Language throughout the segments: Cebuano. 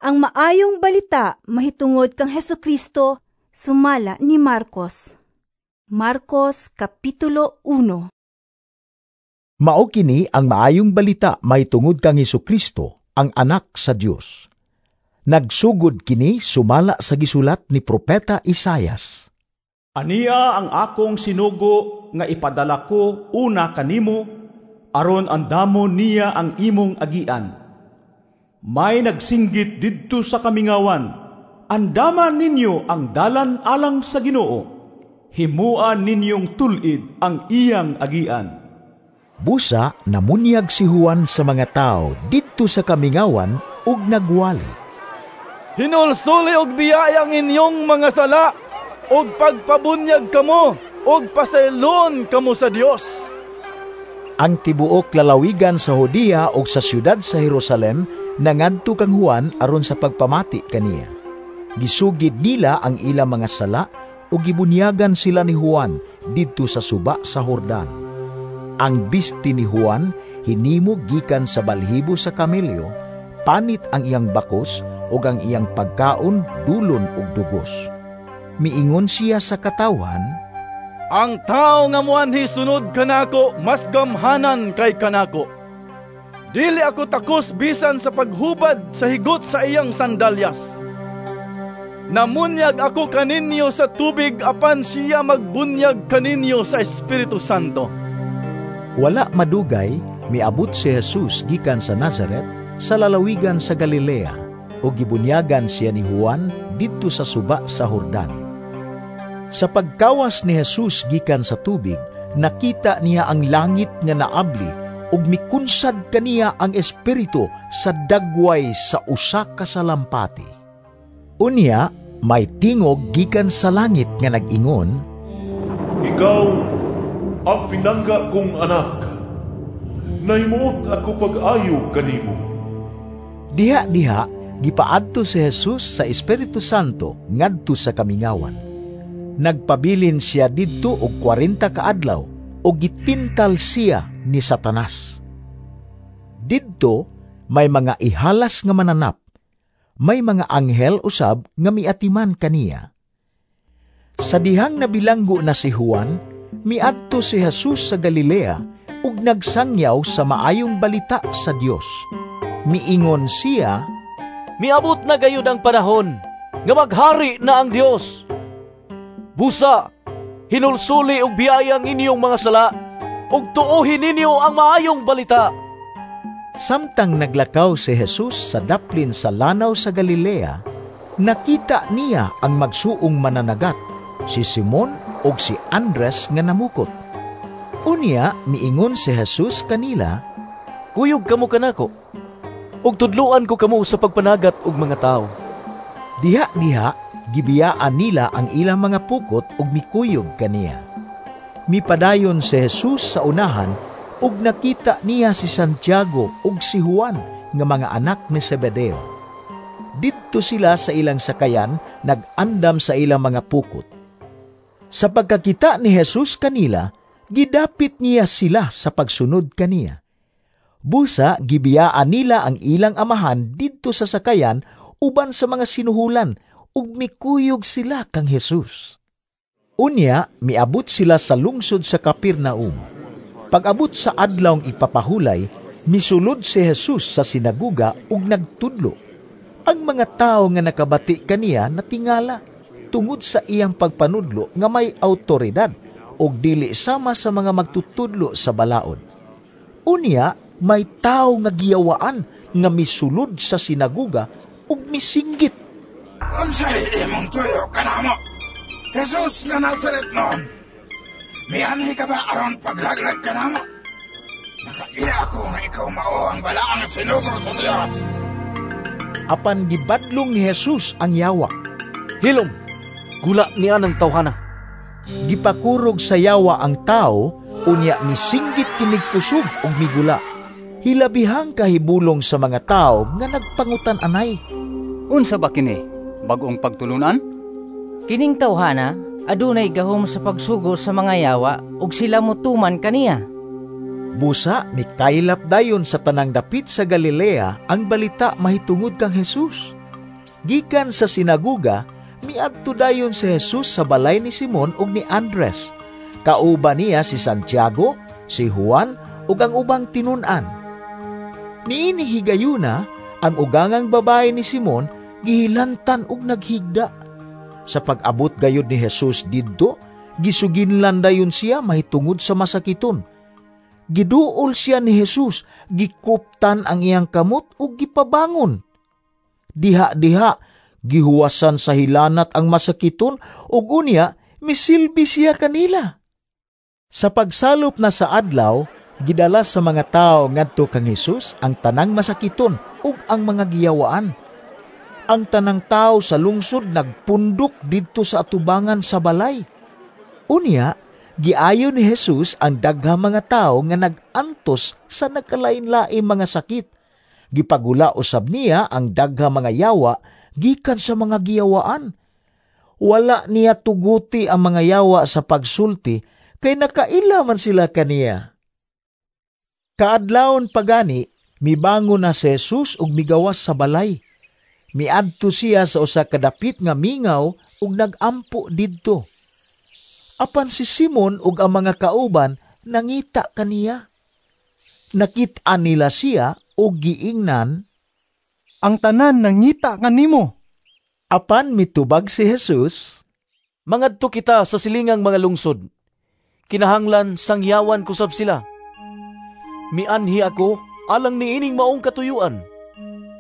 Ang Maayong Balita mahitungod kang Hesukristo sumala ni Marcos. Marcos Kapitulo 1. Mao kini ang Maayong Balita mahitungod kang Hesukristo, ang Anak sa Dios. Nagsugod kini sumala sa gisulat ni Propeta Isayas. Ania ang akong sinugo nga ipadala ko una kanimo, aron andamon niya ang imong agian. May nagsinggit didto sa kamingawan, "Andaman ninyo ang dalan alang sa Ginoo. Himuan ninyong tulid ang iyang agian." Busa namunyag si Juan sa mga tao didto sa kamingawan ug nagwali. "Hinulsuli og biyaya ang inyong mga sala, ug pagpabunyag kamo, ug pasayloon kamo sa Dios." Ang tibuok lalawigan sa Judea ug sa siyudad sa Jerusalem nangadto kang Juan aron sa pagpamati kaniya. Gisugid nila ang ilang mga sala ug gibunyagan sila ni Juan didto sa suba sa Jordan. Ang bisti ni Juan hinimo gikan sa balhibo sa kamelyo, panit ang iyang bakos ug ang iyang pagkaon dulon ug dugos. Miingon siya sa katawhan, "Ang tao nga muanhi sunod kanako mas gamhanan kay kanako. Dili ako takos bisan sa paghubad sa higot sa iyang sandalyas. Namunyag ako kaninyo sa tubig, apan siya magbunyag kaninyo sa Espiritu Santo." Wala madugay, miabot si Jesus gikan sa Nazaret sa lalawigan sa Galilea, ug gibunyagan siya ni Juan didto sa suba sa Jordan. Sa pagkawas ni Jesus gikan sa tubig, nakita niya ang langit nga naabli ug mikunsad kaniya ang Espiritu sa dagway sa usa ka salampati. Unya, may tingog gikan sa langit nga nag-ingon, "Ikaw ang pinangga kong anak. Nahimuot ako pag-ayo kanimo." Diha-diha, gipaadto si Jesus sa Espiritu Santo ngadto sa kamingawan. Nagpabilin siya didto og 40 ka adlaw ug gitintal siya ni Satanas. Didto may mga ihalas nga mananap, may mga anghel usab nga miatiman kaniya. Sa dihang nabilanggo na si Juan, miadto si Jesus sa Galilea ug nagsangyaw sa Maayong Balita sa Dios. Miingon siya, "Miabot na gayud ang panahon nga maghari na ang Dios. Busa, hinulsuli og biyaya ang inyong mga sala, ug tuohi ninyo ang Maayong Balita." Samtang naglakaw si Jesus sa daplin sa lanaw sa Galilea, nakita niya ang magsuong mananagat, si Simon ug si Andres nga namukot. Unya miingon si Jesus kanila, "Kuyog kamo kanako, ug tudluan ko kamo sa pagpanagat og mga tawo." Diha-diha gibiyaan nila ang ilang mga pukot ug mikuyog kaniya. Mipadayon si Jesus sa unahan ug nakita niya si Santiago ug si Juan nga mga anak ni Zebedeo. Didto sila sa ilang sakayan nag-andam sa ilang mga pukot. Sa pagkakita ni Jesus kanila, gidapit niya sila sa pagsunod kaniya. Busa gibiyaan nila ang ilang amahan didto sa sakayan uban sa mga sinuhulan ug mikuyog sila kang Jesus. Unya miabot sila sa lungsod sa Capernaum. Pag-abot sa adlawng ipapahulay, misulod si Jesus sa sinaguga ug nagtudlo. Ang mga tawo nga nakabati kaniya natingala tungod sa iyang pagpanudlo nga may autoridad ug dili sama sa mga magtutudlo sa balaod. Unya may tawo nga giyawaan nga misulod sa sinaguga ug misinggit, "Unsay imong tuyo kanamo, Jesus nga Nazaret noon? Mianhi ka ba aron paglaglag kanamo? Nakaila ako nga ikaw mao ang balaang sinugo sa Dios." Apan gibadlong ni Jesus ang yawa. "Hilom, gula niya ng tawhana." Gipakurog sa yawa ang tao, unya misinggit kinig kusog ug migula. Hilabihang kahibulong sa mga tao nga nagpangutan anay, "Unsa ba kini? Bag-ong pagtulunan? Kining tawhana adunay gahom sa pagsugo sa mga yawa ug sila motuman kaniya." Busa mikaylap dayon sa tanang dapit sa Galilea ang balita mahitungod kang Jesus. Gikan sa sinaguga, miadto dayon si Jesus sa balay ni Simon ug ni Andres. Kauban niya si Santiago, si Juan ug ang ubang tinun-an. Niini higayuna, ang ugangang babae ni Simon gihilantan og naghigda. Sa pag-abot gayud ni Jesus didto, gisuginlan dayon siya mahitungod sa masakiton. Giduol siya ni Jesus, gikuptan ang iyang kamot ug gipabangon. Diha-diha, gihuwasan sa hilanat ang masakiton ug unya misilbi siya kanila. Sa pagsalop na sa adlaw, gidala sa mga tawo ngadto kang Jesus ang tanang masakiton ug ang mga giyawaan. Ang tanang tawo sa lungsod nagpundok didto sa atubangan sa balay. Unya, giayo ni Jesus ang daghang mga tawo nga nag-antos sa nagkalain-laing mga sakit. Gipagula usab niya ang daghang mga yawa gikan sa mga giyawaan. Wala niya tuguti ang mga yawa sa pagsulti kay nakaila man sila kaniya. Kaadlawon pagani, mibangon na si Jesus ug migawas sa balay. Miadto siya sa usa ka dapit nga mingaw ug nagampo didto. Apan si Simon ug ang mga kauban nangita kaniya. Nakit-an nila siya ug giingnan, "Ang tanan nangita kanimo." Apan mitubag si Jesus, "Mangadto kita sa silingang mga lungsod. Kinahanglan sangyawan ko sab sila. Mianhi ako alang niining maong katuyuan."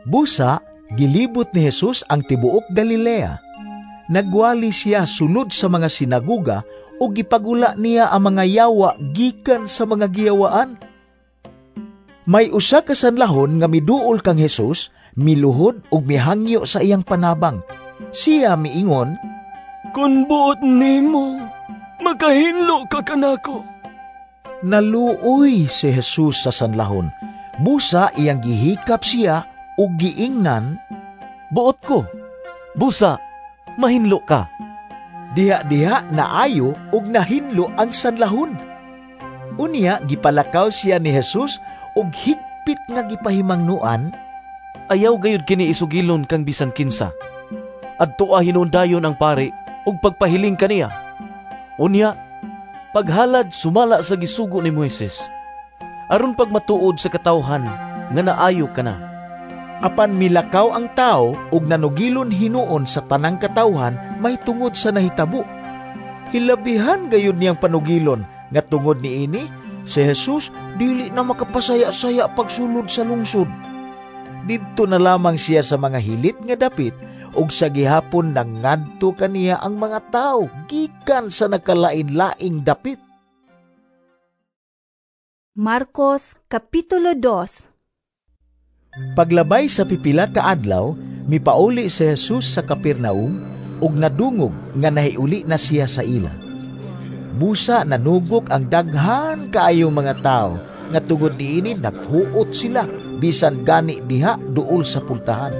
Busa, gilibot ni Jesus ang tibuok Galilea. Nagwali siya sulod sa mga sinaguga ug gipagula niya ang mga yawa gikan sa mga giyawaan. May usa ka sanlahon nga miduol kang Jesus, miluhod ug mihangyo sa iyang panabang. Siya miingon, "Kun buot nimo, makahinlo ka kanako." Naluoy si Jesus sa sanlahon. Busa iyang gihikap siya ug giingnan, "Buot ko, busa mahinlo ka." Diha-diha naayo ug nahinlo ang sanlahon. Unya gipalakaw siya ni Jesus ug higpit nga gipahimangnuan, "Ayaw gayud kini isugilon kang bisan kinsa. Adtoa hinuon dayon ang pari ug pagpahiling kaniya. Unya paghalad sumala sa gisugo ni Moises, aron pagmatuod sa katawhan nga naayo ka na." Apan milakaw ang tao ug nanugilon hinuon sa tanang katawhan mahitungod sa nahitabo. Hilabihan gayud niyang panugilon nga tungod niini si Jesus dili na makapasaya-saya pagsulod sa lungsod. Didto na lamang siya sa mga hilit nga dapit ug sa gihapon nangadto kaniya ang mga tao gikan sa nakalain-laing dapit. Marcos Kapitulo 2. Paglabay sa pipila ka adlaw, mipauli si Jesus sa Capernaum ug nadungog nga nahiuli na siya sa ila. Busa nanugok ang daghan kaayong mga tao nga tungod niini naghuot sila bisan gani diha duol sa pultahan.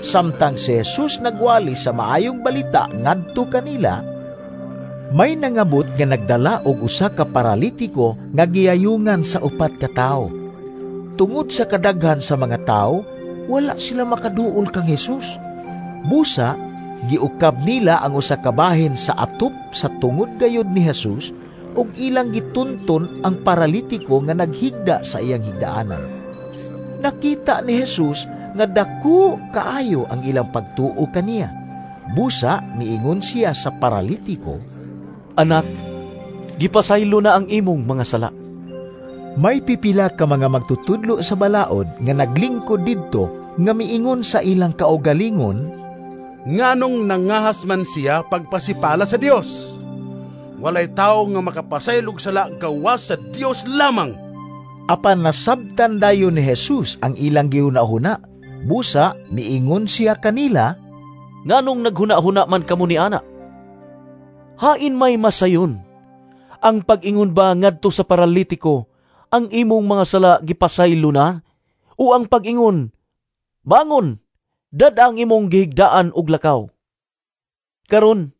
Samtang si Jesus nagwali sa maayong balita ngadto kanila, may nangabot nga nagdala og usa ka paralitiko nga giyayungan sa upat ka tawo. Tungod sa kadaghan sa mga tao, wala sila makaduol kang Jesus. Busa, giukab nila ang usa ka bahin sa atop sa tungod gayod ni Jesus ug ilang gitunton ang paralitiko nga naghigda sa iyang higdaanan. Nakita ni Jesus nga dako kaayo ang ilang pagtuo kaniya. Busa, miingon siya sa paralitiko, "Anak, gipasaylo na ang imong mga sala." May pipila ka mga magtutudlo sa balaod nga naglingkod didto nga miingon sa ilang kaugalingon, "Nganong nangahas man siya pagpasipala sa Dios? Walay tawo nga makapasaylog sala gawas sa Dios lamang." Apan nasabtan dayon ni Jesus ang ilang gihuna-huna. Busa miingon siya kanila, "Nganong naghuna-huna man kamo ni ana? Hain may masayon ang pag-ingon ba ngadto sa paralitiko, ang imong mga sala gipasaylo na, o ang pag-ingon, bangon, dad ang imong gihigdaan og lakaw? Karon,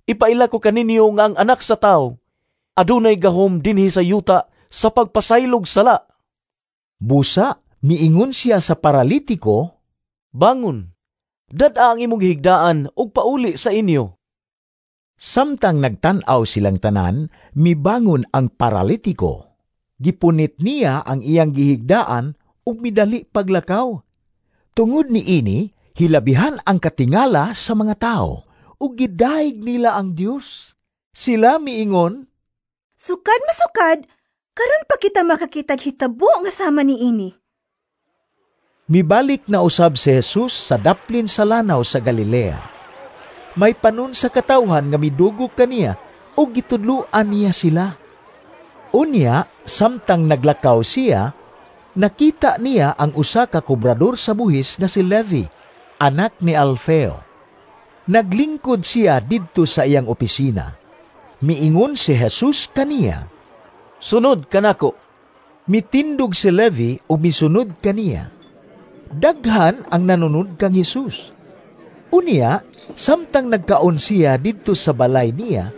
ipaila ko kaninyo nga ang anak sa tawo adunay gahom dinhi sa yuta sa pagpasaylog sala." Busa, miingon siya sa paralitiko, "Bangon, Dad-a ang imong gihigdaan ug pauli sa inyo." Samtang nagtan-aw silang tanan, mibangon ang paralitiko. Gipunit niya ang iyang gihigdaan ug midali paglakaw. Tungod niini, hilabihan ang katingala sa mga tawo ug gidayeg nila ang Dios. Sila miingon, "Sukad masukad, karon pa kita makakitag hitabo nga sama niini." Mibalik na usab si Jesus sa daplin sa lanaw sa Galilea. May panon sa katawhan nga midugog kaniya ug gitudloan niya sila. Unya, samtang naglakaw siya, nakita niya ang usa ka kobrador sa buhis nga si Levi, anak ni Alfeo. Naglingkod siya didto sa iyang opisina. Miingon si Jesus kaniya, "Sunod kanako." Mitindog si Levi ug misunod kaniya. Daghan ang nanunod kang Jesus. Unya, samtang nagkaon siya didto sa balay niya,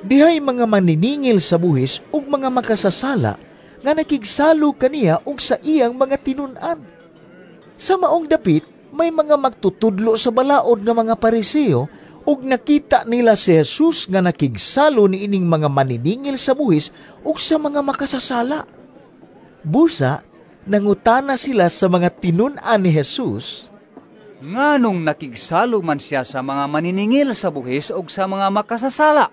dihay mga maniningil sa buhis ug mga makasasala nga nakigsalo kaniya ug sa iyang mga tinun-an. Sa maong dapit, may mga magtutudlo sa balaod nga mga Pariseo ug nakita nila si Jesus nga nakigsalo niining mga maniningil sa buhis ug sa mga makasasala. Busa, nangutana sila sa mga tinun-an ni Jesus, "Nganong nakigsalo man siya sa mga maniningil sa buhis ug sa mga makasasala?"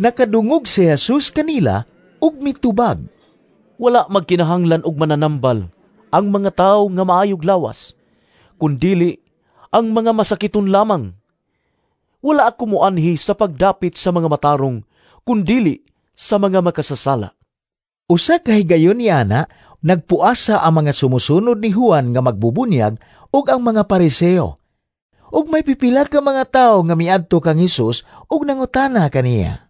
Nakadungog si Jesus kanila ug mitubag, "Wala magkinahanglan og mananambal ang mga tawo nga maayog lawas, kundili ang mga masakiton lamang. Wala ako moanhi sa pagdapit sa mga matarong, kundili sa mga makasasala." Usa ka higayon niana, nagpuasa ang mga sumusunod ni Juan nga magbubunyag ug ang mga Pariseo. Ug may pipila ka mga tawo nga miadto kang Hesus ug nangutana kaniya,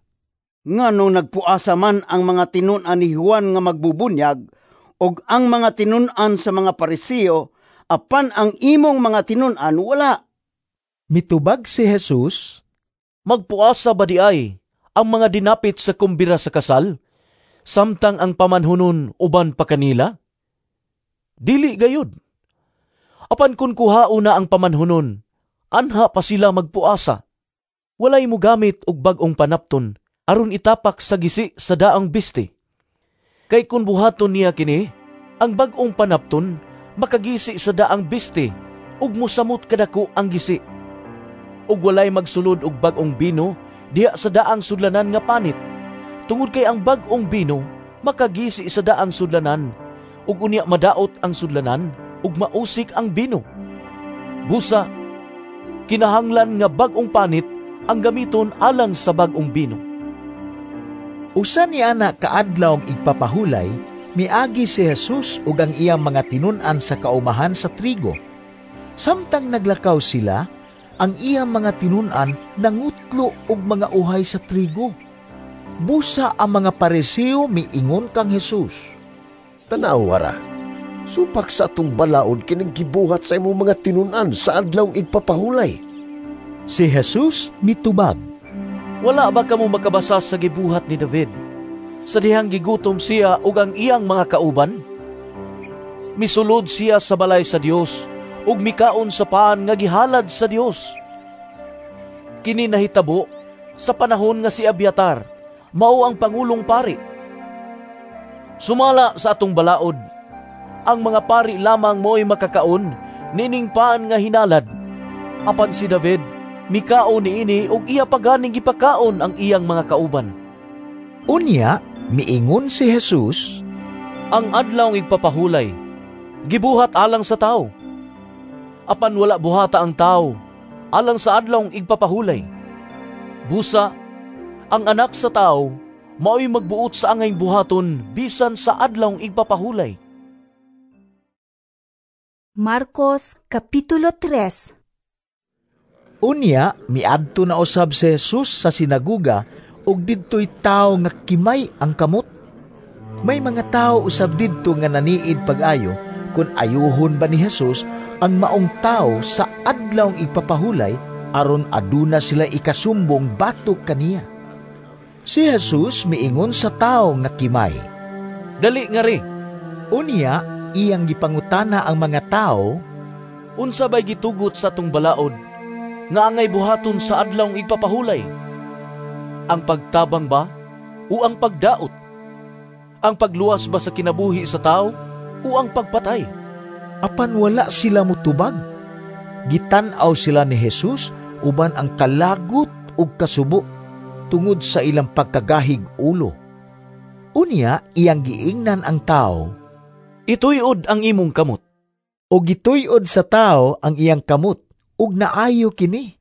"Nganong nagpuasa man ang mga tinun-an ni Juan nga magbubunyag ug ang mga tinun-an sa mga Pariseo, apan ang imong mga tinun-an wala?" Mitubag si Jesus, "Magpuasa ba di ay ang mga dinapit sa kumbira sa kasal, samtang ang pamanhunon uban pa kanila? Dili gayud. Apan kun kuhao na ang pamanhunon, anha pa sila magpuasa. Walay mogamit og bag-ong panapton aron itapak sa gisi sa daang biste. Kay kun buhaton niya kini, ang bag-ong panapton makagisi sa daang biste ug mosamot kadako ang gisi. Ug walay magsulod og bag-ong bino diha sa daang sudlanan nga panit, tungod kay ang bag-ong bino makagisi sa daang sudlanan, ug unya madaot ang sudlanan ug mausik ang bino. Busa, kinahanglan nga bag-ong panit ang gamiton alang sa bag-ong bino." Usa ni ana kaadlawng igpapahulay, miagi si Jesus ug ang iyang mga tinun-an sa kaumahan sa trigo. Samtang naglakaw sila, ang iyang mga tinun-an nangutlo og mga uhay sa trigo. Busa ang mga Pariseo miingon kang Jesus, "Tan-awa ra, supak sa atong balaod kining gibuhat sa imong mga tinun-an sa adlawng igpapahulay." Si Jesus mitubag, "Wala ba kamo makabasa sa gibuhat ni David sa dihang gigutom siya ug ang iyang mga kauban? Misulod siya sa balay sa Dios ug mikaon sa paan nga gihalad sa Dios. Kini nahitabo sa panahon nga si Abiatar mao ang pangulong pari. Sumala sa atong balaod, ang mga pari lamang mo'y makakaon nining paan nga hinalad. Apan si David mikaon niini ug iya paganing gipakaon ang iyang mga kauban." Unya miingon si Jesus, "Ang adlaw igpapahulay gibuhat alang sa tawo. Apan wala buhata ang tawo alang sa adlaw igpapahulay. Busa, ang anak sa tawo mao'y magbuot sa angay buhaton bisan sa adlaw igpapahulay." Marcos Kapitulo 3. Unya, miadto na usab si Jesus sa sinaguga ug didto'y tawo nga kimay ang kamot. May mga tawo usab didto nga naniid pag-ayo kung ayuhon ba ni Jesus ang maong tawo sa adlawng igpapahulay aron aduna sila ikasumbong batok kaniya. Si Jesus miingon sa tawo nga kimay, "Dali nga ri." Unya, iyang gipangutana ang mga tawo, Unsa bay gitugot sa atong balaod nga angay buhaton sa adlawng igpapahulay? Ang pagtabang ba o ang pagdaot? Ang pagluwas ba sa kinabuhi sa tao o ang pagpatay? Apan wala sila mutubag. Gitan-aw sila ni Jesus uban ang kalagot ug kasubo tungod sa ilang pagkagahig ulo. Unya iyang giingnan ang tao, "Ituyod ang imong kamot." O gituyod sa tao ang iyang kamot ug naayo kini.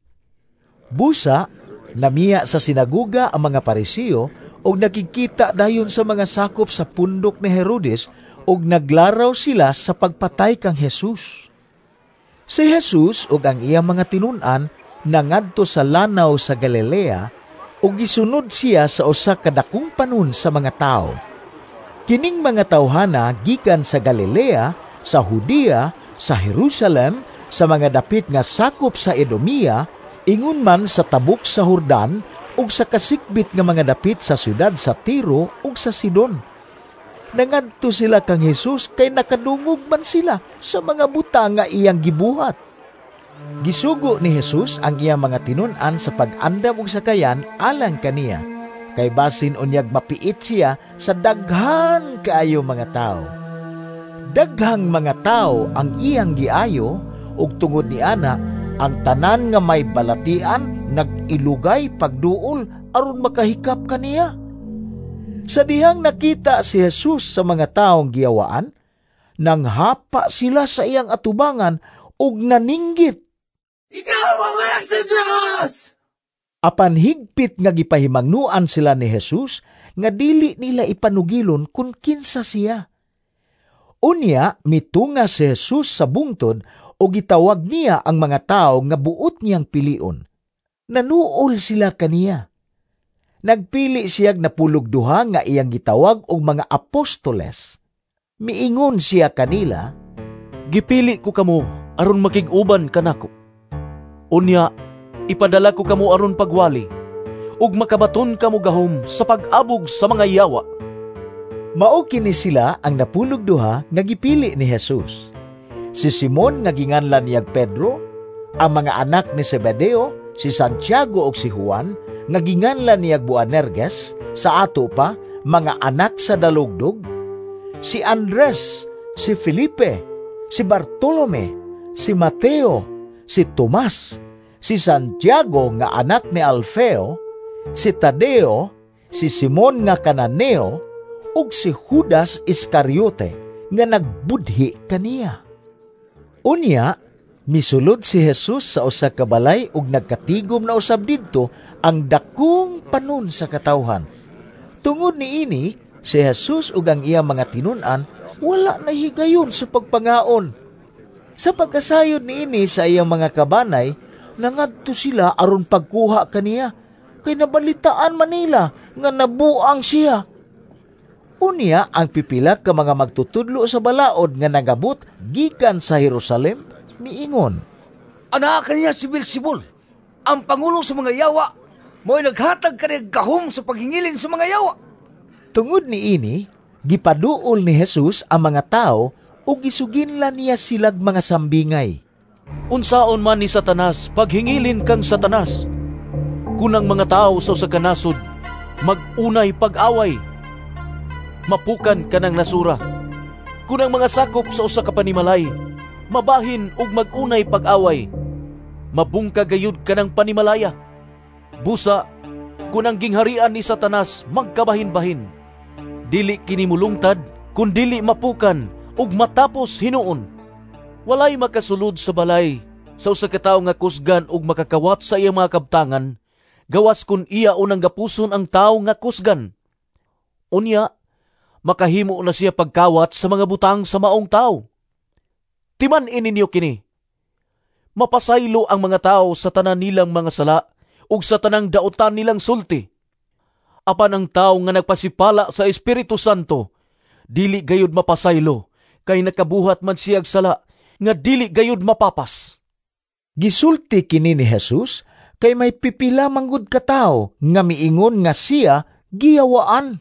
Busa namiya sa sinaguga ang mga Pariseo ug nakikita dayon sa mga sakop sa pundok ni Herodes ug naglaraw sila sa pagpatay kang Jesus. Si Jesus ug ang iyang mga tinun-an nangadto sa lanaw sa Galilea ug gisunod siya sa usa ka dakong panon sa mga tawo. Kining mga tawhana gikan sa Galilea, sa Judea, sa Jerusalem, sa mga dapit nga sakop sa Edomia, ingon man sa tabok sa Jordan ug sa kasikbit nga mga dapit sa syudad sa Tiro ug sa Sidon. Nangadto sila kang Jesus kay nakadungog man sila sa mga butang nga iyang gibuhat. Gisugo ni Jesus ang iyang mga tinun-an sa pag-andam og sakayan alang kaniya, kay basin unyag mapiit siya sa daghan kaayo mga tawo. Daghang mga tawo ang iyang giayo ug tungod ni ana ang tanan nga may balatian nag-ilugay pagduol aron makahikap kaniya. Sa dihang nakita si Jesus sa mga taong giyawaan, nanghapa sila sa iyang atubangan ug naninggit, "Ikaw ang anak sa Diyos!" Apan higpit nga gipahimangnuan sila ni Jesus nga dili nila ipanugilon kung kinsa siya. Unya mitunga si Jesus sa bungtod o gitawag niya ang mga tao nga buot niyang pilion. Nanuol sila kaniya. Nagpili siyag napulog duha nga iyang gitawag og mga apostoles. Miingon siya kanila, "Gipili ko kamo aron makig-uban kanako. Unya ipadala ko kamo aron pagwali, ug makabaton kamo gahom sa pag-abog sa mga yawa." Mao kini sila ang napulog duha nga gipili ni Jesus. Si Simon nga ginganlan niyag Pedro, ang mga anak ni Zebedeo, si Santiago ug si Juan nga ginganlan niyag Boanerges, sa ato pa mga anak sa dalugdog, si Andres, si Felipe, si Bartolome, si Mateo, si Tomas, si Santiago nga anak ni Alfeo, si Tadeo, si Simon nga Kananeo, ug si Judas Iscariote nga nagbudhi kaniya. Unya, misulod si Jesus sa usa ka balay ug nagkatigom na usab didto ang dakong panon sa katawhan. Tungod niini, si Jesus ug ang iyang mga tinun-an wala na higayon sa pagpangaon. Sa pagkasayod niini sa iyang mga kabanay, nangadto sila aron pagkuha kaniya, kay nabalitaan man nila nga nabuang siya. Unya ang pipila ka mga magtutudlo sa balaod nga nagabot gikan sa Jerusalem miingon, "Anaa kaniya si Beelzebul, ang pangulo sa mga yawa, mo'y naghatag kaniya gahom sa paghingilin sa mga yawa." Tungod niini, gipaduol ni Jesus ang mga tao ug gisuginlan niya silag mga sambingay. "Unsaon man ni Satanas paghingilin kang Satanas? Kun ang mga tao sa usa ka nasod mag-unay pag-away, mapukan kanang nasura. Kun ang mga sakop sa usa ka panimalay mabahin ug mag-unay pag-away, mabungka gayud kanang panimalaya. Busa, kun ang gingharian ni Satanas magkabahin-bahin, dili kini mulungtad kun dili mapukan ug matapos hinuon. Walay makasulod sa balay sa usa ka tawo nga kusgan ug makakawat sa iyang mga kabtangan, gawas kun iya unang gapuson ang tawo nga kusgan. Unya, makahimo na siya pagkawat sa mga butang sa maong tawo. Timan-i ninyo kini. Mapasaylo ang mga tao sa tanan nilang mga sala ug sa tanang daotan nilang sulti. Apan ang tao nga nagpasipala sa Espiritu Santo, dili gayud mapasaylo, kay nakabuhat man siyag sala nga dili gayud mapapas." Gisulti kini ni Jesus kay may pipila manggod ka tawo nga miingon nga siya giyawaan.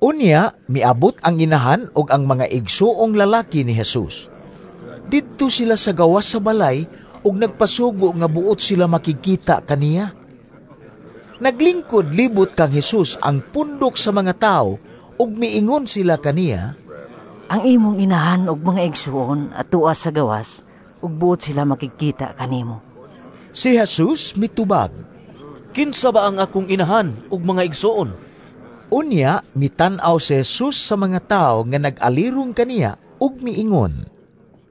Unya miabot ang inahan ug ang mga igsuong lalaki ni Jesus. Didto sila sa gawas sa balay ug nagpasugo nga buot sila makigkita kaniya. Naglingkod libot kang Hesus ang pundok sa mga tawo ug miingon sila kaniya, "Ang imong inahan ug mga igsuon atua sa gawas ug buot sila makigkita kanimo." Si Jesus mitubag, "Kinsa ba ang akong inahan ug mga igsuon?" Unya mitan-aw si Jesus sa mga tawo nga nag-alirong kaniya ug miingon,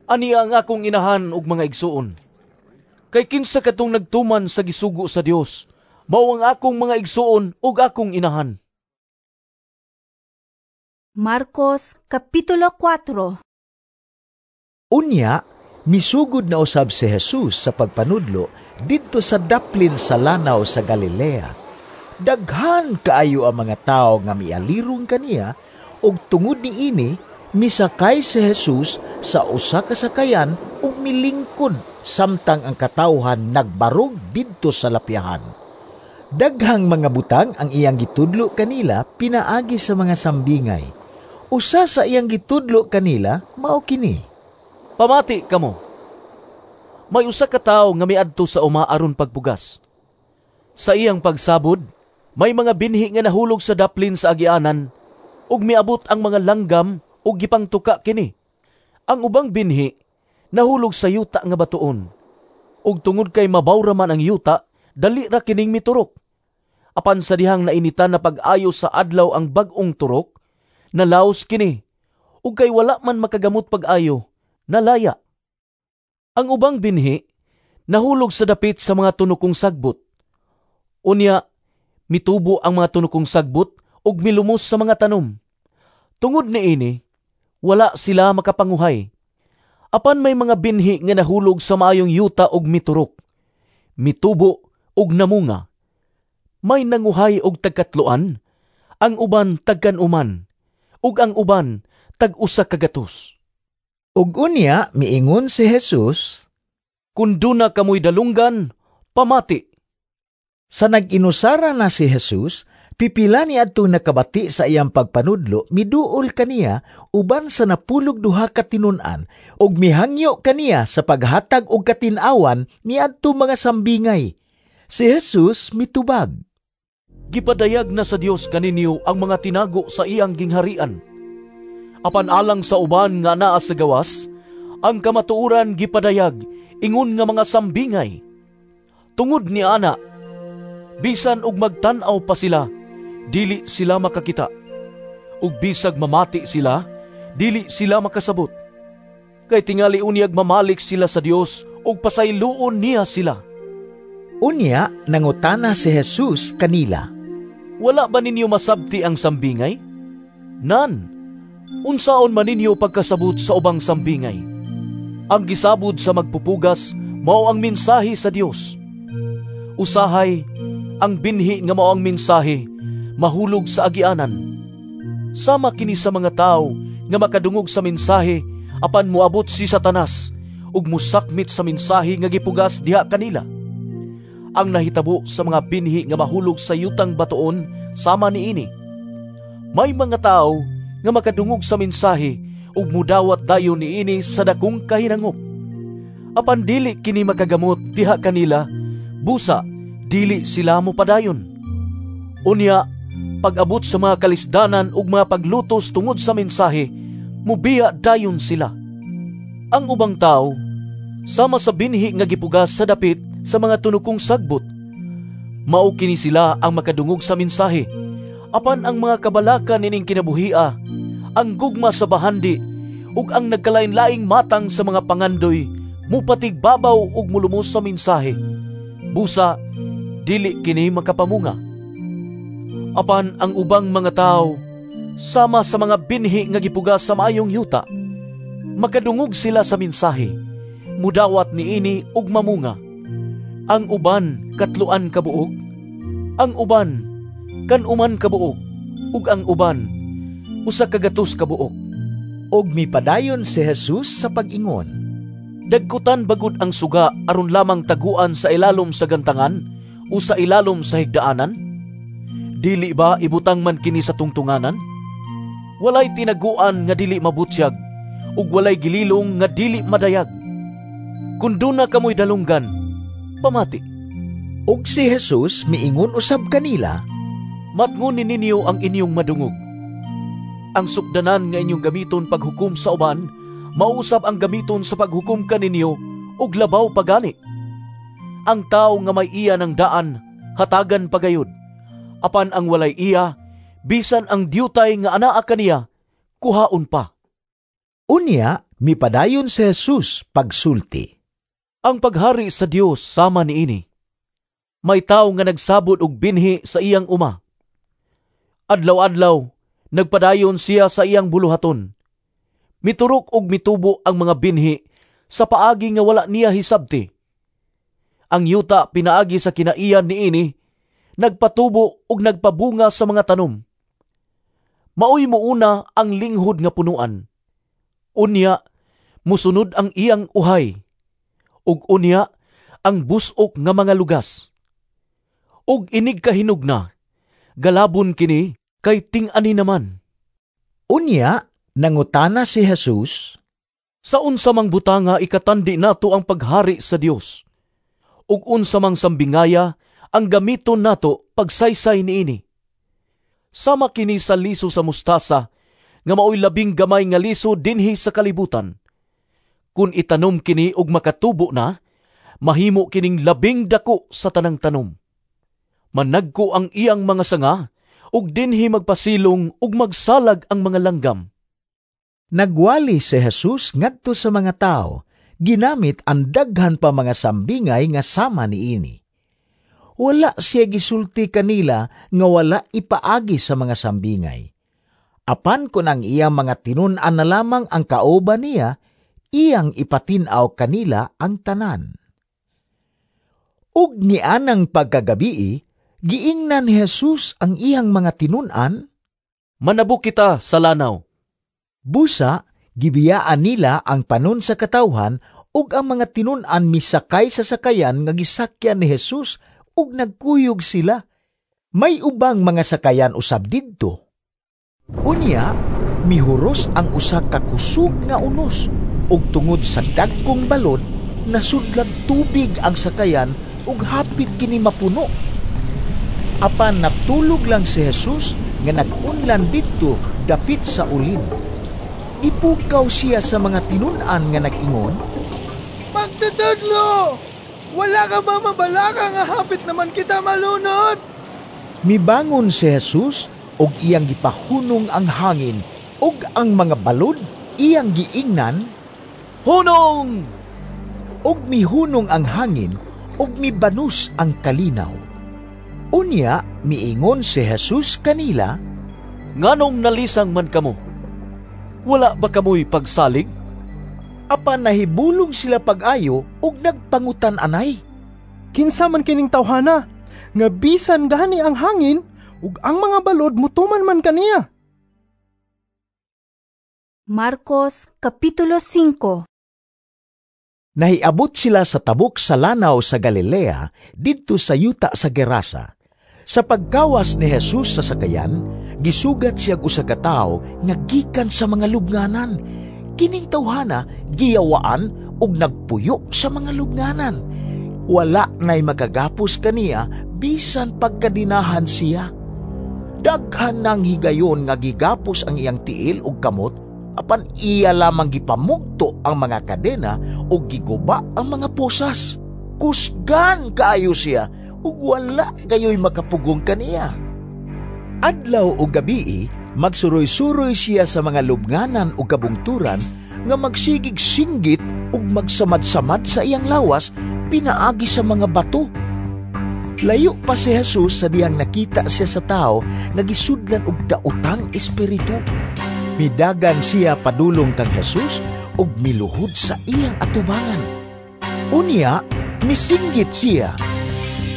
"Ani ang akong inahan ug mga igsuon? Kay kinsa katong nagtuman sa gisugo sa Dios, mao ang akong mga igsuon ug akong inahan." Marcos Kapitulo 4. Unya, misugod na usab si Jesus sa pagpanudlo didto sa daplin sa lanaw sa Galilea. Daghan kaayo ang mga tawo nga mialirong kaniya, ug tungod niini misakay si Jesus sa usa ka sakayan ug milingkod samtang ang katawhan nagbarog didto sa lapyahan. Daghang mga butang ang iyang gitudlo kanila pinaagi sa mga sambingay. Usa sa iyang gitudlo kanila mao kini: "Pamati kamo. May usa ka tawo nga miadto sa uma aron pagpugas. Sa iyang pagsabod, may mga binhi nga nahulog sa daplin sa agianan ug miabot ang mga langgam ug gipangtuka kini. Ang ubang binhi nahulog sa yuta nga batuon, ug tungod kay mabaw ra man ang yuta, dali ra kining miturok. Apan sa dihang nainitan na pag-ayo sa adlaw ang bag-ong turok, nalaos kini, ug kay wala man makagamot pag-ayo, nalaya. Ang ubang binhi nahulog sa dapit sa mga tunukong sagbot. Unya mitubo ang mga tunukong sagbot ug milumos sa mga tanom. Tungod niini, wala sila makapanguhay. Apan may mga binhi nga nahulog sa maayong yuta ug miturok, mitubo ug namunga. May nanguhay og tagkatloan, ang uban tagkanuman, ug ang uban tag-usa ka gatos." Ug unya miingon si Jesus, "Kun duna kamoy dalunggan, pamati." Sa nag-inusara na si Jesus, pipila ni adtong nakabati sa iyang pagpanudlo miduol kaniya uban sa napulog duha ka tinun-an ug mihangyo kaniya sa paghatag og katin-awan niadto mga sambingay. Si Jesus mitubag, "Gipadayag na sa Dios kaninyo ang mga tinago sa iyang gingharian. Apan alang sa uban nga naa sa gawas, ang kamatuoran gipadayag ingon nga mga sambingay. Tungod ni ana, bisan og magtan-aw pa sila, dili sila makakita. Ug bisag mamati sila, dili sila makasabot. Kay tingali unyag mamalik sila sa Dios ug pasayloon niya sila." Unya nangutana si Jesus kanila, "Wala ba ninyo masabti ang sambingay? Nan, unsaon man ninyo pagkasabot sa ubang sambingay? Ang gisabod sa magpupugas mao ang mensahe sa Dios. Usahay, ang binhi nga mao ang mensahe mahulog sa agianan. Sama kini sa mga tawo nga makadungog sa mensahe apan moabot si Satanas ug mosakmit sa mensahe nga gipugas diha kanila. Ang nahitabo sa mga binhi nga mahulog sa yutang batuon sama niini. May mga tawo nga makadungog sa mensahe ug mudawat dayon niini sa dakong kahinangop. Apan dili kini makagamot diha kanila, busa dili sila mopadayon. Unya, pag-abot sa mga kalisdanan ug mga paglutos tungod sa mensahe, mubiya dayon sila. Ang ubang tawo sama sa binhi nga gipugas sa dapit sa mga tunukong sagbot. Mao kini sila ang makadungog sa mensahe, apan ang mga kabalaka nining kinabuhia, ang gugma sa bahandi, ug ang nagkalain-laing matang sa mga pangandoy, mupatigbabaw ug mulumos sa mensahe. Busa, dili kini makapamunga. Apan ang ubang mga tawo, sama sa mga binhi nga gipugas sa maayong yuta, makadungog sila sa mensahe, mudawat niini ug mamunga. Ang uban katloan ka buok, ang uban kanuman ka buok, ug ang uban usa ka gatos ka buok." Ug mipadayon si Jesus sa pag-ingon, "Dagkutan bagud ang suga aron lamang taguan sa ilalom sa gantangan o sa ilalom sa higdaanan? Dili ba ibutang man kini sa tungtunganan? Walay tinaguan nga dili mabutyag, ug walay gililong nga dili madayag. Kun duna kamoy dalunggan, pamati. Ug si Jesus miingon usab kanila, Matngoni ninyo ang inyong madungog. Ang sukdanan nga inyong gamiton paghukom sa uban, mausab ang gamiton sa paghukom kaninyo ug labaw pagani. Ang tawo nga may iya ng daan, hatagan pagayod. Apan ang walay iya, bisan ang diutay nga anaa kaniya, kuhaon pa. Unya, mipadayon si Jesus pagsulti. Ang paghari sa Dios sama niini. May tawo nga nagsabot og binhi sa iyang uma. Adlaw-adlaw, nagpadayon siya sa iyang buluhaton. Miturok og mitubo ang mga binhi sa paagi nga wala niya hisabti. Ang yuta pinaagi sa kinaiyan niini, nagpatubo og nagpabunga sa mga tanom. Maoy muuna ang linghod nga punuan. Unya, musunod ang iyang uhay. Ug unya, ang busok nga mga lugas. Ug inig kahinog na, galabon kini kay ting-ani naman. Unya, nangutana si Jesus, Sa unsa mang butanga ikatandi nato ang paghari sa Dios? Ug unsa mang sambingaya ang gamiton nato pagsaysay niini? Sama kini sa liso sa mustasa, nga maoy labing gamay nga liso dinhi sa kalibutan. Kun itanom kini og makatubo na, mahimo kining labing dako sa tanang tanom. Managko ang iyang mga sanga, ug dinhi magpasilong ug magsalag ang mga langgam. Nagwali si Jesus ngadto sa mga tao, ginamit ang daghan pa mga sambingay nga sama niini. Wala siya gisulti kanila nga wala ipaagi sa mga sambingay. Apan kun ang iyang mga tinun-an na lamang ang kauban niya, iyang ipatin-aw kanila ang tanan. Ug nianang pagkagabii, giingnan ni Jesus ang iyang mga tinun-an, Manabok kita sa lanaw. Busa, gibiyaan nila ang panon sa katawhan ug ang mga tinun-an misakay sa sakayan nga gisakyan ni Jesus ug nagkuyog sila. May ubang mga sakayan usab didto. Unya, mihuros ang usa ka kusog nga unos ug tungod sa dagkong balod, nasudlag tubig ang sakayan ug hapit kini mapuno. Apan natulog lang si Jesus nga nag-unlan didto dapit sa ulin. Ipukaw siya sa mga tinun-an nga nag-ingon, Magtutudlo! Wala ka ba mabalaka nga hapit naman kita malunod? Mibangon si Jesus og iyang gipahunong ang hangin ug ang mga balod iyang giingnan, Hunong! Ug mihunong ang hangin ug mibanus ang kalinaw. Unya miingon si Jesus kanila, Nganong nalisang man kamo? Wala ba kamoy pagsalig? Apan nahibulong sila pag-ayo ug nagpangutan-anay. Kinsa man kining tawhana nga bisan gani ang hangin ug ang mga balod mutuman man kaniya. Marcos Kapitulo 5. Nahiabot sila sa tabok sa lanaw sa Galilea, didto sa yuta sa Gerasa. Sa pagkawas ni Jesus sa sakayan, gisugat siya usa ka tawo nga gikan sa mga lubnganan. Kining tawhana giyawaan ug nagpuyo sa mga lubnganan. Wala na'y makagapos kaniya bisan pagkadinahan siya. Daghan nang higayon nga gigapos ang iyang tiil ug kamot, apan iya lamang gipamugto ang mga kadena ug giguba ang mga posas. Kusgan kaayo siya ug wala kayo'y makapugong kaniya. Adlaw o gabii, magsuroy-suroy siya sa mga lubnganan o kabungturan nga magsigig singgit ug magsamad-samad sa iyang lawas pinaagi sa mga bato. Layo pa si Jesus sa diyang nakita siya sa tao nga gisudlan og daotang espiritu. Midagan siya padulong kang Jesus ug miluhod sa iyang atubangan. Unya, misinggit siya,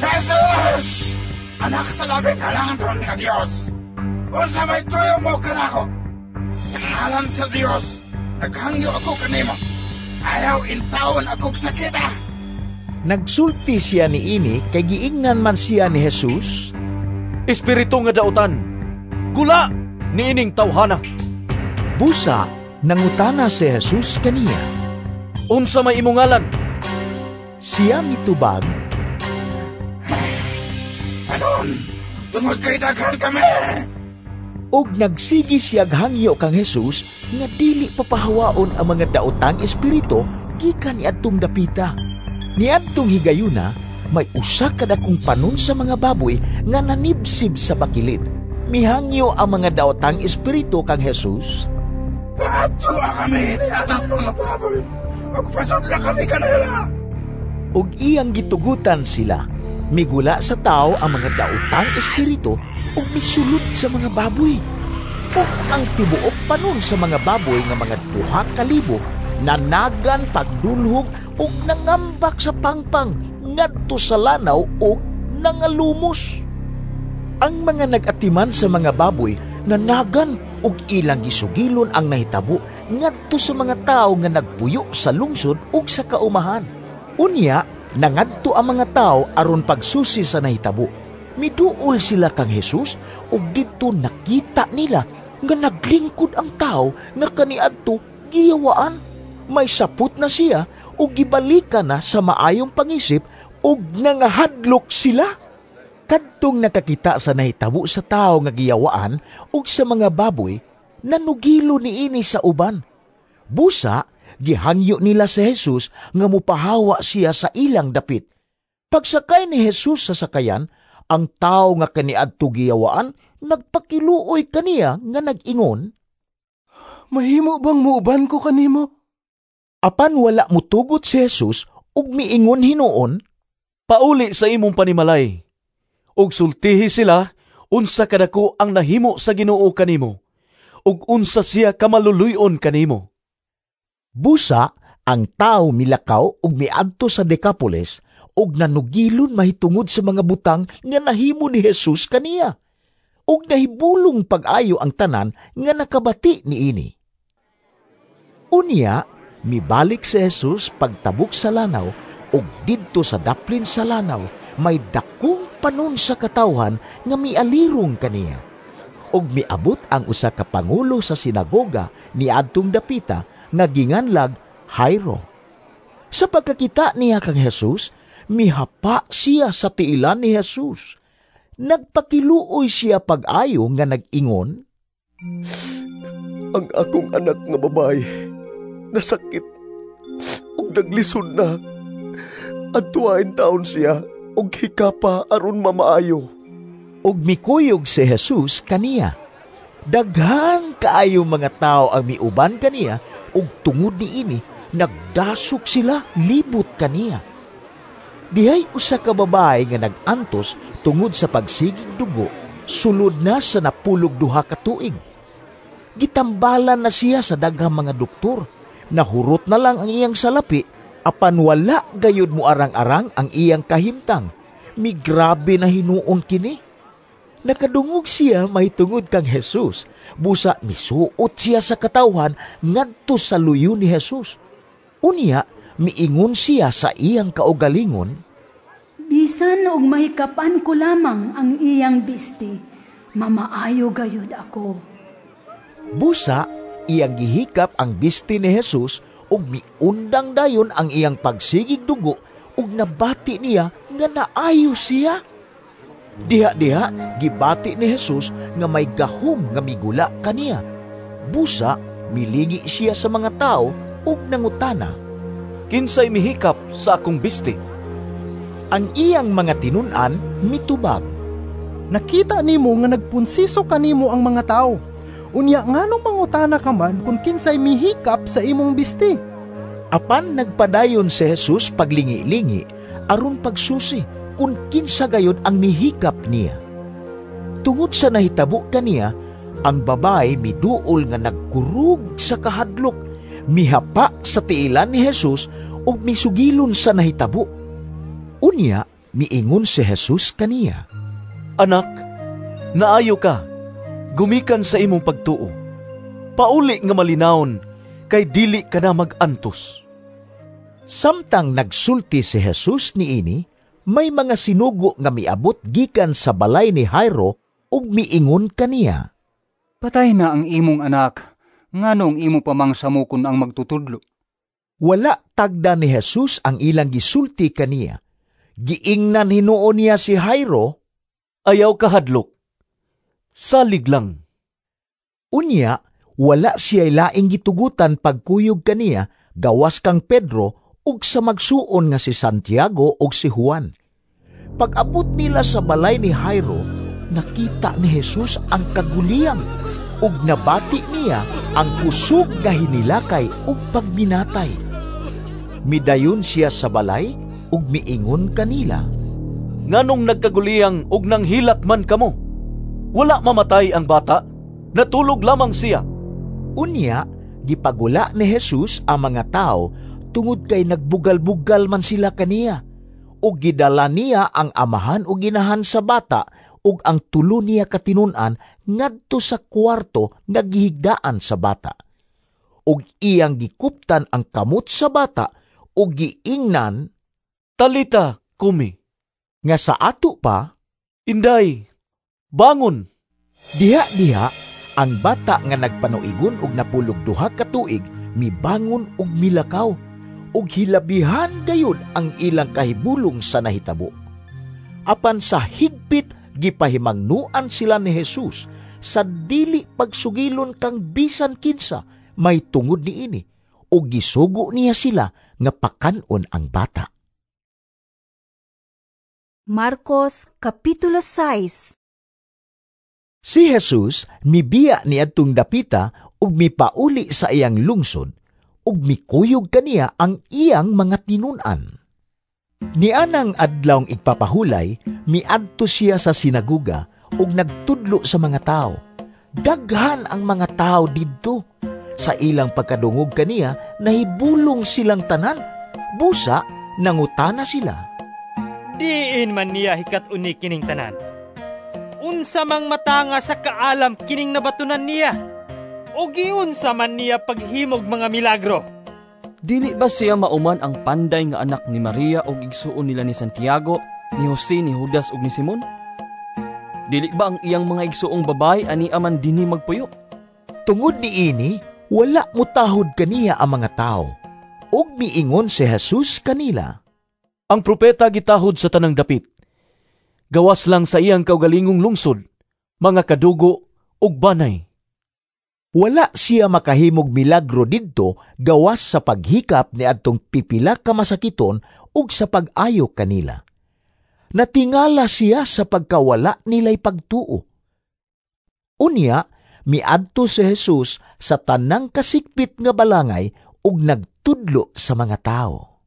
Jesus! Anak sa labing halangan nga Dios! Unsa may tuyo mo kanako? Sa ngalan sa Dios, naghangyo ako kanimo. Ayaw intawon akong sakita. Nagsulti siya niini kay giingnan man siya ni Jesus, Espiritu nga dautan, gula niining tawhana. Busa, Nangutana si Jesus kaniya, "Unsa may imong ngalan?" Siya mitubag, "Anon, tungod kay daghan kami." Og nagsigi siyag hangyo kang Jesus nga dili papahawaon ang mga daotang espiritu gikan niadtong dapita. Niadtong higayuna, may usa ka dakong panon sa mga baboy nga nanibsib sa bakilid. Mihangyo ang mga daotang espiritu kang Jesus, "Paadtoa kami ni anang mga baboy, ug pasudla kami kanila." Ug iyang gitugutan sila. Migula sa tao ang mga daotang espiritu ug misulod sa mga baboy. Ug ang tibuok panon sa mga baboy nga mga 2,000 nanagan pagdulhog ug nangambak sa pangpang ngadto sa lanaw ug nangalumos. Ang mga nag-atiman sa mga baboy nanagan ug ilang gisugilon ang nahitabo ngadto sa mga tawo nga nagpuyo sa lungsod ug sa kaumahan. Unya, nangadto ang mga tawo aron pagsusi sa nahitabo. Miduol sila kang Jesus ug didto nakita nila nga naglingkod ang tawo nga kaniadto giyawaan. May sapot na siya ug gibalikan na sa maayong pangisip ug nangahadlok sila. Kadtong nakakita sa nahitabo sa tawo nga giyawaan ug sa mga baboy, nanugilo niini sa uban. Busa, gihangyo nila si Jesus nga mupahawa siya sa ilang dapit. Pagsakay ni Jesus sa sakayan, ang tawo nga kaniadto giyawaan nagpakiluoy kaniya nga nag-ingon, "Mahimo bang muuban ko kanimo?" Apan wala mutugot si Jesus ug miingon hinuon, "Pauli sa imong panimalay, ug sultihi sila unsa kadako ang nahimo sa Ginoo kanimo, ug unsa siya kamaluluy-on kanimo." Busa, ang tao milakaw ug miadto sa Decapolis ug nanugilon mahitungod sa mga butang nga nahimo ni Jesus kaniya. Ug nahibulong pag-ayo ang tanan nga nakabati niini. Unya, mibalik si Jesus pagtabok sa lanaw ug didto sa daplin sa lanaw may dakong panon sa katawhan nga mialirong kaniya. Ug miabot ang usa ka pangulo sa sinagoga niadtong dapita nga ginganlag Jairo. Sa pagkakita niya kang Jesus, mihapa siya sa tiilan ni Jesus. Nagpakiluoy siya pag-ayo nga nag-ingon, "Ang akong anak nga babae nasakit ug naglisod na. Adtuain taon siya ug hikapa aron mamaayo." Ug mikuyog si Jesus kaniya. Daghan kaayo mga tawo ang miuban kaniya, ug tungod niini nagdasok sila libot kaniya. Dihay usa ka babae nga nag-antos tungod sa pagsigig dugo, sulod na sa 12 ka tuig. Gitambalan na siya sa daghang mga doktor. Nahurot na lang ang iyang salapi, apan wala gayud moarang-arang ang iyang kahimtang. Migrabe na hinuon kini. Nakadungog siya mahitungod kang Jesus. Busa misuot siya sa katawhan ngadto sa luyo ni Jesus. Unya, miingon siya sa iyang kaugalingon, "Bisan og mahikapan ko lamang ang iyang bisti, mamaayo gayud ako." Busa, iyang gihikap ang bisti ni Jesus ug miundang dayon ang iyang pagsigig dugo ug nabati niya nga naayo siya. Diha-diha gibati ni Jesus nga may gahom nga migula kaniya. Busa milingi siya sa mga tawo ug nangutana, "Kinsay mihikap sa akong bisti?" Ang iyang mga tinun-an mitubag, "Nakita nimo nga nagpunsiso kanimo ang mga tawo. Unya nganong mangutana ka man kung kinsay mihikap sa imong bisti?" Apan nagpadayon si Jesus paglingi-lingi aron pagsusi kung kinsa gayud ang mihikap niya. Tungod sa nahitabo kaniya, ang babae miduol nga nagkurog sa kahadlok, mihapa sa tiilan ni Jesus ug misugilon sa nahitabo. Unya, miingon si Jesus kaniya, "Anak, naayo ka, gumikan sa imong pagtuo. Pauli nga malinawon, kay dili ka na mag-antos." Samtang nagsulti si Jesus niini, may mga sinugo nga miabot gikan sa balay ni Jairo ug miingon kaniya, "Patay na ang imong anak. Nganong imo pa mang samukon ang magtutudlo?" Wala tagda ni Jesus ang ilang gisulti kaniya. Giingnan hinuon niya si Jairo, "Ayaw kahadlok. Salig lang." Unya, wala siya laing gitugutan pagkuyog kaniya gawas kang Pedro ug sa magsuon nga si Santiago ug si Juan. Pag-abot nila sa balay ni Jairo, nakita ni Jesus ang kaguliyang ug nabati niya ang kusog nga hinilakay ug pagminatay. Midayon siya sa balay ug miingon kanila, "Nganong nagkaguliyang ug nanghilak man kamo? Wala mamatay ang bata, natulog lamang siya." Unya, gipagula ni Jesus ang mga tao tungod kay nagbugal-bugal man sila kaniya. Ug gidala niya ang amahan ug inahan sa bata ug ang tulo niya katinun-an ngadto sa kwarto nga gihigdaan sa bata. Ug iyang gikuptan ang kamot sa bata ug giingnan, "Talita kumi," nga sa ato pa, "Inday, bangon." Diha-diha ang bata nga nagpanuigon og 92 ka tuig mibangon ug milakaw, ug hilabihan gayud ang ilang kahibulong sa nahitabo. Apan sa higpit gipahimangnuan sila ni Jesus sa dili pagsugilon kang bisan kinsa may tungod niini, ug gisugo niya sila nga pakan-on ang bata. Marcos Kapitulo 6. Si Jesus mibiya niadtong dapita ug mipauli sa iyang lungsod ug mikuyog kaniya ang iyang mga tinun-an. Nianang adlawng igpapahulay, miadto siya sa sinaguga ug nagtudlo sa mga tao. Daghan ang mga tao didto. Sa ilang pagkadungog kaniya, nahibulong silang tanan. Busa, nangutana sila, "Diin man niya hikat-uni kining tanan? Unsa mang matanga sa kaalam kining nabatunan niya? O giunsa man niya paghimog mga milagro? Dili ba siya mauman ang panday nga anak ni Maria og igsuon nila ni Santiago, ni Jose, ni Judas ug ni Simon? Dili ba ang iyang mga igsuong babae ani aman dinhi magpuyo?" Tungod niini, wala mutahod kaniya ang mga tao. Ug miingon si Jesus kanila, "Ang propeta gitahod sa tanang dapit, gawas lang sa iyang kaugalingong lungsod, mga kadugo ug banay." Wala siya makahimog milagro didto gawas sa paghikap ni adtong pipila ka masakiton ug sa pag-ayo kanila. Natingala siya sa pagkawala nila'y pagtuo. Unya, miadto si Jesus sa tanang kasikpit nga balangay ug nagtudlo sa mga tao.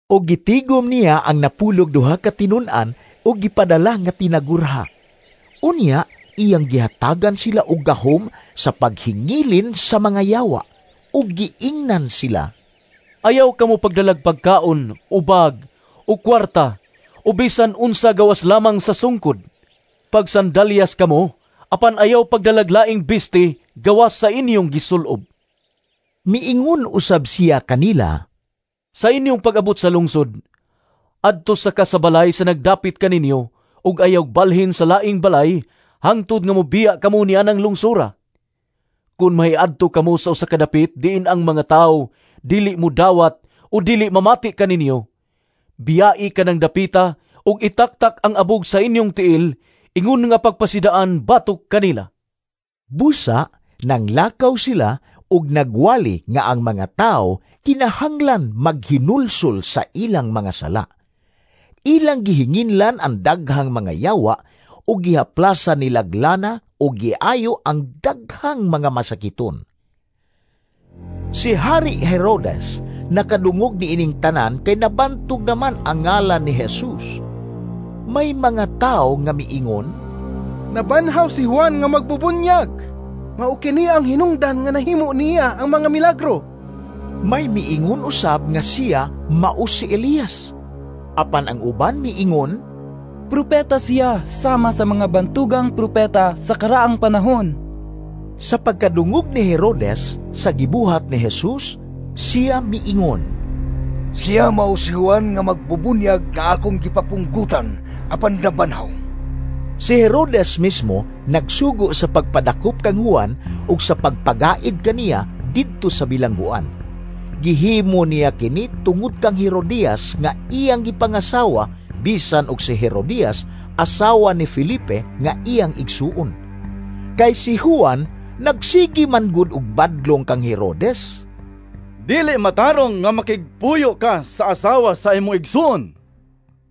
Og gitigom niya ang 92 ka tinun-an ug gipadala nga tinagurha. Unya, iyang gihatagan sila og gahom sa paghingilin sa mga yawa ug giingnan sila, "Ayaw kamo pagdalag pagkaon, o bag, o kwarta, o bisan unsa gawas lamang sa sungkod. Pagsandalyas kamo, apan ayaw pagdalag laing bisti gawas sa inyong gisulob." Miingon usab siya kanila, "Sa inyong pag-abot sa lungsod, adto sa kasabalay sa nagdapit kaninyo ug ayaw balhin sa laing balay hangtod nga mobiya kamo niya ng lungsura. Kun mahiadto kamo sa usa ka dapit diin ang mga tawo dili mo dawat o dili mamati kaninyo, biyai kanang dapita ug itaktak ang abog sa inyong tiil ingon nga pagpasidaan batok kanila." Busa nanglakaw sila ug nagwali nga ang mga tawo kinahanglan maghinulsol sa ilang mga sala. Ilang gihinginlan ang daghang mga yawa ug gihaplasa nilaglana o giayo ang daghang mga masakiton. Si Hari Herodes nakadungog niining tanan kay nabantog naman ang ngalan ni Jesus. May mga tao nga miingon, "Nabanhaw si Juan nga magbubunyag. Mao kini ang hinungdan nga nahimo niya ang mga milagro." May miingon usab nga siya mao si Elias. Apan ang uban miingon, "Propeta siya sama sa mga bantugang propeta sa karaang panahon." Sa pagkadungog ni Herodes sa gibuhat ni Jesus, siya miingon, "Siya mao si Juan nga magbubunyag nga akong gipapunggutan apan nabanhaw. Si Herodes mismo nagsugo sa pagpadakop kang Juan ug sa pagpagaid kaniya didto sa bilangguan. Gihimo niya kini tungod kang Herodias nga iyang gipangasawa, bisan og si Herodias asawa ni Felipe nga iyang igsuon. Kay si Juan nagsigi man gud og badlong kang Herodes. Dili matarong nga makigpuyo ka sa asawa sa imong igsuon.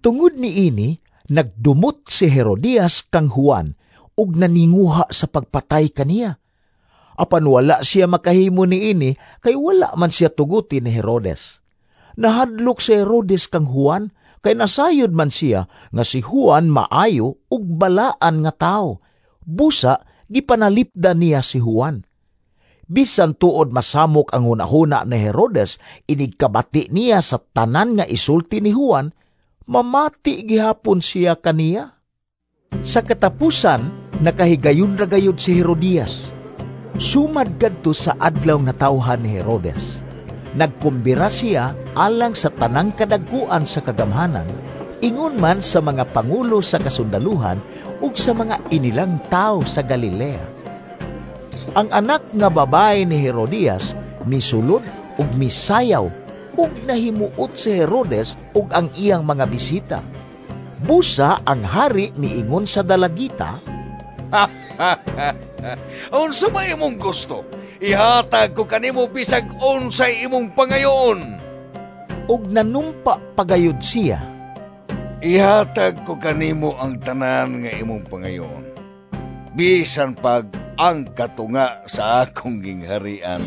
Tungod niini, nagdumot si Herodias kang Juan ug naninguha sa pagpatay kaniya. Apan wala siya makahimo niini kay wala man siya tuguti ni Herodes. Nahadlok si Herodes kang Juan kay nasayod man siya nga si Juan maayo ug balaan nga tawo. Busa gipanalipdan niya si Juan. Bisan tuod masamok ang hunahuna ni Herodes, inigkabati niya sa tanan nga isulti ni Juan, mamati gihapon siya kaniya. Sa katapusan, nakahigayon ra gayud si Herodias. Sumad kadto sa adlaw nga tawhan ni Herodes. Nagkumbira siya alang sa tanang kadagkuan sa kagamhanan, ingon man sa mga pangulo sa kasundaluhan ug sa mga inilang tawo sa Galilea. Ang anak nga babae ni Herodias misulod ug misayaw ug nahimuot si Herodes ug ang iyang mga bisita. Busa ang hari miingon sa dalagita, "Unsa may imong gusto? Ihatag ko kanimo bisag unsay imong pangayoon." Ug nanumpa pagayod siya, "Ihatag ko kanimo ang tanan nga imong pangayoon, bisan pag ang katunga sa akong gingharian."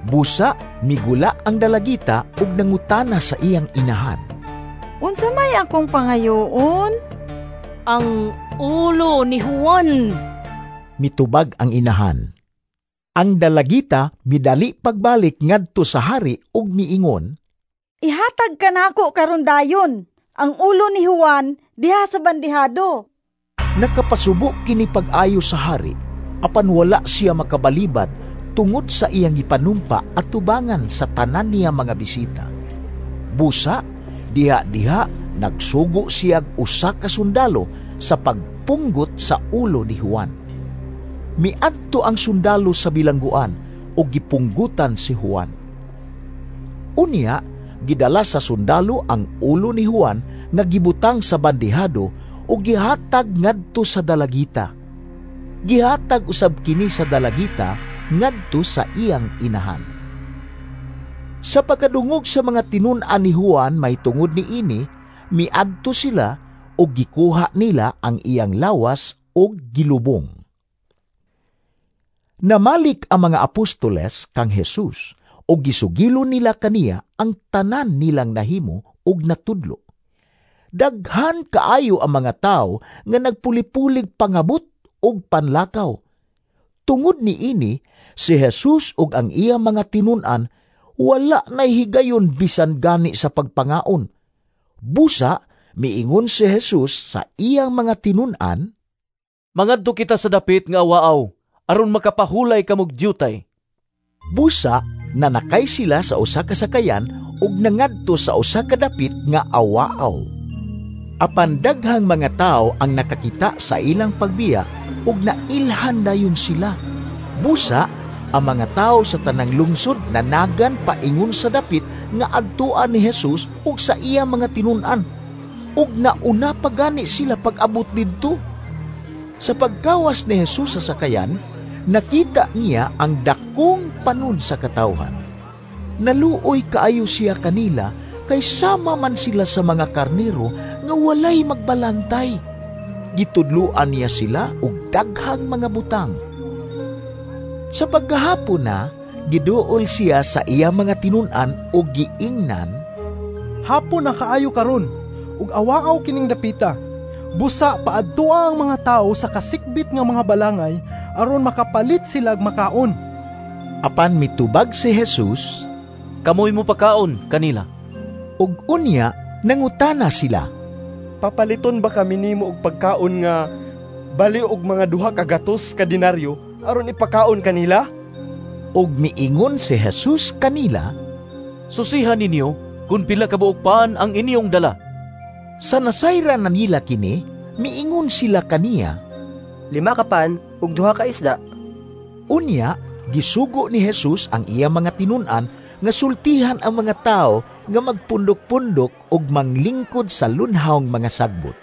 Busa migula ang dalagita ug nangutana sa iyang inahan, "Unsa may akong pangayoon?" "Ang ulo ni Juan," mitubag ang inahan. Ang dalagita midali pagbalik ngadto sa hari ug miingon, "Ihatag kanako karon dayon ang ulo ni Juan diha sa bandihado." Nakapasubo kini pag-ayo sa hari, apan wala siya makabalibad tungod sa iyang gipanumpa at tubangan sa tanan niya mga bisita. Busa, diha-diha nagsugo siya usa ka sundalo sa pagpunggot sa ulo ni Juan. Miadto ang sundalo sa bilangguan ug gipunggutan si Juan. Unya, gidala sa sundalo ang ulo ni Juan nga gibutang sa bandihado ug gihatag ngadto sa dalagita. Gihatag usab kini sa dalagita ngadto sa iyang inahan. Sa pagkadungog sa mga tinun-an ni Juan mahitungod niini, miadto sila ug gikuha nila ang iyang lawas ug gilubong. Namalik ang mga apostoles kang Jesus ug gisugilo nila kaniya ang tanan nilang nahimo ug natudlo. Daghan kaayo ang mga tawo nga nagpulipulig pangabot ug panlakaw. Tungod niini, si Jesus ug ang iyang mga tinun-an wala nay higayon bisan gani sa pagpangaon. Busa miingon si Jesus sa iyang mga tinun-an, "Mangadto kita sa dapit nga awaaw aron makapahulay kamog dyutay." Busa nanakay sila sa usa ka sakayan ug nangadto sa usa ka dapit nga awaaw. Apan daghang mga tawo ang nakakita sa ilang pagbiya ug nailhan dayon sila. Busa ang mga tawo sa tanang lungsod nanagan paingon sa dapit nga adtuan ni Jesus ug sa iya mga tinun-an, ug nauna pa gani sila pag-abot didto. Sa pagkawas ni Jesus sa sakayan, nakita niya ang dakong panon sa katawhan. Naluoy kaayo siya kanila kay sama man sila sa mga karnero nga walay magbalantay. Gitudloan niya sila og daghang mga butang. Sa pagkahapon na, giduol siya sa iya mga tinun-an ug giingnan, "Hapon na kaayo karon, ug awaaw kining dapita. Busa paadtoa ang mga tawo sa kasikbit nga mga balangay aron makapalit sila og makaon." Apan mitubag si Jesus, "Kamoy mo pakaon kanila." Ug unya nangutana sila, "Papaliton ba kami nimo og pagkaon nga bali og mga 200 ka denaryo aron ipakaon kanila?" Ug miingon si Jesus kanila, "Susihan ninyo kun pila ka buok pan ang inyong dala." Sa nasayran na nila kini, miingon sila kaniya, 5 ka pan ug 2 ka isda. Unya, gisugo ni Jesus ang iya mga tinun-an nga sultihan ang mga tao nga magpundok-pundok ug manglingkod sa lunhawng mga sagbot.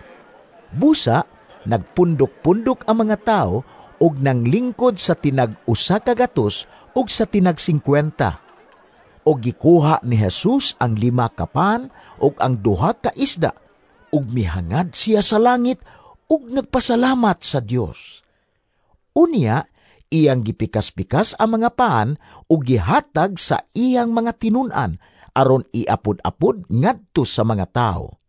Busa, nagpundok-pundok ang mga tao ug nanglingkod sa tinag 100 ug sa tinag 50. Og gikuha ni Jesus ang 5 ka pan ug ang 2 ka isda, ug mihangad siya sa langit ug nagpasalamat sa Dios. Unya, iyang gipikas-pikas ang mga pan ug gihatag sa iyang mga tinun-an aron iapod-apod ngadto sa mga tawo.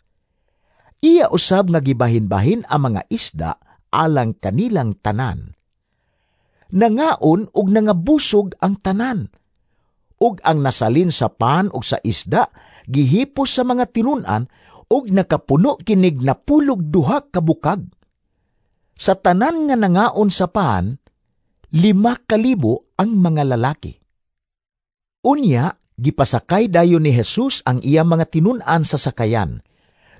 Iya usab nga gibahin-bahin ang mga isda alang kanilang tanan. Nangaon ug nangabusog ang tanan. Ug ang nasalin sa pan ug sa isda gihipos sa mga tinun-an ug nakapuno kinig 92 ka bukag. Sa tanan nga nangaon sa pan, 5,000 ang mga lalaki. Unya, gipasakay dayon ni Jesus ang iya mga tinun-an sa sakayan.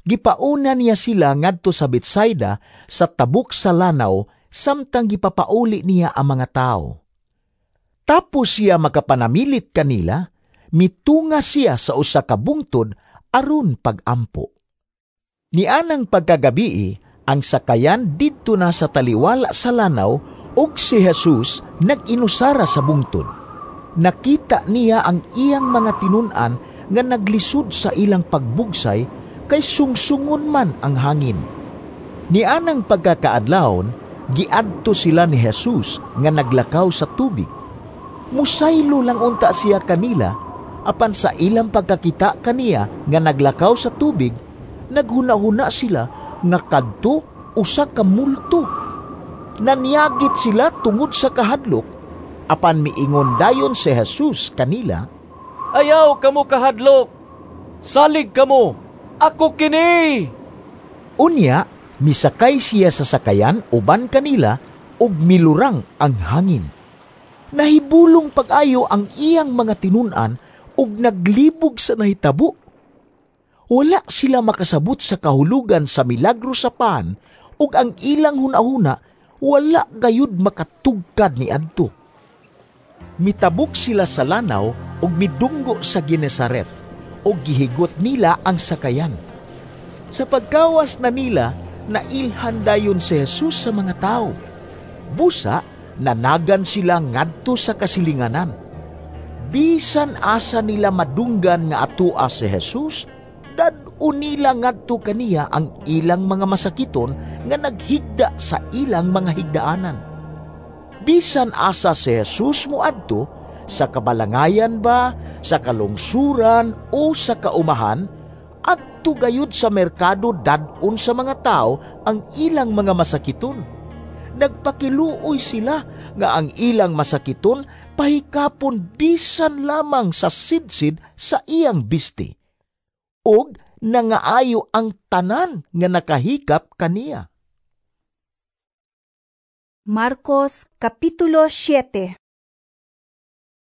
Gipauna niya sila ngadto sa Betsaida sa tabok sa lanaw samtang gipapauli niya ang mga tao. Tapos siya makapanamilit kanila, mitunga siya sa usa ka bungtod aron pagampo. Nianang pagkagabii, ang sakayan didto na sa taliwala sa lanaw ug si Jesus nag-inusara sa bungtod. Nakita niya ang iyang mga tinun-an nga naglisod sa ilang pagbugsay kay sungsungon man ang hangin. Nianang pagkakaadlawon, giadto sila ni Jesus nga naglakaw sa tubig. Musaylo lang unta siya kanila, apan sa ilang pagkakita kaniya nga naglakaw sa tubig, naghuna-huna sila nga kadto usa ka multo. Nanyagit sila tungod sa kahadlok, apan miingon dayon si Jesus kanila, "Ayaw kamo kahadlok, salig kamo, ako kini!" Unya, misakay siya sa sakayan uban kanila ug milurang ang hangin. Nahibulong pag-ayo ang iyang mga tinun-an ug naglibog sa nahitabo. Wala sila makasabot sa kahulugan sa milagro sa pan ug ang ilang hunahuna wala gayud makatugkad ni adto. Mitabok sila sa lanaw ug midunggo sa Genesaret ug gihigot nila ang sakayan. Sa pagkawas na nila, nailhan dayon si Jesus sa mga tao. Busa, nanagan sila ngadto sa kasilinganan. Bisan asa nila madunggan nga atua si Jesus, dad-o nila ngadto kaniya ang ilang mga masakiton nga naghigda sa ilang mga higdaanan. Bisan asa si Jesus moadto, sa kabalangayan ba, sa kalungsuran o sa kaumahan, adto gayud sa merkado dad-on sa mga tao ang ilang mga masakiton. Nagpakiluoy sila nga ang ilang masakiton pahikapon bisan lamang sa sidsid sa iyang bisti. Og nangaayo ang tanan nga nakahikap kaniya. Marcos Kapitulo 7.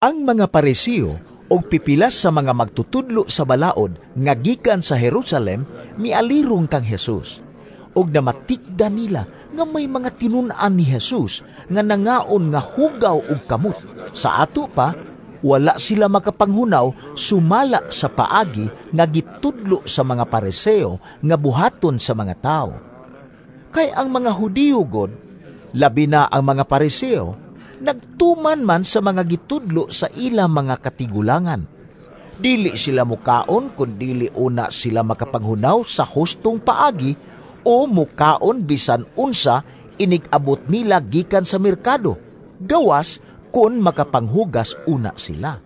Ang mga Pariseo og pipilas sa mga magtutudlo sa balaod nga gikan sa Jerusalem mialirong kang Jesus. Og namatikda nila nga may mga tinun-an ni Jesus nga nangaon nga hugaw og kamot. Sa ato pa, wala sila makapanghunaw sumala sa paagi nga gitudlo sa mga Pariseo nga buhaton sa mga tao. Kay ang mga Hudiyo god, labi na ang mga Pariseo, nagtuman man sa mga gitudlo sa ilang mga katigulangan. Dili sila mukaon kun dili una sila makapanghunaw sa hustong paagi o mukaon bisan unsa inig-abot nila gikan sa merkado, gawas kun makapanghugas una sila.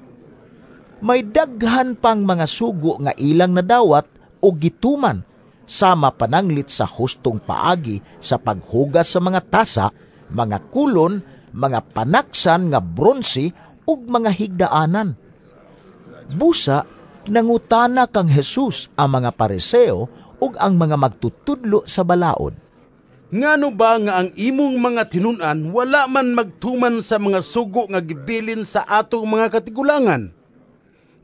May daghan pang mga sugo nga ilang nadawat o gituman, sama pananglit sa hustong paagi sa paghugas sa mga tasa, mga kulon, mga panaksan nga bronse ug mga higdaanan. Busa, nangutana kang Jesus ang mga Pariseo ug ang mga magtutudlo sa balaod. Ngano ba nga ang imong mga tinun-an wala man magtuman sa mga sugo nga gibilin sa atong mga katigulangan?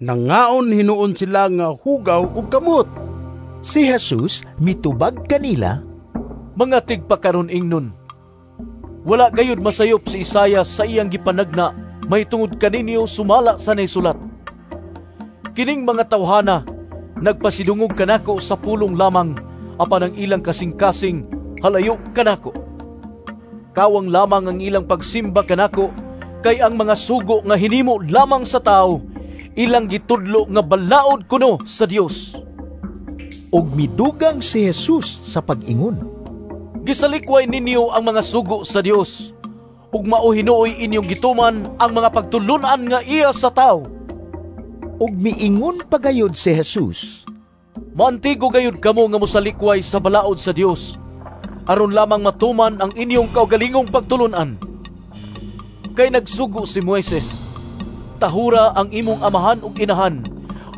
Nangaon hinuon sila nga hugaw ug kamot. Si Jesus mitubag kanila, "Mga tigpakaron ingnon, wala gayud masayop si Isayas sa iyang gipanagna mahitungod kaninyo sumala sa naisulat. Kining mga tawhana nagpasidungog kanako sa pulong lamang, apan ang ilang kasing-kasing halayo kanako. Kawang lamang ang ilang pagsimba kanako, kay ang mga sugo nga hinimo lamang sa tao, ilang gitudlo nga balaod kuno sa Dios." Ug midugang si Jesus sa pag-ingon, "Gisalikway ninyo ang mga sugo sa Dios, ug mao hinuoy inyong gituman ang mga pagtulun-an nga iya sa tao." Ug miingon pagayod si Jesus, "Maantigo gayud kamo nga mosalikway sa balaod sa Dios, aron lamang matuman ang inyong kaugalingong pagtulun-an. Kay nagsugo si Moises, tahura ang imong amahan ug inahan,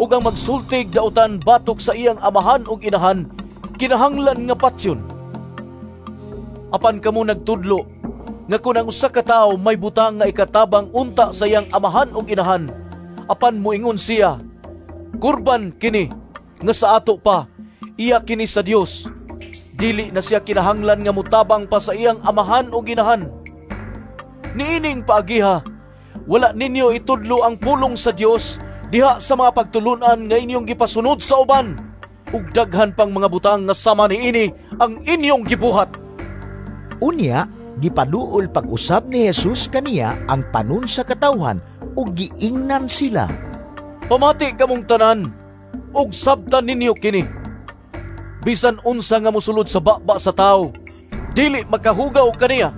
ug ang magsultig dautan batok sa iyang amahan ug inahan, kinahanglan nga patyon. Apan kamo nagtudlo nga kun ang usa ka tawo may butang nga ikatabang unta sa iyang amahan ug inahan, apan moingon siya, kurban kini nga sa ato pa, iya kini sa Dios, dili na siya kinahanglan nga motabang pa sa iyang amahan ug inahan. Niining paagiha, wala ninyo itudlo ang pulong sa Dios diha sa mga pagtulunan nga inyong gipasunod sa uban, ug daghan pang mga butang nga sama niini ang inyong gibuhat." Unya, gipaduol pag-usab ni Jesus kaniya ang panon sa katawhan ug giingnan sila, "Pamati kamong tanan ug sabtan ninyo kini. Bisan unsa nga mosulod sa baba sa tawo, dili makahugaw kaniya.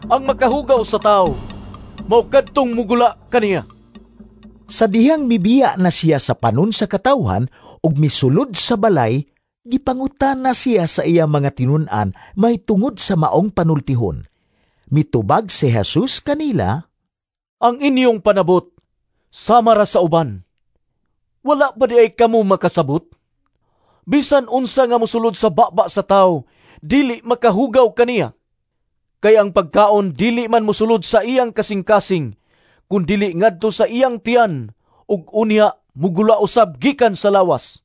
Ang makahugaw sa tawo, mao kadtong mugula kaniya." Sa dihang mibiya na siya sa panon sa katawhan ug misulod sa balay, gipangutana siya sa iya mga tinun-an mahitungod sa maong panultihon. Mitubag si Jesus kanila, "Ang inyong panabot sama ra sa uban. Wala ba di ay kamo makasabot? Bisan unsa nga mosulod sa baba sa tawo, dili makahugaw kaniya. Kay ang pagkaon dili man mosulod sa iyang kasing-kasing, kun dili ngadto sa iyang tiyan, ug unya mugula usab gikan sa lawas."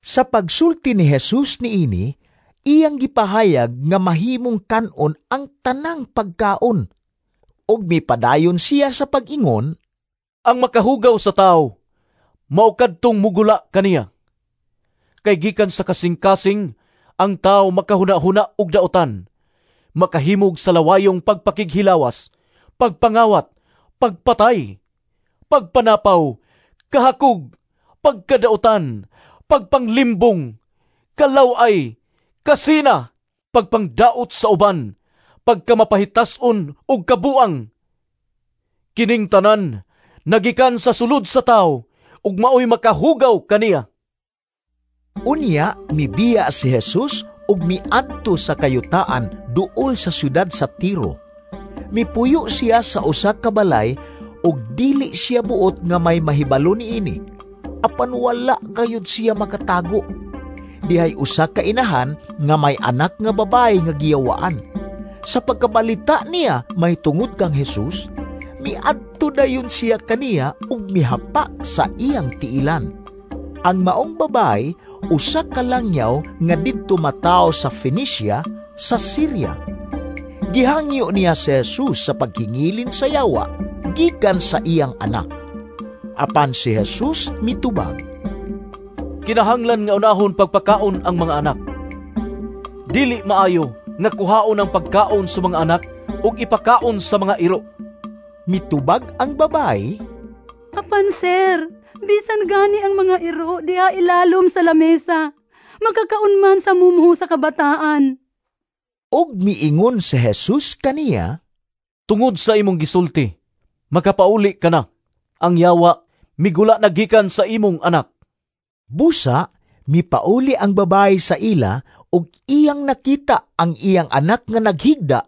Sa pagsulti ni Jesus niini, iyang gipahayag nga mahimong kan-on ang tanang pagkaon. Ug mipadayon siya sa pag-ingon, "Ang makahugaw sa tawo, mao kadtong mugula kaniya. Kay gikan sa kasing-kasing, ang tawo makahuna-huna og daotan, makahimog sa lawayong pagpakighilawas, pagpangawat, pagpatay, pagpanapaw, kahakog, pagkadautan, pagpanglimbong, kalaway, kasina, pagpangdaot sa uban, pagkamapahitas-on ug kabuang. Kining tanan nagikan sa sulod sa tawo ug maoy makahugaw kaniya." Unya mibiya si Jesus ug miadto sa kayutaan duol sa syudad sa Tiro. Mipuyo siya sa usa ka balay ug dili siya buot nga may mahibalo niini. Apan wala gayud siya makatago. Dihay usa ka inahan nga may anak nga babae nga giyawaan. Sa pagkabalita niya mahitungod kang Jesus, miadto dayon siya kaniya ug mihapa sa iyang tiilan. Ang maong babae usa ka langyaw nga didto matawo sa Phoenicia sa Syria. Gihangyo niya si Jesus sa paghingilin sa yawa gikan sa iyang anak. Apan si Jesus mitubag, "Kinahanglan nga unahon pagpakaon ang mga anak. Dili maayo nga kuhaon ang pagkaon sa mga anak ug ipakaon sa mga iro." Mitubag ang babae, "Apan sir, bisan gani ang mga iro diha ilalom sa lamesa, makakaon man sa mumho sa kabataan." Ug miingon si Jesus kaniya, "Tungod sa imong gisulti, makapauli ka na. Ang yawa migula na gikan sa imong anak." Busa mipauli ang babae sa ila ug iyang nakita ang iyang anak nga naghigda,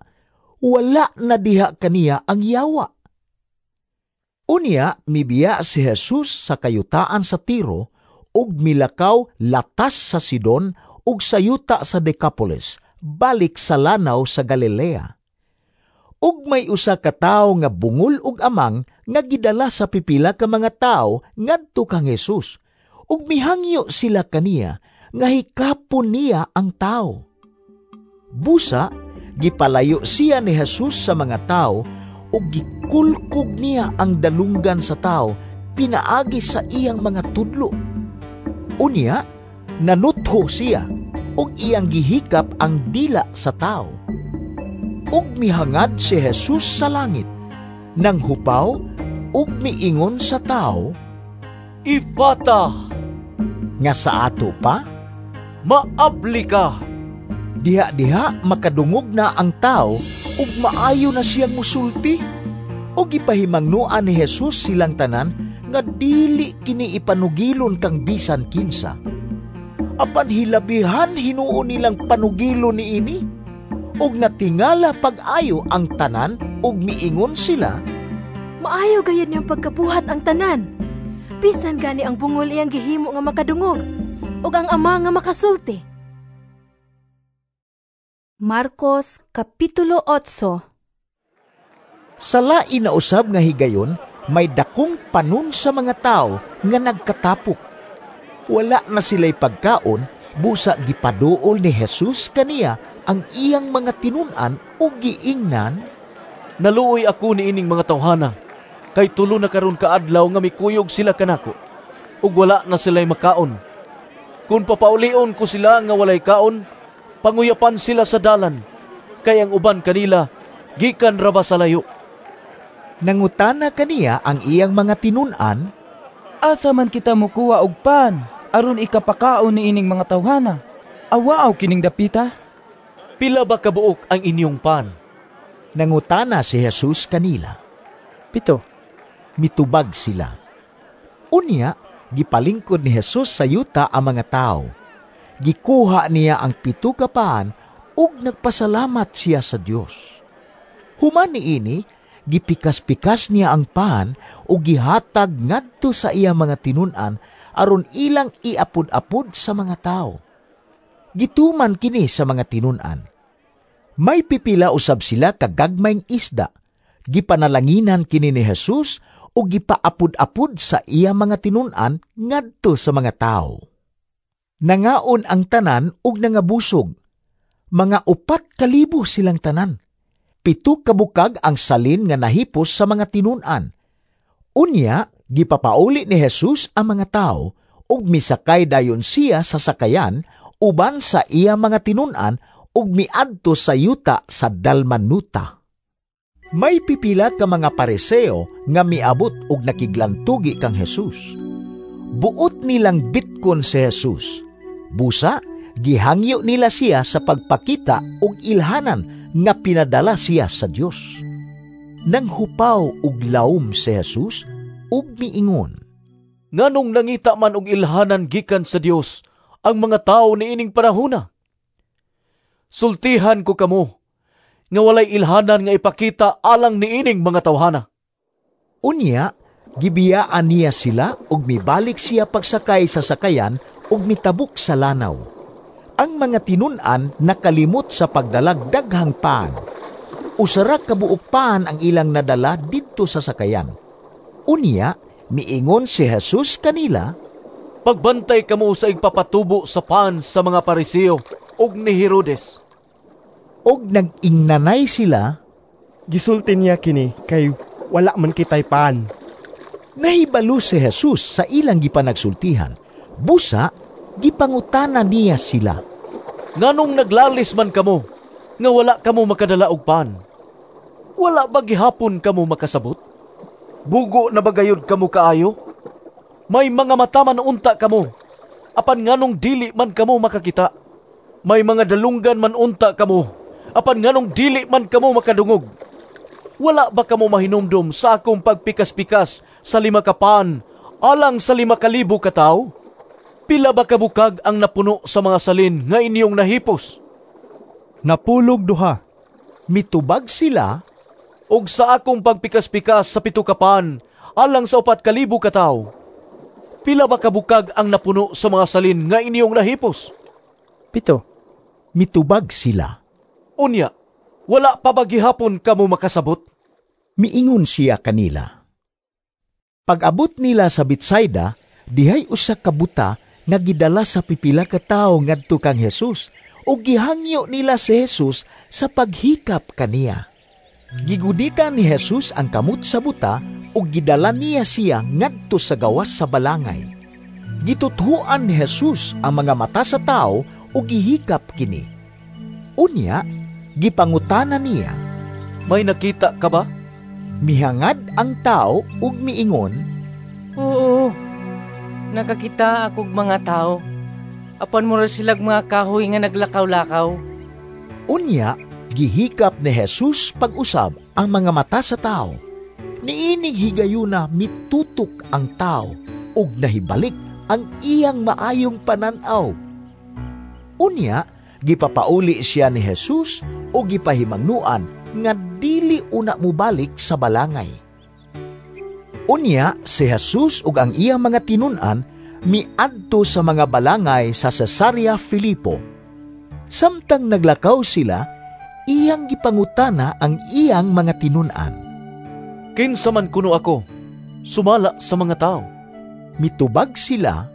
wala na diha kaniya ang yawa. Unya mibiya si Jesus sa kayutaan sa Tiro ug milakaw latas sa Sidon ug sa yuta sa Decapolis, balik sa lanaw sa Galilea. Ug may usa ka tawo nga bungol ug amang nga gidala sa pipila ka mga tawo ngadto kang Jesus, Ug mihangyo sila kaniya nga hikapon niya ang tao. Busa, gipalayo siya ni Jesus sa mga tao ug gikulkog niya ang dalunggan sa tao pinaagi sa iyang mga tudlo. Unya, nanutho siya ug iyang gihikap ang dila sa tao. Ug mihangad si Jesus sa langit, nanghupaw ug miingon sa tao, "Ifata!" Nga sa ato pa, "Maabli ka!" Diha-diha makadungog na ang tao ug maayo na siyang musulti. Ug gipahimangnoan ni Jesus silang tanan nga dili kini ipanugilon kang bisan kinsa. Apan hilabihan hinuon nilang panugilon niini. Ug natingala pag-ayo ang tanan ug miingon sila, "Maayo gayud niyang pagkabuhat ang tanan. Bisan gani ang bungol iyang gihimo nga makadungog ug ang ama nga makasulti." Marcos Kapitulo 8. Sa lain na usab nga higayon, may dakong panon sa mga tao nga nagkatapok. Wala na sila'y pagkaon, busa gipaduol ni Jesus kaniya ang iyang mga tinun-an ug giingnan, "Naluoy ako niining mga tawhana, kay tulo na karon kaadlaw nga mikuyog sila kanako, ug wala na sila'y makaon. Kun papaulion ko sila nga walay kaon, panguyapan sila sa dalan, kay ang uban kanila gikan ra ba sa layo." Nangutana kaniya ang iyang mga tinun-an, "Asa man kita mokuha og pan aron ikapakaon niining mga tawhana? Awaaw kining dapita." "Pila ba kabuok ang inyong pan?" Nangutana si Jesus kanila. 7. Mitubag sila. Unya, gipalingkod ni Jesus sa yuta ang mga tao. Gikuha niya ang 7 ka pan ug nagpasalamat siya sa Dios. Human niini, gipikas-pikas niya ang pan ug gihatag ngadto sa iya mga tinun-an aron ilang iapod-apod sa mga tao. Gituman kini sa mga tinun-an. May pipila usab sila kagagmayng isda. Gipanalanginan kini ni Jesus ug gipaapod-apod sa iya mga tinun-an ngadto sa mga tao. Nangaon ang tanan ug nangabusog. Mga 4,000 silang tanan. 7 ka bukag ang salin nga nahipos sa mga tinun-an. Unya, gipapauli ni Jesus ang mga tao ug misakay dayon siya sa sakayan uban sa iya mga tinun-an ug miadto sa yuta sa Dalmanuta. May pipila ka mga Pariseo nga miabot ug nakiglantugi kang Jesus. Buot nilang bitkon si Jesus. Busa, gihangyo nila siya sa pagpakita ug ilhanan nga pinadala siya sa Dios. Nanghupaw ug laom si Jesus ug miingon, "Nganong nangita man og ilhanan gikan sa Dios ang mga tawo niining panahona? Sultihan ko kamo nga walay ilhanan nga ipakita alang niining mga tawhana." Unya, gibiyaan niya sila ug mibalik siya pagsakay sa sakayan ug mitabok sa lanaw. Ang mga tinun-an nakalimot sa pagdalag daghang paan. Usara ka buok paan ang ilang nadala didto sa sakayan. Unya, miingon si Jesus kanila, "Pagbantay kamo sa igpapatubo sa pan sa mga Pariseo ug ni Herodes." Og nag-ingnanay sila, "Gisulti niya kini kay wala man kitay pan." Nahibalo si Jesus sa ilang gipanagsultihan. Busa, gipangutana niya sila, "Nganong naglalis man kamo nga wala kamo makadala og pan? Wala ba gihapon kamo makasabot? Bugo na ba gayud kamo kaayo? May mga mata man unta kamo, apan nganong dili man kamo makakita? May mga dalunggan man unta kamo, apan nganong dili man kamo makadungog? Wala ba kamo mahinumdom sa akong pagpikas-pikas sa 5 ka pan alang sa 5,000 ka tawo? Pila ba kabukag ang napuno sa mga salin nga inyong nahipos?" 12. Mitubag sila, "Og sa akong pagpikas-pikas sa 7 ka pan alang sa 4,000 ka tawo, pila ba kabukag ang napuno sa mga salin nga inyong nahipos?" 7. Mitubag sila, "Unya, wala pa ba gihapon kamo makasabot?" Miingon siya kanila. Pag-abot nila sa Betsaida, Dihay usa ka buta nga gidala sa pipila ka tawo ngadto kang Jesus ug gihangyo nila si Jesus sa paghikap kaniya. Gigunitan ni Jesus ang kamot sa buta ug gidala niya siya ngadto sa gawas sa balangay. Gituthuan ni Jesus ang mga mata sa tawo ug gihikap kini. Unya, gipangutana niya, "May nakita ka ba?" Mihangad ang tao ug miingon, "Oo, nakakita akog mga tao, apan mura silag mga kahoy nga naglakaw-lakaw." Unya, gihikap ni Jesus pag-usab ang mga mata sa tao. Niining higayuna mitutok ang tao ug nahibalik ang iyang maayong panan-aw. Unya, gipapauli siya ni Jesus ug gipahimangnuan nga dili una mobalik sa balangay. Unya, si Jesus ug ang iyang mga tinun-an miadto sa mga balangay sa Cesarea Filipo. Samtang naglakaw sila, iyang gipangutana ang iyang mga tinun-an. "Kinsa man kuno ako, sumala sa mga tao?" Mitubag sila,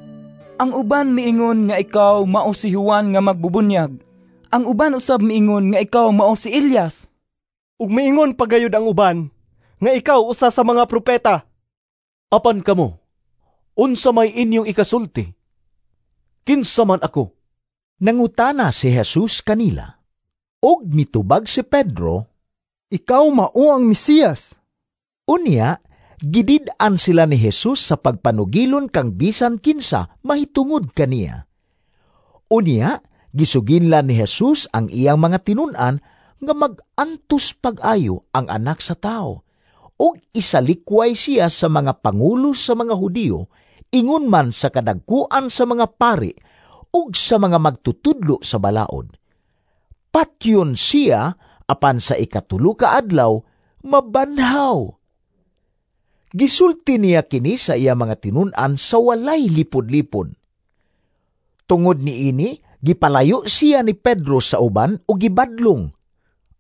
"Ang uban miingon nga ikaw mao si Juan nga magbubunyag. Ang uban usab miingon nga ikaw mao si Elias. Ug miingon pagayod ang uban nga ikaw usa sa mga propeta." "Apan kamo, unsa may inyong ikasulti? Kinsa man ako?" Nangutana si Jesus kanila. Og mitubag si Pedro, "Ikaw mao ang Mesiyas." Unya, gidid-an sila ni Jesus sa pagpanugilon kang bisan kinsa mahitungod kaniya. Unya, gisuginlan ni Jesus ang iyang mga tinun-an nga mag-antos pag-ayo ang anak sa tao, ug isalikway siya sa mga pangulo sa mga Hudiyo, ingon man sa kadagkuan sa mga pari ug sa mga magtutudlo sa balaod. Patyon siya apan sa ikatulo ka adlaw mabanhaw. Gisulti niya kini sa iya mga tinun-an sa walay lipod-lipod. Tungod niini, gipalayo siya ni Pedro sa uban ug gibadlong.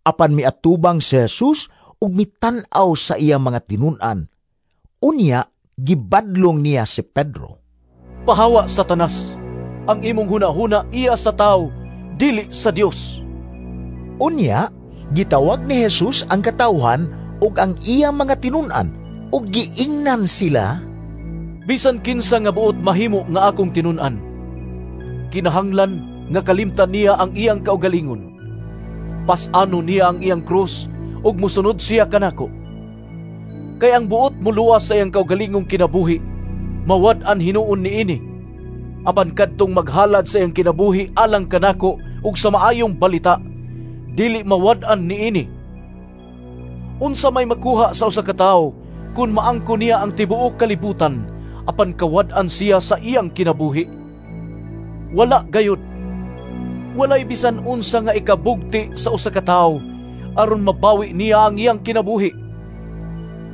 Apan miatubang si Jesus ug mitan-aw sa iya mga tinun-an. Unya, gibadlong niya si Pedro. "Pahawa, Satanas! Ang imong hunahuna iya sa tao, dili sa Dios." Unya, gitawag ni Jesus ang katawhan ug ang iya mga tinun-an ug giingnan sila, "Bisan kinsa nga buot mahimo nga akong tinun-an, kinahanglan nga kalimtan niya ang iyang kaugalingon. Pas-ano niya ang iyang krus ug mosunod siya kanako. Kay ang buot moluwas sa iyang kaugalingong kinabuhi, mawad-an hinuon niini. Apan kadtong maghalad sa iyang kinabuhi alang kanako ug sa maayong balita, dili mawad-an niini. Unsa may makuha sa usa ka tawo kun maangko niya ang tibuok kalibutan, apan kawad-an siya sa iyang kinabuhi? Wala gayud. Walay bisan unsa nga ikabugti sa usa ka tawo aron mabawi niya ang iyang kinabuhi.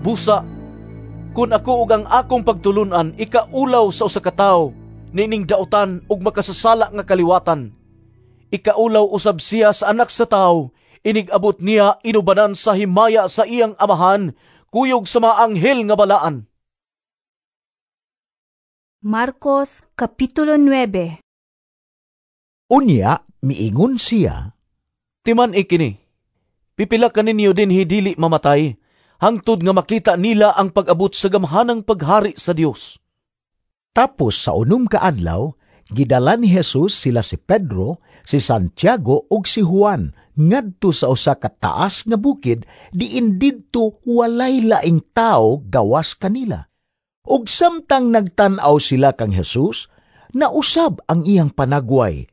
Busa, kun ako ug ang akong pagtulun-an ikaulaw sa usa ka tawo niining dautan ug makasasala nga kaliwatan, ikaulaw usab siya sa anak sa tawo inig-abot niya inubanan sa himaya sa iyang amahan, kuyog sa mga anghel nga balaan." Marcos Kapitulo 9. Unya, miingon siya, "Timan ikini, pipila kaninyo dinhi dili mamatay, hangtod nga makita nila ang pag-abot sa gamhanang paghari sa Dios." Tapos sa unom ka adlaw, gidala ni Jesus sila si Pedro, si Santiago ug si Juan ngadto sa usa ka taas nga bukid diin didto walay laing tawo gawas kanila. Ug samtang nagtan-aw sila kang Jesus, nausab ang iyang panagway.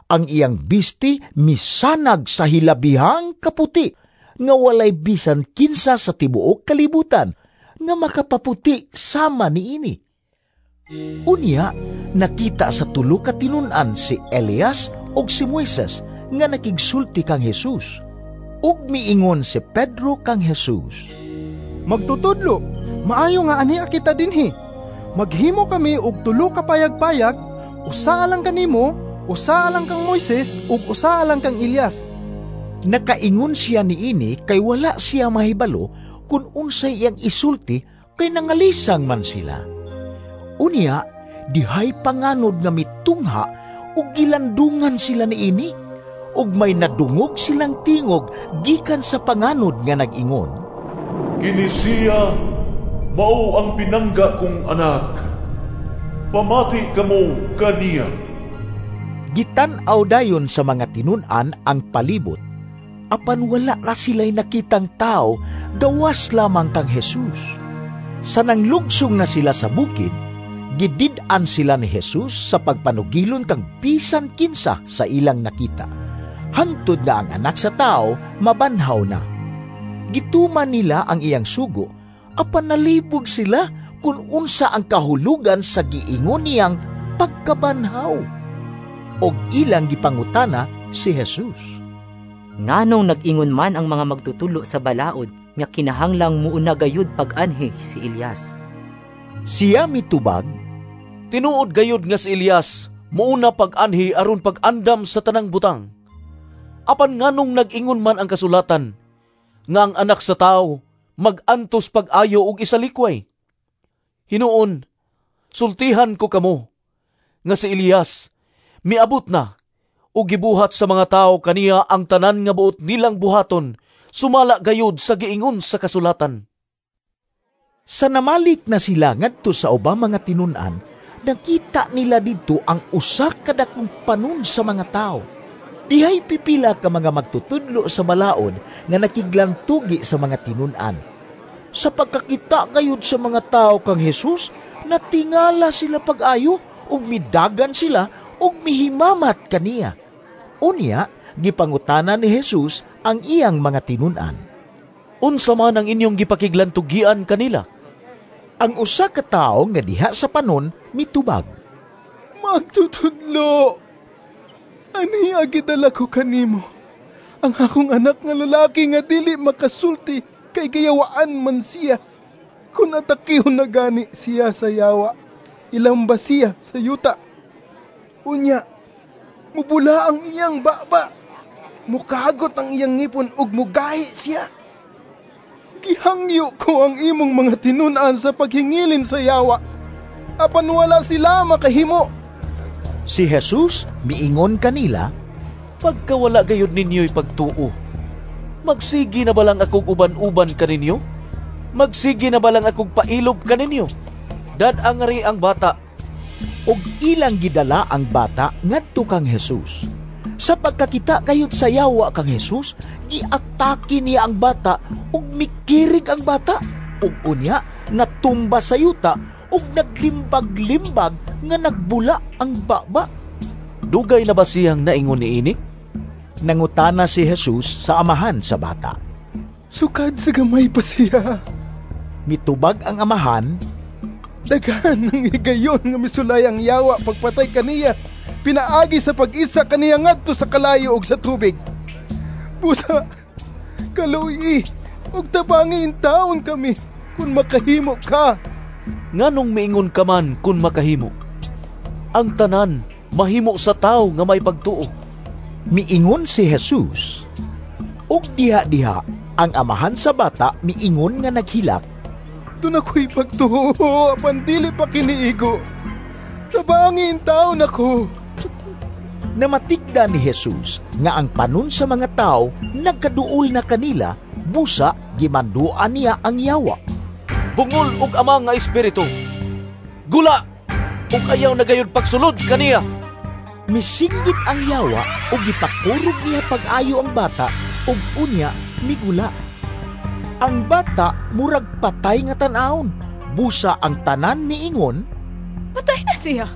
Ang iyang bisti misanag sa hilabihang kaputi nga walay bisan kinsa sa tibuok kalibutan nga makapaputi sama niini. Unya, nakita sa tulo ka tinun-an si Elias ug si Moises nga nakigsulti kang Jesus. Ug miingon si Pedro kang Jesus, "Magtutudlo, maayo nga ania kita dinhi. Maghimo kami og tulo ka payag-payag, usa alang kanimo, usa alang kang Moises ug usa alang kang Elias." Nakaingon siya niini kay wala siya mahibalo kung unsay iyang isulti kay nangalisang man sila. Unya, Dihay panganod nga mitungha ug gilandungan sila niini, ug may nadungog silang tingog gikan sa panganod nga nag-ingon, "Kini siya mao ang pinangga kong anak. Pamati kamo kaniya." Gitan-aw dayon sa mga tinun-an ang palibot, apan wala ra sila'y nakitang tao, gawas lamang kang Jesus. Sa nanglugsong na sila sa bukid, gidid-an sila ni Jesus sa pagpanugilon kang bisan kinsa sa ilang nakita, hangtod nga ang anak sa tao mabanhaw na. Gituman nila ang iyang sugo, apan nalibog sila kung unsa ang kahulugan sa giingon niyang pagkabanhaw. Og ilang gipangutana si Jesus, "Nganong nag-ingon man ang mga magtutulo sa balaod nga kinahanglang muuna gayud pag-anhi si Elias?" Siya mitubag, "Tinuod gayud nga si Elias muuna pag-anhi aron pag-andam sa tanang butang. Apan nganong nag-ingon man ang kasulatan nga ang anak sa tawo mag-antos pag-ayo og isalikway? Hinuon, sultihan ko kamo nga si Elias miabot na ug gibuhat sa mga tawo kaniya ang tanan nga buot nilang buhaton, sumala gayud sa giingon sa kasulatan." Sa namalik na sila ngadto sa ubang mga tinun-an, nakita nila didto ang usa ka dakong panon sa mga tawo. Dihay pipila ka mga magtutudlo sa balaod nga nakiglantugi sa mga tinun-an. Sa pagkakita gayud sa mga tawo kang Jesus, natingala sila pag-ayo ug midagan sila ug mihimamat kaniya. Unya, gipangutana ni Jesus ang iyang mga tinun-an, "Unsa man ang inyong gipakiglantugian kanila?" Ang usa ka tawo nga diha sa panon mitubag, "Magtutudlo, ani gidala ko kanimo ang akong anak nga lalaki nga dili makasulti kay gayawaan man siya. Kun atakihon na gani siya sa yawa, ilamba siya sa yuta. Unya, mubula ang iyang baba, mukagot ang iyang ngipon ug mugahi siya. Gihangyo ko ang imong mga tinun-an sa paghingilin sa yawa, apan wala sila makahimo." Si Jesus miingon kanila, "Pagkawala gayud ninyo'y pagtuo, magsigi na ba lang akong uban-uban kaninyo? Magsigi na ba lang akong pailob kaninyo? Dad-ang ngari ang bata." Og ilang gidala ang bata ngadto kang Jesus. Sa pagkakita kayod sa yawa kang Jesus, giatake niya ang bata ug mikirig ang bata. Ug unya natumba sa yuta ug naglimbag-limbag nga nagbula ang baba. "Dugay na ba siyang naingon niini?" Nangutana si Jesus sa amahan sa bata. "Sukad sa gamay pa siya." Mitubag ang amahan, "Daghan ng higayon nga misulay ang yawa pagpatay kaniya, pinaagi sa pag-isa kaniya ngadto sa kalayo ug sa tubig. Busa, kaluoy ug tabangi intaon kami kun makahimo ka." "Nganong miingon ka man kun makahimo? Ang tanan mahimo sa tawo nga may pagtuo." Miingon si Jesus. Ug diha-diha ang amahan sa bata miingon nga naghilak, "Doon ako'y pagtuo, apan dili pa kiniigo. Tabangi intaon ako." Namatigda ni Jesus nga ang panon sa mga tao nagkaduol na kanila, busa gimanduan niya ang yawa, "Bungol og ama nga espiritu, gula ug ayaw na gayud pagsulod kaniya." Misinggit ang yawa ug gipakurog niya pag-ayo ang bata ug unya migula. Ang bata murag patay nga tan-awon, busa ang tanan miingon, "Patay na siya."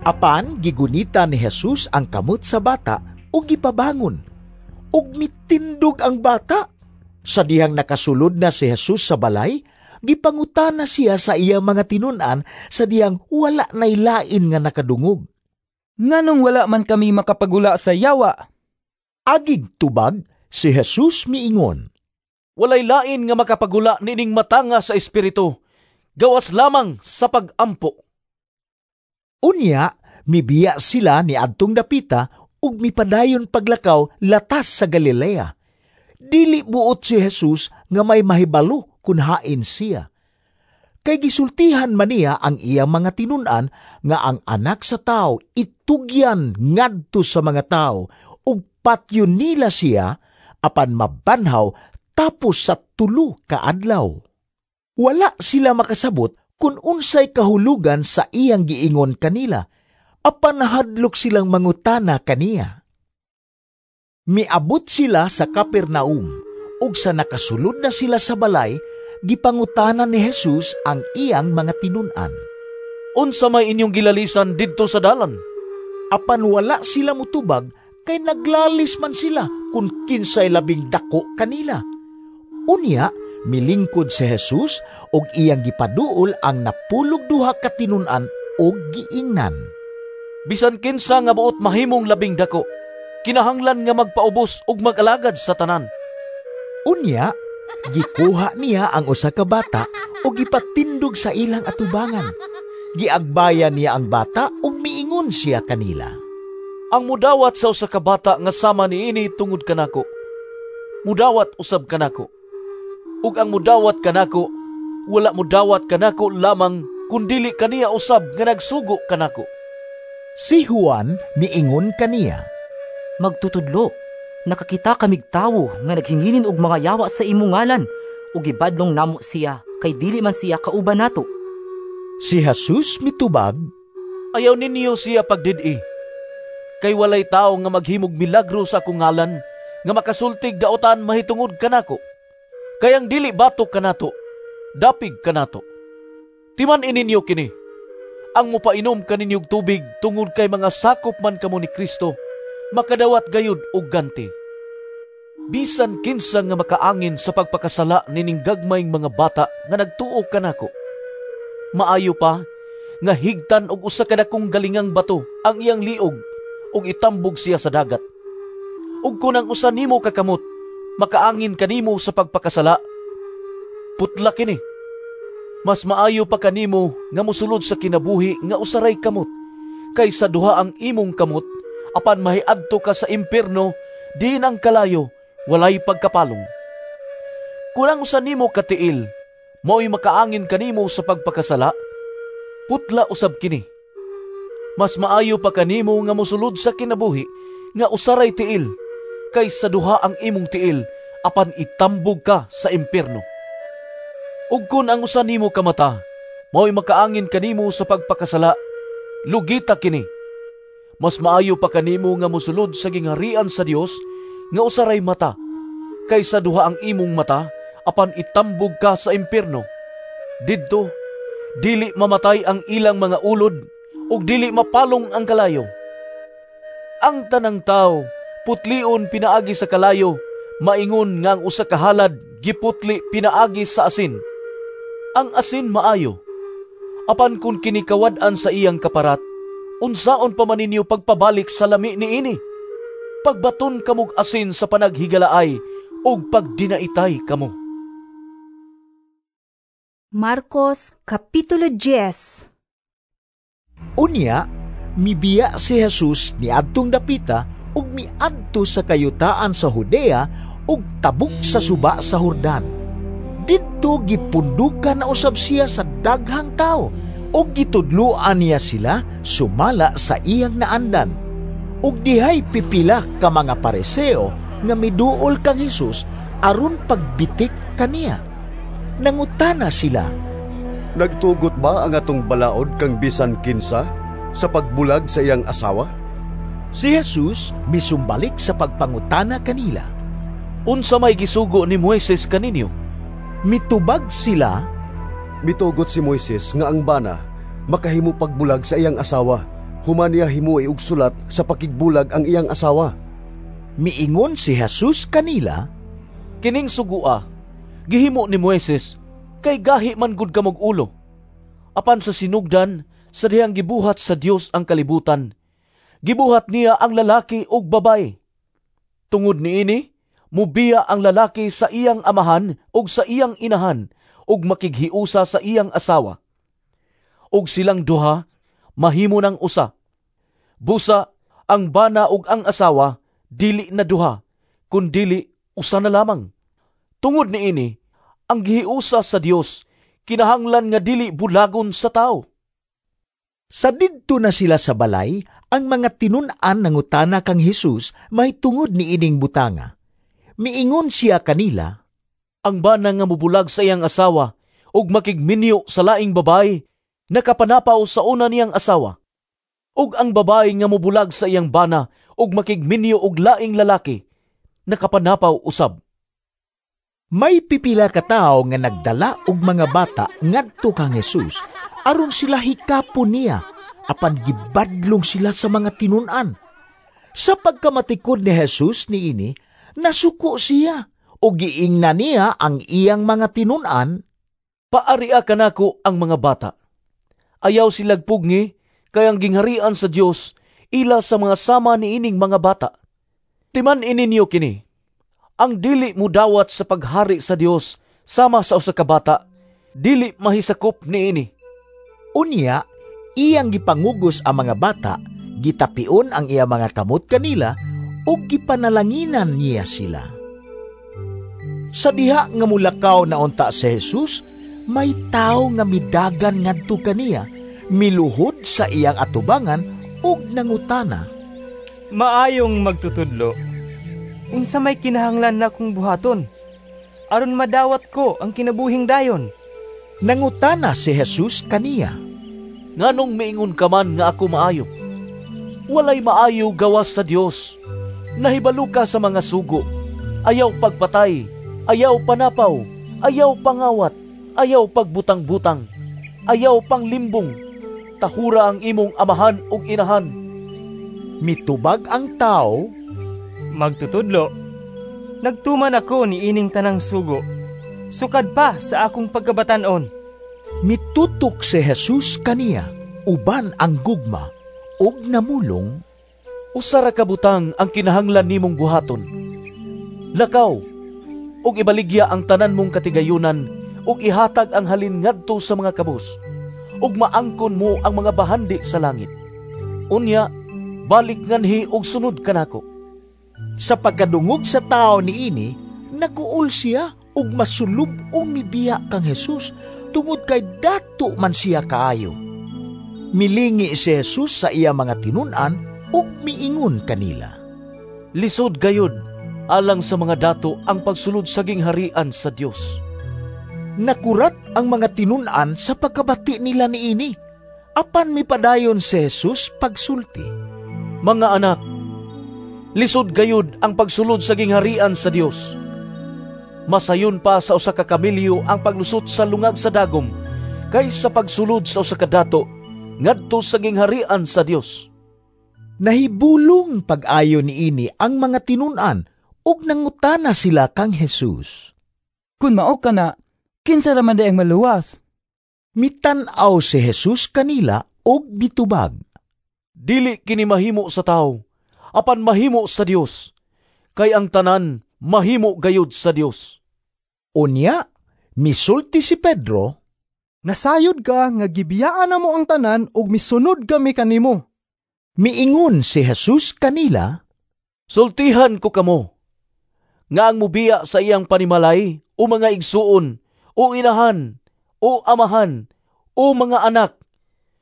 Apan gigunita ni Jesus ang kamot sa bata ug gipabangon. Ug mitindog ang bata. Sa dihang nakasulod na si Jesus sa balay, gipangutana siya sa iyang mga tinun-an sa dihang wala nay lain nga nakadungog. "Nganong wala man kami makapagula sa yawa?" Agig tubag si Jesus miingon, "Walay lain nga makapagula nining matanga sa espiritu, gawas lamang sa pag-ampo." Unya, mibiya sila ni adtong dapita ug mipadayon paglakaw latas sa Galilea. Dili buot si Jesus nga may mahibalo kun hain siya. Kay gisultihan man niya ang iyang mga tinun-an nga ang Anak sa Tawo itugyan ngadto sa mga tawo ug patyon nila siya apan mabanhaw tapos sa 3 ka adlaw. Wala sila makasabot kung unsay kahulugan sa iyang giingon kanila, apan nahadlok silang mangutana kaniya. Miabot sila sa Capernaum, ug sa nakasulod na sila sa balay, gipangutana ni Jesus ang iyang mga tinun-an. Unsa may inyong gilalisan didto sa dalan? Apan wala sila mutubag kay naglalis man sila kung kinsay labing dako kanila. Unya, milingkod si Jesus og iyang gipaduol ang 12 ka tinun-an og giingnan. Bisan kinsa nga buot mahimong labing dako, kinahanglan nga magpaubos og mag-alagad sa tanan. Unya, gikuha niya ang usa ka bata og gipatindog sa ilang atubangan. Giagbayan niya ang bata ug miingon siya kanila. Ang mudawat sa usa ka bata nga sama niini tungod kanako, mudawat usab kanako. Ug ang mudawat kanako, wala mudawat kanako lamang kundili kaniya usab nga nagsugo kanako. Si Juan miingon kaniya, Magtutudlo, nakakita kamig tawo nga naghingilin og mga yawa sa imong ngalan, ug gibadlong namo siya kay dili man siya kauban nato. Si Jesus mitubag, Ayaw ninyo siya pagdid-i, kay walay tawo nga maghimog milagro sa akong ngalan nga makasultig daotan mahitungod kanako. Kay ang dili batok kanato, dapig kanato. Timan-i ninyo kini, ang mopainom kaninyog tubig tungod kay mga sakop man kamo ni Kristo, makadawat gayud og ganti. Bisan kinsa nga makaangin sa pagpakasala nining gagmayng mga bata nga nagtuo kanako, maayo pa nga higtan og usa ka dakong galingang bato ang iyang liog ug itambog siya sa dagat. Ug kun ang usa nimo ka kamot makaangin kanimo sa pagpakasala, putla kini. Mas maayo pa kanimo nga mosulod sa kinabuhi nga usaray kamot kaysa duha ang imong kamot apan mahiadto ka sa impierno diin ang kalayo walay pagkapalong. Kun ang usa nimo ka tiil mao'y makaangin kanimo sa pagpakasala, putla usab kini. Mas maayo pa kanimo nga mosulod sa kinabuhi nga usaray tiil kaysa duha ang imong tiil apan itambog ka sa impierno. Ug kun ang usa nimo ka mata mao'y makaangin kanimo sa pagpakasala, lugita kini. Mas maayo pa kanimo nga mosulod sa gingharian sa Dios nga usaray mata kaysa duha ang imong mata apan itambog ka sa impierno. Didto dili mamatay ang ilang mga ulod ug dili mapalong ang kalayo. Ang tanang tawo putlion pinaagi sa kalayo, maingon nga ang usa ka halad giputli pinaagi sa asin. Ang asin maayo, apan kun kini kawad-an sa iyang kaparat, unsaon pa man ninyo pagpabalik sa lami niini? Pagbaton kamog asin sa panaghigalaay ug pagdinaitay kamo. Marcos Kapitulo 10. Unya, mibiya si Jesus niadtong dapita ug miadto sa kayutaan sa Judea ug tabok sa suba sa Jordan. Didto gipundukan na usab siya sa daghang tawo ug gitudloan niya sila sumala sa iyang naandan. Ug dihay pipila ka mga Pariseo nga miduol kang Hesus aron pagbitik kaniya. Nangutana sila, Nagtugot ba ang atong balaod kang bisan kinsa sa pagbulag sa iyang asawa? Si Jesus misumbalik sa pagpangutana kanila. Unsa may gisugo ni Moises kaninyo? Mitubag sila, Mitugot si Moises nga ang bana makahimo pagbulag sa iyang asawa, human niya himuoi og sulat sa pakigbulag ang iyang asawa. Miingon si Jesus kanila, Kining sugua gihimo ni Moises kay gahi man gud kamog ulo. Apan sa sinugdan sa dihang gibuhat sa Dios ang kalibutan, gibuhat niya ang lalaki ug babaye. Tungod niini, mubiya ang lalaki sa iyang amahan ug sa iyang inahan ug makighiusa sa iyang asawa. Ug silang duha mahimo ng usa. Busa ang bana ug ang asawa dili na duha, kundili usa na lamang. Tungod niini, ang gihiusa sa Dios kinahanglan nga dili bulagon sa tawo. Sa didto na sila sa balay, ang mga tinun-an nangutana kang Hesus mahitungod niining butanga. Miingon siya kanila, ang bana nga mubulag sa iyang asawa ug makigminyo sa laing babae, nakapanapaw sa una niyang asawa. Ug ang babae nga mubulag sa iyang bana ug makigminyo og laing lalaki, nakapanapaw usab. May pipila ka tawo nga nagdala og mga bata ngadto kang Hesus aron sila hikapon niya, apan gibadlong sila sa mga tinun-an. Sa pagkamatikod ni Hesus niini, nasuko siya ug giingnan niya ang iyang mga tinun-an, Paaria kanako ang mga bata. Ayaw silag pugni, kay ang gingharian sa Dios ila sa mga sama niining mga bata. Timan-i ninyo kini, ang dili mudawat sa paghari sa Dios sama sa usa ka bata, dili mahisakop niini. Unya, iyang gipangugos ang mga bata, gitapion ang iya mga kamot kanila, ug gipanalanginan niya sila. Sa diha nga mulakaw na unta si Jesus, may tawo nga midagan ngadto kaniya, miluhod sa iyang atubangan ug nangutana, Maayong magtutudlo, unsa may kinahanglan na kong buhaton aron madawat ko ang kinabuhing dayon? Nangutana si Jesus kaniya, Nganong miingon ka man nga ako maayo? Walay maayo gawas sa Dios. Nahibalo ka sa mga sugo. Ayaw pagpatay, ayaw panapaw, ayaw pangawat, ayaw pagbutang-butang, ayaw panglimbong. Tahura ang imong amahan ug inahan. Mitubag ang tao, Magtutudlo, nagtuman ako ni ining tanang sugo, sukad pa sa akong pagkabatan-on. Mitutok si Jesus kaniya, uban ang gugma, ug namulong, Usa ra ka butang ang kinahanglan nimong buhaton. Lakaw, ug ibaligya ang tanan mong katigayunan, ug ihatag ang halin ngadto sa mga kabus, ug maangkon mo ang mga bahandi sa langit. Unya, balik nganhi ug sunod kanako. Sa pagkadungog sa tao niini, naguol siya ug masulub-ong mibiya kang Jesus tungod kay dato man siya kaayo. Milingi si Jesus sa iya mga tinun-an ug miingon kanila, Lisod gayud alang sa mga dato ang pagsulod sa gingharian sa Dios. Nakurat ang mga tinun-an sa pagkabati nila niini. Apan mipadayon si Jesus pagsulti, Mga anak, lisod gayud ang pagsulod sa gingharian sa Dios. Masayon pa sa usa ka kamelyo ang paglusot sa lungag sa dagom kaysa pagsulod sa usa ka dato ngadto sa gingharian sa Dios. Nahibulong pag-ayo niini ang mga tinun-an ug nangutana sila kang Jesus. Kun mao ka na, kinsa ra man ang maluwas? Mitan-aw si Jesus kanila ug mitubag, Dili kini mahimo sa tawo, apan mahimo sa Dios. Kay ang tanan mahimo gayud sa Dios. Unya, misulti si Pedro, Nasayod ka nga gibiyaan na mo ang tanan ug misunod kami kanimo. Miingon si Jesus kanila, Sultihan ko kamo, nga ang mubiya sa iyang panimalay o mga igsuon, o inahan, o amahan, o mga anak,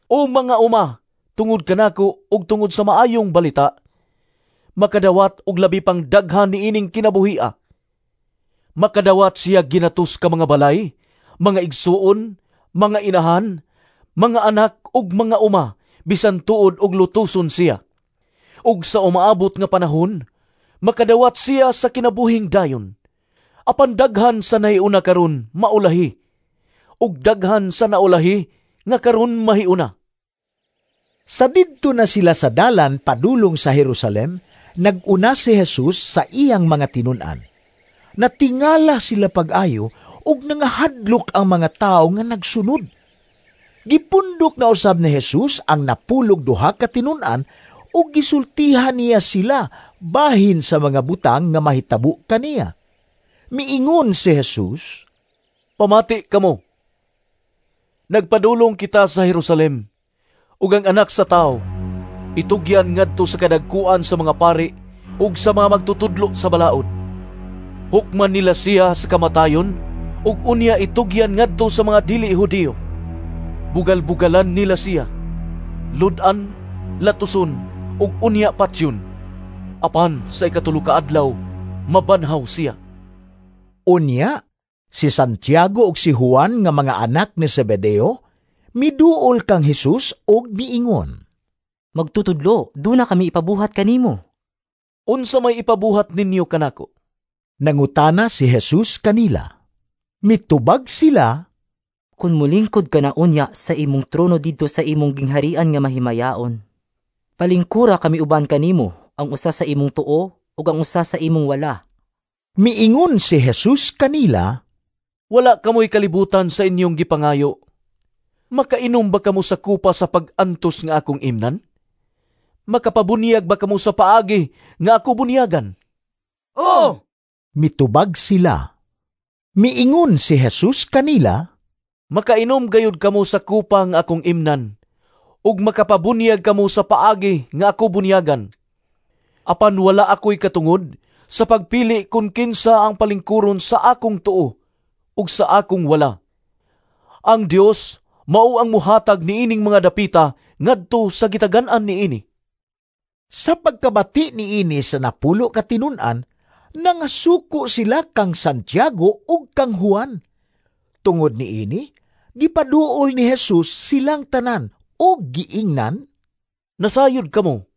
o mga uma, tungod kanako ug tungod sa maayong balita, makadawat og labi pang daghan niining kinabuhia. Makadawat siya ginatos ka mga balay, mga igsuon, mga inahan, mga anak ug mga uma, bisan tuod og lutuson siya. Ug sa umaabot nga panahon, makadawat siya sa kinabuhing dayon. Apan daghan sa nahiuna karon maulahi, ug daghan sa naulahi nga karon mahiuna. Sa didto na sila sa dalan padulong sa Jerusalem, nag-una si Jesus sa iyang mga tinun-an. Natingala sila pag-ayo ug nangahadlok ang mga tawo nga nagsunod. Gipundok na usab ni Jesus ang napulog duha ka tinun-an ug gisultihan niya sila bahin sa mga butang nga mahitabo kaniya. Miingon si Jesus, Pamati kamo. Nagpadulong kita sa Jerusalem, ug ang anak sa tawo itugyan ngadto sa kadagkuan sa mga pari ug sa mga magtutudlo sa balaod. Hukman nila siya sa kamatayon ug unya itugyan ngadto sa mga dili Hudiyo. Bugal-bugalan nila siya, lud-an, latuson, ug unya patyon. Apan sa ikatulo ka adlaw, mabanhaw siya. Unya, si Santiago ug si Juan nga mga anak ni Zebedeo, miduol kang Hesus ug miingon, Magtutudlo, duna kami ipabuhat kanimo. Unsa may ipabuhat ninyo kanako? Nangutana si Jesus kanila. Mitubag sila, Kun mulingkod ka na unya sa imong trono didto sa imong gingharian nga mahimayaon, palingkura kami uban kanimo, ang usa sa imong tuo ug ang usa sa imong wala. Miingon si Jesus kanila, Wala kamoy kalibutan sa inyong gipangayo. Makainom ba kamo sa kupa sa pag-antos nga akong imnan? Makapabunyag ba kamo sa paagi nga ako bunyagan? Oo! Mitubag sila. Miingon si Jesus kanila, Makainom gayud kamo sa kupa nga akong imnan, ug makapabunyag kamo sa paagi nga ako bunyagan. Apan wala ako'y katungod sa pagpili kung kinsa ang palingkuron sa akong tuo ug sa akong wala. Ang Dios mao ang muhatag niining mga dapita ngadto sa gitagan-an niini. Sa pagkabati niini sa 10 ka tinun-an, nangasuko sila kang Santiago ug kang Juan. Tungod niini, gipaduol ni Jesus silang tanan ug giingnan, Nasayod kamo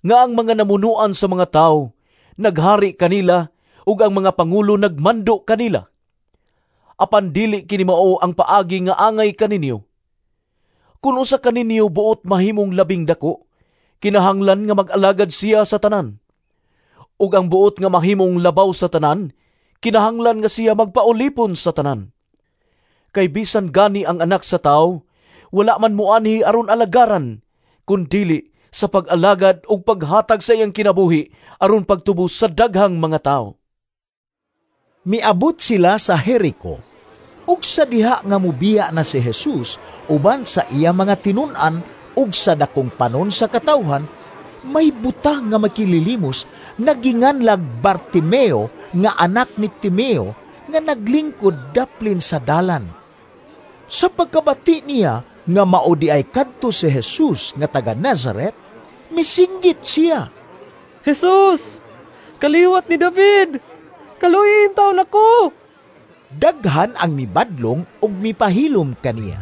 nga ang mga namunuan sa mga tawo naghari kanila ug ang mga pangulo nagmando kanila. Apan dili kini mao ang paagi nga angay kaninyo. Kun usa kaninyo buot mahimong labing dako, kinahanglan nga mag-alagad siya sa tanan. Ug ang buot nga mahimong labaw sa tanan, kinahanglan nga siya magpaulipon sa tanan. Kay bisan gani ang anak sa tawo, wala man moanhi aron alagaran, kun dili sa pag-alagad ug paghatag sa iyang kinabuhi aron pagtubos sa daghang mga tawo. Miabot sila sa Jericho, ug sa diha nga mubiya na si Jesus uban sa iya mga tinun-an ug sa dakong panon sa katawhan, may buta nga makililimos nga ginganlag Bartimeo nga anak ni Timeo nga naglingkod daplin sa dalan. Sa pagkabati niya nga mao di ay kadto si Jesus nga taga Nazaret, misinggit siya, Jesus, kaliwat ni David, kaluoy taon ako! Daghan ang mibadlong ug mipahilom kaniya.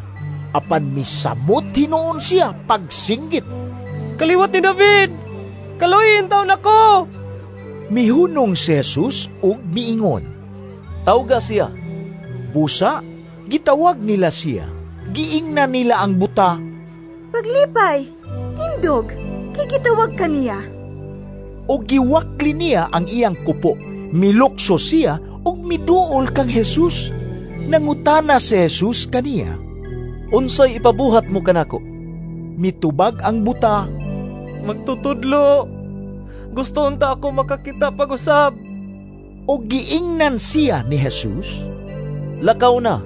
Apan misamot hinuon siya pagsinggit, Kaliwat ni David, kaluoy taon ako! Mihunong si Jesus ug miingon, Tawga siya. Busa, gitawag nila siya. Giingnan nila ang buta, Paglipay, tindog, kay gitawag kaniya. O giwakli niya ang iyang kupo. Milukso siya ug miduol kang Jesus. Nangutana si Jesus kaniya, Unsay ipabuhat mo kanako? Mitubag ang buta, Magtutudlo, gusto unta ako makakita pag-usab. O giingnan siya ni Jesus, Lakaw na,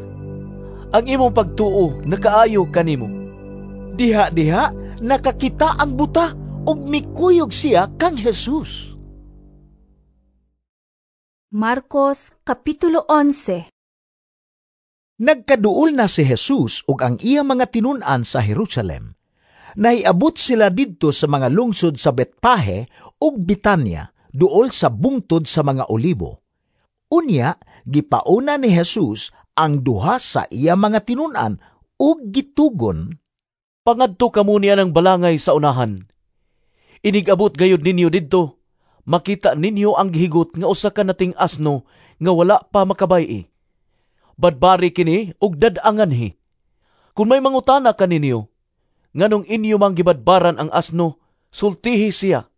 ang imong pagtuo nakaayo kanimo. Diha-diha nakakita ang buta ug mikuyog siya kang Jesus. Marcos Kapitulo 11. Nagkaduol na si Jesus ug ang iya mga tinun-an sa Jerusalem. Nahiabot sila didto sa mga lungsod sa Betpahe ug Bitanya, duol sa bungtod sa mga olibo. Unya, gipauna ni Jesus ang duha sa iya mga tinun-an ug gitugon, Pangadto kamo niya ng balangay sa unahan. Inigabot gayud ninyo didto, makita ninyo ang gihigot nga usa ka nating asno nga wala pa makabay-i. Badbari kini ug dad-anganhi. Kung may mangutana kaninyo, nganong inyo mang gibadbaran ang asno, sultihi siya.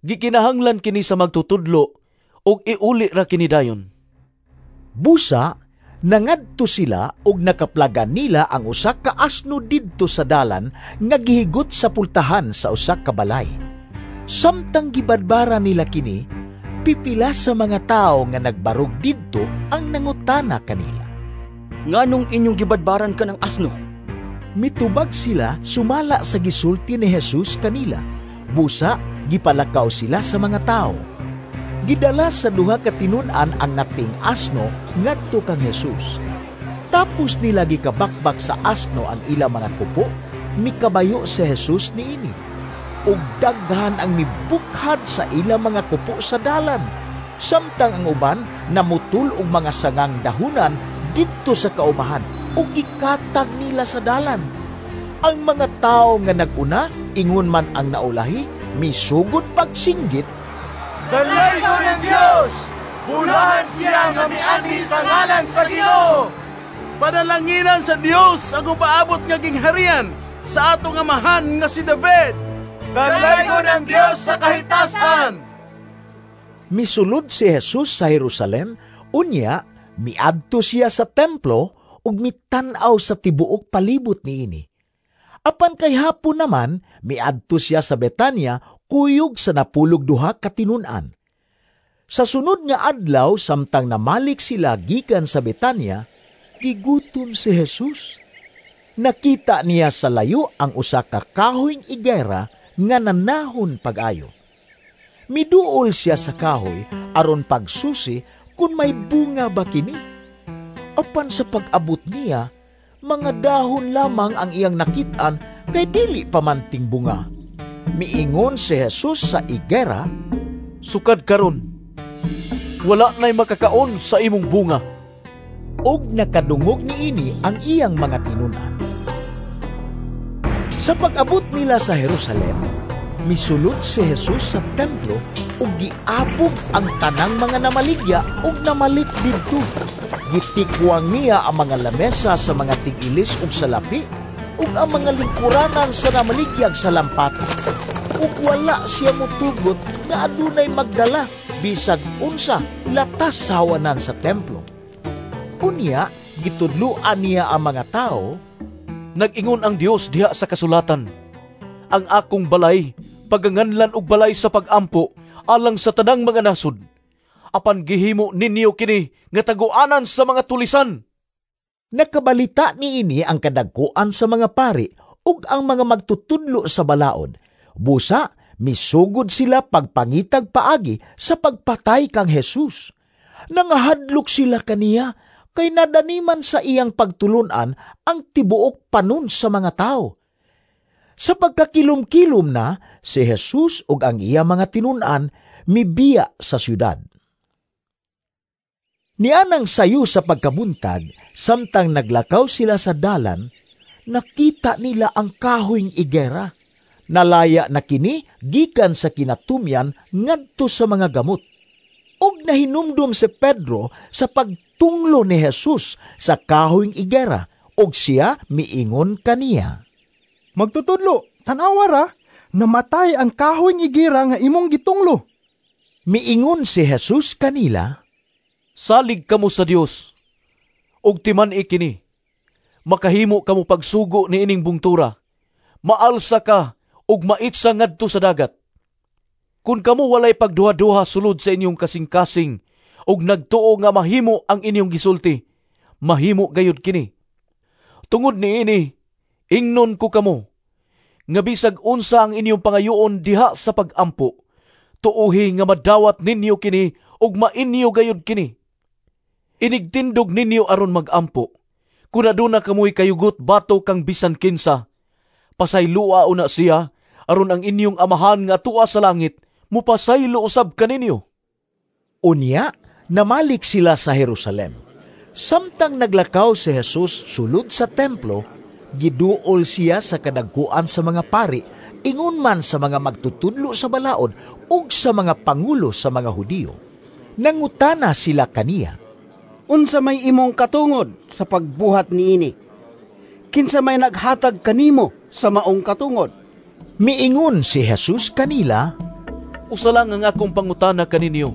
Gikinahanglan kini sa magtutudlo ug iuli ra kini dayon. Busa, nangadto sila ug nakaplagan nila ang usa ka asno didto sa dalan nga gihigot sa pultahan sa usa ka balay. Samtang gibadbara nila kini, pipila sa mga tawo nga nagbarog didto ang nangutana kanila. Nganong inyong gibadbaran ka ng asno? Mitubag sila sumala sa gisulti ni Jesus kanila. Busa, gipalakaw sila sa mga tao. Gidala sa duha ka tinun-an ang nating asno ngadto kang Jesus. Tapos nila gikabakbak sa asno ang ilang mga kupo, mikabayo si Jesus niini. Ug daghan ang mibukhad sa ilang mga kupo sa dalan, samtang ang uban namutol og mga sangang dahunan didto sa kaumahan ug gikatag nila sa dalan. Ang mga tawo nga nag-una, ingon man ang naulahi, misugod pagsinggit, "Dalaygon ang Dios! Bulahan siya nga mianhi sa ngalan sa Ginoo! Panalanginan sa Dios ang upaabot nga gingharian sa atong amahan nga si David! Dalaygon ang Dios sa kahitasan!" Misulod si Jesus sa Jerusalem, unya miadto siya sa templo ug mitan-aw sa tibuok palibot niini. Apan kay hapon naman, miadto siya sa Betania kuyog sa 12 ka tinun-an. Sa sunod nga adlaw, samtang namalik sila gikan sa Betania, gigutom si Jesus. Nakita niya sa layo ang usa ka kahoyng igera nga nanahon pag-ayo. Miduol siya sa kahoy aron pagsusi kung may bunga ba kini. Apan sa pag-abot niya, mga dahon lamang ang iyang nakit-an kay dili pa man tingbunga. Miingon si Jesus sa igera, "Sukad karon, wala na'y makakaon sa imong bunga." Og nakadungog niini ang iyang mga tinun-an. Sa pag-abot nila sa Jerusalem, misulod si Jesus sa templo ug giapog ang tanang mga namaligya ug namalit didto. Gitikwang niya ang mga lamesa sa mga tig-ilis ug salapi ug ang mga lingkuranan sa namaligyag sa lampata. Ug wala siya motugot nga adunay magdala bisag unsa latas sa hawanan sa templo. Unya, gitudloan niya ang mga tao, "Nag-ingon ang Dios diha sa kasulatan, ang akong balay paganganlan og balay sa pag-ampo alang sa tanang mga nasod. Apan gihimo ninyo kini nga taguanan sa mga tulisan." Nakabalita niini ang kadagkuan sa mga pari ug ang mga magtutudlo sa balaod. Busa, misugod sila pagpangitag paagi sa pagpatay kang Jesus. Nangahadlok sila kaniya kay nadaniman sa iyang pagtulunan ang tibuok panon sa mga tao. Sa pagkakilom-kilom na, si Jesus ug ang iya mga tinun-an mibiya sa syudad. Nianang sayo sa pagkabuntag, samtang naglakaw sila sa dalan, nakita nila ang kahoyng igera. Nalaya na kini gikan sa kinatumyan ngadto sa mga gamot. Ug nahinumdum si Pedro sa pagtunglo ni Jesus sa kahoyng igera, ug siya miingon kaniya, "Magtutudlo, tan-awa ra, namatay ang kahoyng igera nga imong gitunglo." Miingon si Jesus kanila, "Salig kamo sa Dios, ug timan-i kini. Makahimo kamo pagsugo niining bungtura, maalsa ka ug maitsa ngadto sa dagat. Kun kamo walay pagduha-duha sulod sa inyong kasing-kasing ug nagtuo nga mahimo ang inyong gisulti, mahimo gayud kini. Tungod niini, ingnon ko kamo, nga bisag unsa ang inyong pangayoon diha sa pag-ampo, tuohi nga madawat ninyo kini ug mainyo gayud kini. Inigtindog ninyo aron mag-ampo. Kun aduna kamoy kayugot bato kang bisan kinsa, pasaylua una siya aron ang inyong amahan nga atua sa langit mupasaylo usab kaninyo." Unya, namalik sila sa Jerusalem. Samtang naglakaw si Jesus sulod sa templo, giduol siya sa kadagkuan sa mga pari, ingon man sa mga magtutudlo sa balaod ug sa mga pangulo sa mga Hudiyo. Nangutana sila kaniya, "Unsa may imong katungod sa pagbuhat niini? Kinsa may naghatag kanimo sa maong katungod?" Miingon si Jesus kanila, "Usa lang ang akong pangutana kaninyo,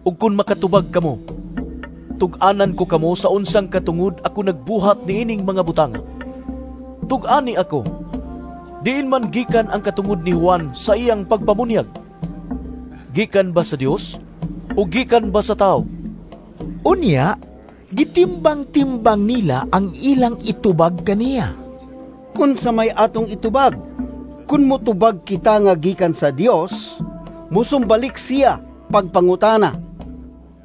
ug kun makatubag kamo, tug-anan ko kamo sa unsang katungod ako nagbuhat niining mga butanga. Tug-ani ako, diin man gikan ang katungod ni Juan sa iyang pagpamunyag? Gikan ba sa Dios o gikan ba sa tao?" Unya, gitimbang-timbang nila ang ilang itubag kaniya. "Unsa may atong itubag? Kun motubag kita nga gikan sa Dios, musumbalik siya pagpangutana,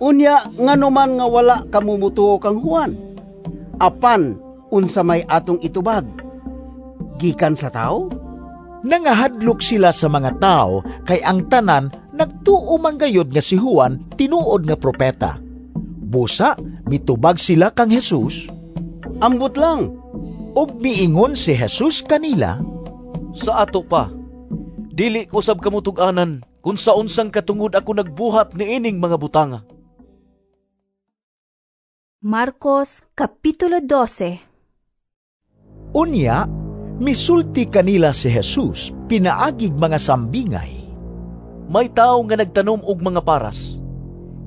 "Unya ngano man nga wala kamo motuo kang Juan?" Apan unsa may atong itubag? Gikan sa tawo? Nangahadlok sila sa mga tao kay ang tanan nagtuo man gayud nga si Juan tinuod nga propeta. Busa mitubag sila kang Jesus, "Ambot lang." Ug miingon si Jesus kanila, "Sa ato pa, dili ko sab kamo tug-anan kun sa unsang katungod ako nagbuhat niining mga butanga." Marcos Kapitulo 12. Unya, misulti kanila si Jesus pinaagig mga sambingay. May tawo nga nagtanom og mga paras.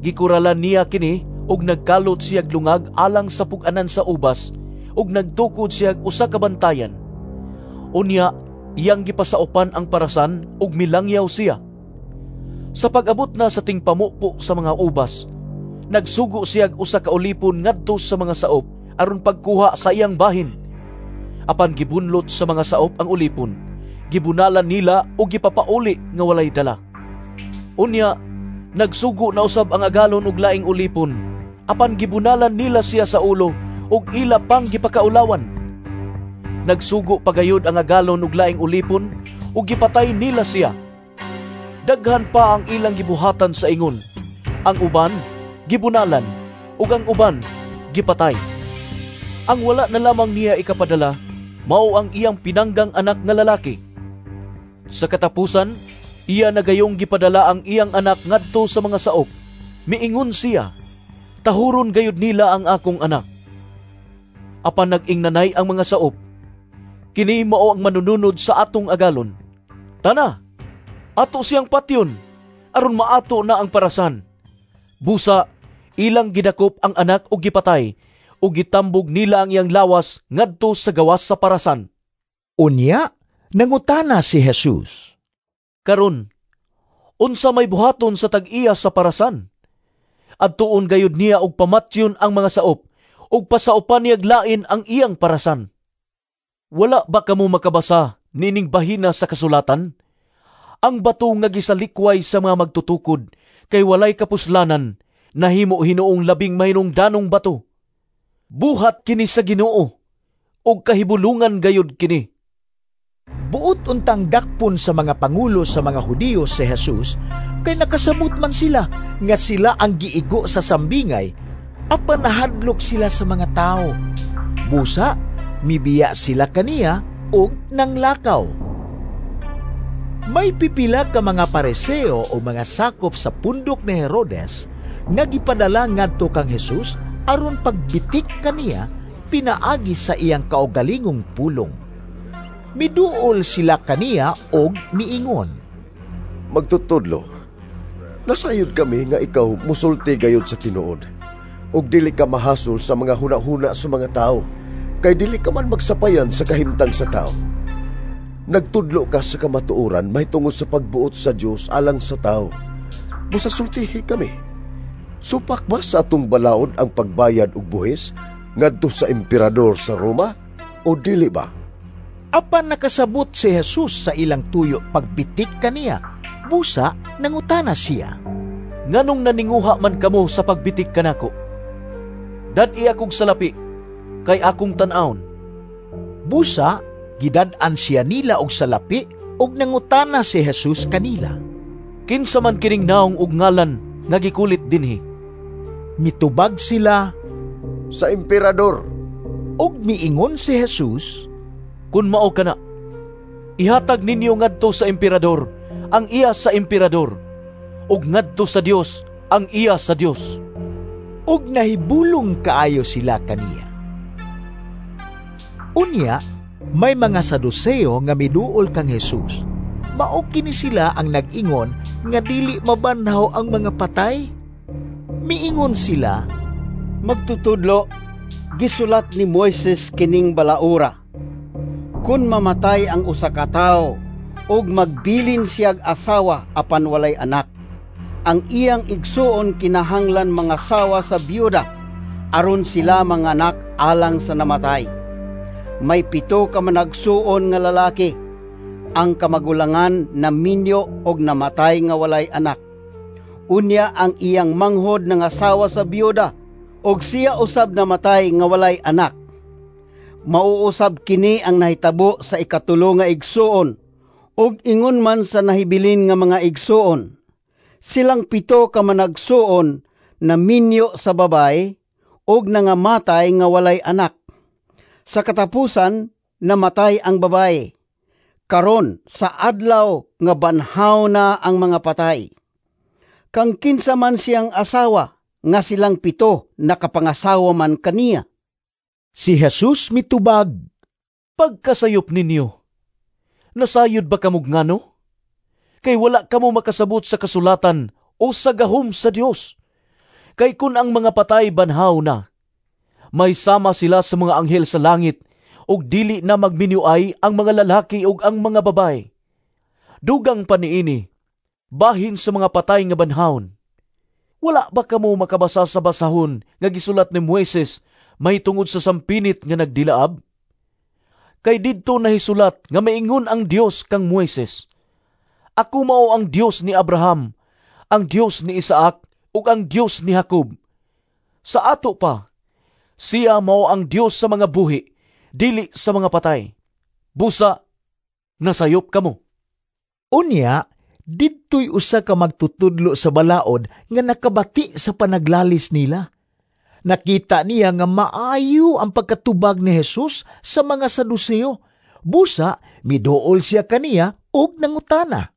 Gikuralan niya kini og nagkalot siyag lungag alang sa pug-anan sa ubas ug nagtukod siyag usa ka bantayan. Unya, iyang gipasaupan ang parasan ug milangyaw siya. Sa pag-abot na sa tingpamupo sa mga ubas, nagsugo siyag usa ka ulipon ngadto sa mga saop aron pagkuha sa iyang bahin. Apan gibunlot sa mga saop ang ulipon, gibunalan nila ug gipapauli nga walay dala. Unya, nagsugo na usab ang agalon og laing ulipon, apan gibunalan nila siya sa ulo ug ila pang gipakaulawan. Nagsugo pagayod ang agalon og laing ulipon ug gipatay nila siya. Daghan pa ang ilang gibuhatan sa ingon. Ang uban gibunalan ug ang uban gipatay. Ang wala na lamang niya ikapadala mao ang iyang pinanggang anak nga lalaki. Sa katapusan, iya nagayong gipadala ang iyang anak ngadto sa mga saop. Miingon siya, "Tahuron gayud nila ang akong anak." Apan nag-ingnanay ang mga saop, "Kini mao ang manununod sa atong agalon. Tana, ato siyang patyon, aron maato na ang parasan." Busa, ilang gidakop ang anak og gipatay, ug gitambog nila ang iyang lawas ngadto sa gawas sa parasan. Unya, nangutana si Jesus, "Karon, unsa may buhaton sa tag-iya sa parasan? Adtuon gayud niya og pamatyon ang mga saop, ug pasaupan niyag lain ang iyang parasan. Wala ba kamo makabasa nining bahina sa kasulatan? Ang bato nga gisalikway sa mga magtutukod kay walay kapuslanan, nahimo hinuong labing mahinungdanong bato. Buhat kini sa Ginoo, ug kahibulungan gayud kini." Buot untang dakpon sa mga pangulo sa mga Hudiyo si Jesus, kay nakasabot man sila nga sila ang giigo sa sambingay, apan nahadlok sila sa mga tao. Busa, mibiya sila kaniya og nanglakaw. May pipila ka mga Pariseo o mga sakop sa pundok ni Herodes nga gipadala ngadto kang Jesus aron pagbitik kaniya pinaagi sa iyang kaugalingong pulong. Miduol sila kaniya og miingon, "Magtutudlo, nasayod kami nga ikaw musulti gayud sa tinuod, ug dili ka mahasol sa mga hunahuna sa mga tao, kay dili ka man magsapayan sa kahimtang sa tao. Nagtudlo ka sa kamatuoran mahitungod sa pagbuot sa Dios alang sa tao. Busa sultihi kami. Supak ba sa atong balaod ang pagbayad og buhis ngadto sa emperador sa Roma o dili ba?" Apan nakasabot si Jesus sa ilang tuyo pagbitik kaniya. Busa nangutana siya, "Nganong naninguha man kamo sa pagbitik kanako? Dad-i akong salapi, kay akong tan-awon." Busa gidad-an siya nila og salapi ug nangutana si Jesus kanila, "Kinsa man kining naong og ngalan nga gikulit dinhi?" Mitubag sila, "Sa emperador." Ug miingon si Jesus, "Kun mao kana, ihatag ninyo ngadto sa emperador ang iya sa emperador, ug ngadto sa Dios ang iya sa Dios." Ug nahibulong kaayo sila kaniya. Unya, may mga Saduseo nga miduol kang Jesus. Mao kini sila ang nag-ingon nga dili mabanhaw ang mga patay. Miingon sila, "Magtutudlo, gisulat ni Moises kining balaura. Kun mamatay ang usa ka tawo ug magbilin siyag asawa apan walay anak, ang iyang igsuon kinahanglan mangasawa sa biyuda aron sila manganak alang sa namatay. May 7 ka managsuon nga lalaki. Ang kamagulangan naminyo og namatay nga walay anak. Unya ang iyang manghod nangasawa sa biyuda, ug siya usab namatay nga walay anak. Mauusab kini ang nahitabo sa ikatulo nga igsuon, ug ingon man sa nahibilin nga mga igsuon. Silang 7 ka managsuon naminyo sa babay ug nangamatay nga walay anak. Sa katapusan namatay ang babay. Karon sa adlaw nga banhaw na ang mga patay, kang kinsa man siyang asawa nga silang 7 nakapangasawa man kaniya. Si Jesus mitubag, "Pagkasayop ninyo, nasayod ba kamog ngano? Kay wala kamo makasabot sa kasulatan o sa gahom sa Dios. Kay kun ang mga patay banhaw na, may sama sila sa mga anghel sa langit, ug dili na magminuay ang mga lalaki ug ang mga babae. Dugang pa niini, bahin sa mga patay nga banhawon. Wala ba kamo makabasa sa basahon nga gisulat ni Moises may tungod sa sampinit nga nagdilaab? Kay didto nahisulat nga maingon ang Dios kang Moises, Ako mao ang Dios ni Abraham, ang Dios ni Isaac, ug ang Dios ni Jacob. Sa ato pa, siya mao ang Dios sa mga buhi, dili sa mga patay. Busa, nasayop kamo." Unya, didto'y usa ka magtutudlo sa balaod nga nakabati sa panaglalis nila. Nakita niya nga maayo ang pagkatubag ni Jesus sa mga Saduseo. Busa, miduol siya kaniya ug nangutana.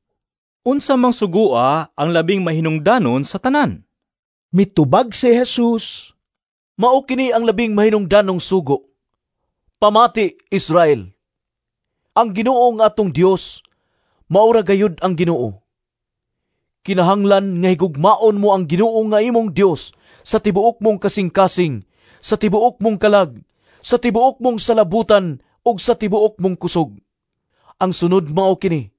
"Unsa mang sugua ang labing mahinungdanon sa tanan?" Mitubag si Jesus, "Mao kini ang labing mahinungdanong sugo. Pamati, Israel. Ang Ginoo nga atong Dios, maura gayud ang Ginoo. Kinahanglan nga higugmaon mo ang Ginoo nga imong Dios sa tibuok mong kasing-kasing, sa tibuok mong kalag, sa tibuok mong salabutan ug sa tibuok mong kusog. Ang sunod mao kini: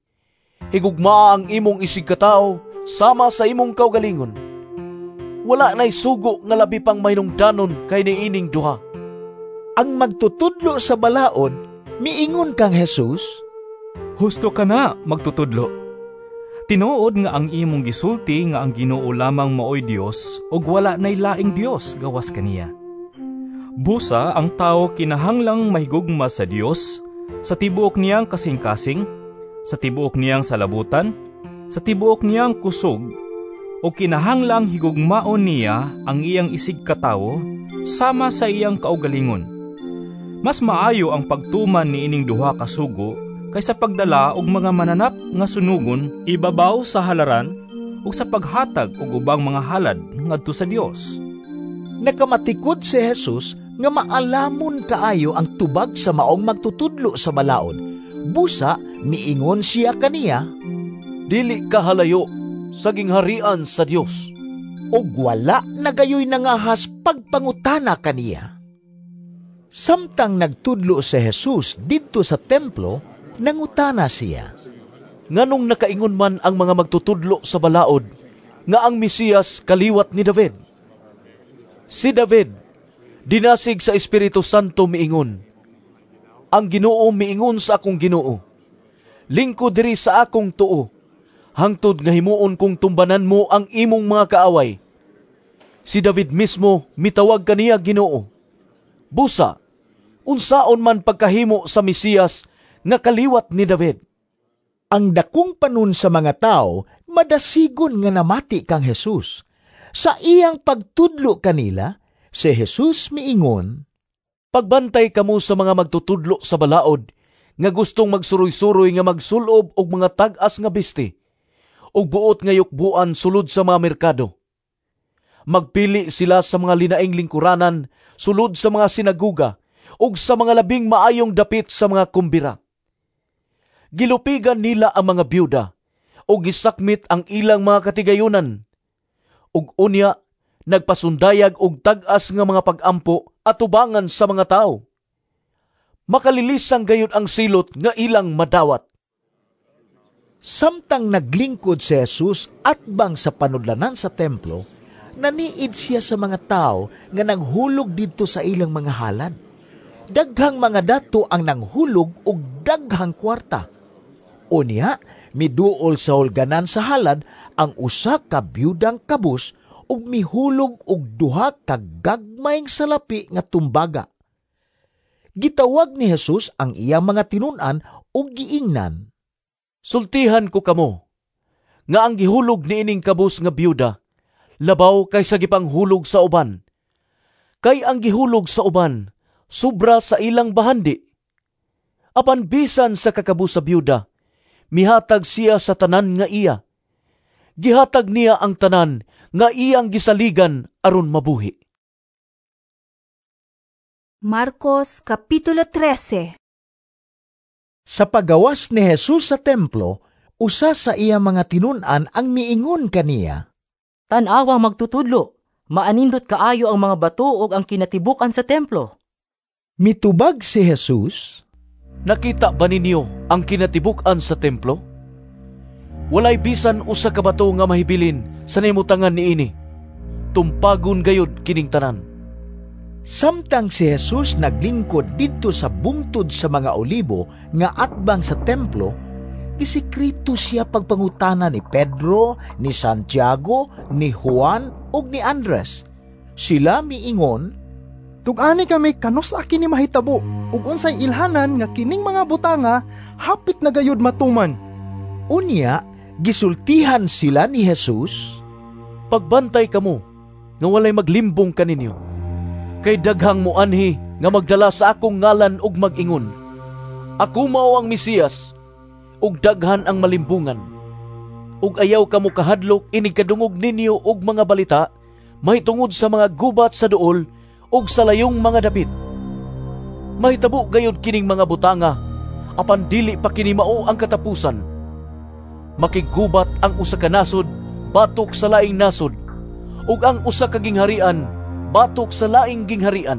higugmaa ang imong isigkatawo sama sa imong kaugalingon. Wala nay sugo nga labi pang mahinungdanon kay niining duha." Ang magtutudlo sa balaod miingon kang Jesus, "Husto ka na, magtutudlo. Tinuod nga ang imong gisulti nga ang Ginoo lamang maoy Dios ug wala nay laing Dios gawas kaniya. Busa ang tawo kinahanglang mahigugma sa Dios sa tibuok niyang kasing-kasing, sa tibuok niyang salabutan, sa tibuok niyang kusog, o kinahanglang higugmaon niya ang iyang isigkatawo sama sa iyang kaugalingon. Mas maayo ang pagtuman niining duha ka sugo kaysa pagdala og mga mananap nga sunugon ibabaw sa halaran ug sa paghatag og ubang mga halad ngadto sa Dios." Nakamatikod si Jesus nga maalamon kaayo ang tubag sa maong magtutudlo sa balaod. Busa miingon siya kaniya, "Dili ka halayo sa gingharian sa Dios." Ug wala na gayoy nangahas pagpangutana kaniya. Samtang nagtudlo si Jesus didto sa templo, nangutana siya, "Nganong nakaingon man ang mga magtutudlo sa balaod nga ang Mesiyas kaliwat ni David? Si David, dinasig sa Espiritu Santo miingon, Ang Ginoo miingon sa akong Ginoo, lingkod diri sa akong tuo, hangtod nga himuon kong tumbanan mo ang imong mga kaaway. Si David mismo mitawag kaniya Ginoo. Busa, unsaon man pagkahimo sa Mesiyas nga kaliwat ni David?" Ang dakong panon sa mga tao madasigon nga namati kang Jesus. Sa iyang pagtudlo kanila, si Jesus miingon, "Pagbantay kamo sa mga magtutudlo sa balaod nga gustong magsuroy-suroy nga magsulob og mga tag-as nga bisti ug buot nga yukbuan sulod sa mga merkado. Magpili sila sa mga linaing lingkuranan sulod sa mga sinaguga ug sa mga labing maayong dapit sa mga kumbira. Gilupigan nila ang mga byuda ug gisakmit ang ilang mga katigayunan. Ug unya nagpasundayag og tag-as nga mga pag-ampo atubangan sa mga tawo. Makalilisang gayud ang silot nga ilang madawat." Samtang naglingkod si Jesus atbang sa panudlanan sa templo, naniid siya sa mga tao nga nanghulog didto sa ilang mga halad. Daghang mga dato ang nanghulog og daghang kwarta. Unya, Miduol sa hulganan sa halad ang usa ka byudang kabus ug mihulog og duha ka gagmayng salapi nga tumbaga. Gitawag ni Jesus ang iyang mga tinun-an ug giingnan, "Sultihan ko kamo nga ang gihulog niining kabus nga byuda labaw kaysa gipanghulog sa uban. Kay ang gihulog sa uban sobra sa ilang bahandi. Apan bisan sa kakabus sa byuda, mihatag siya sa tanan nga iya. Gihatag niya ang tanan nga iyang gisaligan aron mabuhi." Marcos Kapitulo 13. Sa pagawas ni Jesus sa templo, usa sa iya mga tinun-an ang miingon kaniya, "Tan-awa, magtutudlo, maanindot kaayo ang mga bato ug ang kinatibuk-an sa templo." Mitubag si Jesus, "Nakita ba ninyo ang kinatibuk-an sa templo? Walay bisan usa ka bato nga mahibilin sa nahimutangan niini. Tumpagon gayud kining tanan." Samtang si Jesus naglingkod didto sa bungtod sa mga olibo nga atbang sa templo, gisikreto siya pagpangutana ni Pedro, ni Santiago, ni Juan ug ni Andres. Sila miingon, "Tug-ani kami kanus-a kini mahitabo ug unsay ilhanan nga kining mga butanga hapit na gayud matuman?" Unya gisultihan sila ni Jesus, "Pagbantay kamo nga walay maglimbong kaninyo. Kay daghang muanhi nga magdala sa akong ngalan ug mag-ingon, 'Ako mao ang Mesiyas,' ug daghan ang malimbungan. Ug ayaw kamo kahadlok inig kadungog ninyo og mga balita mahitungod sa mga gubat sa duol ug sa layong mga dapit. Mahitabo gayud kining mga butanga, apan dili pa kini mao ang katapusan. Makiggubat ang usa ka nasod batok sa laing nasod, ug ang usa ka gingharian batok sa laing gingharian.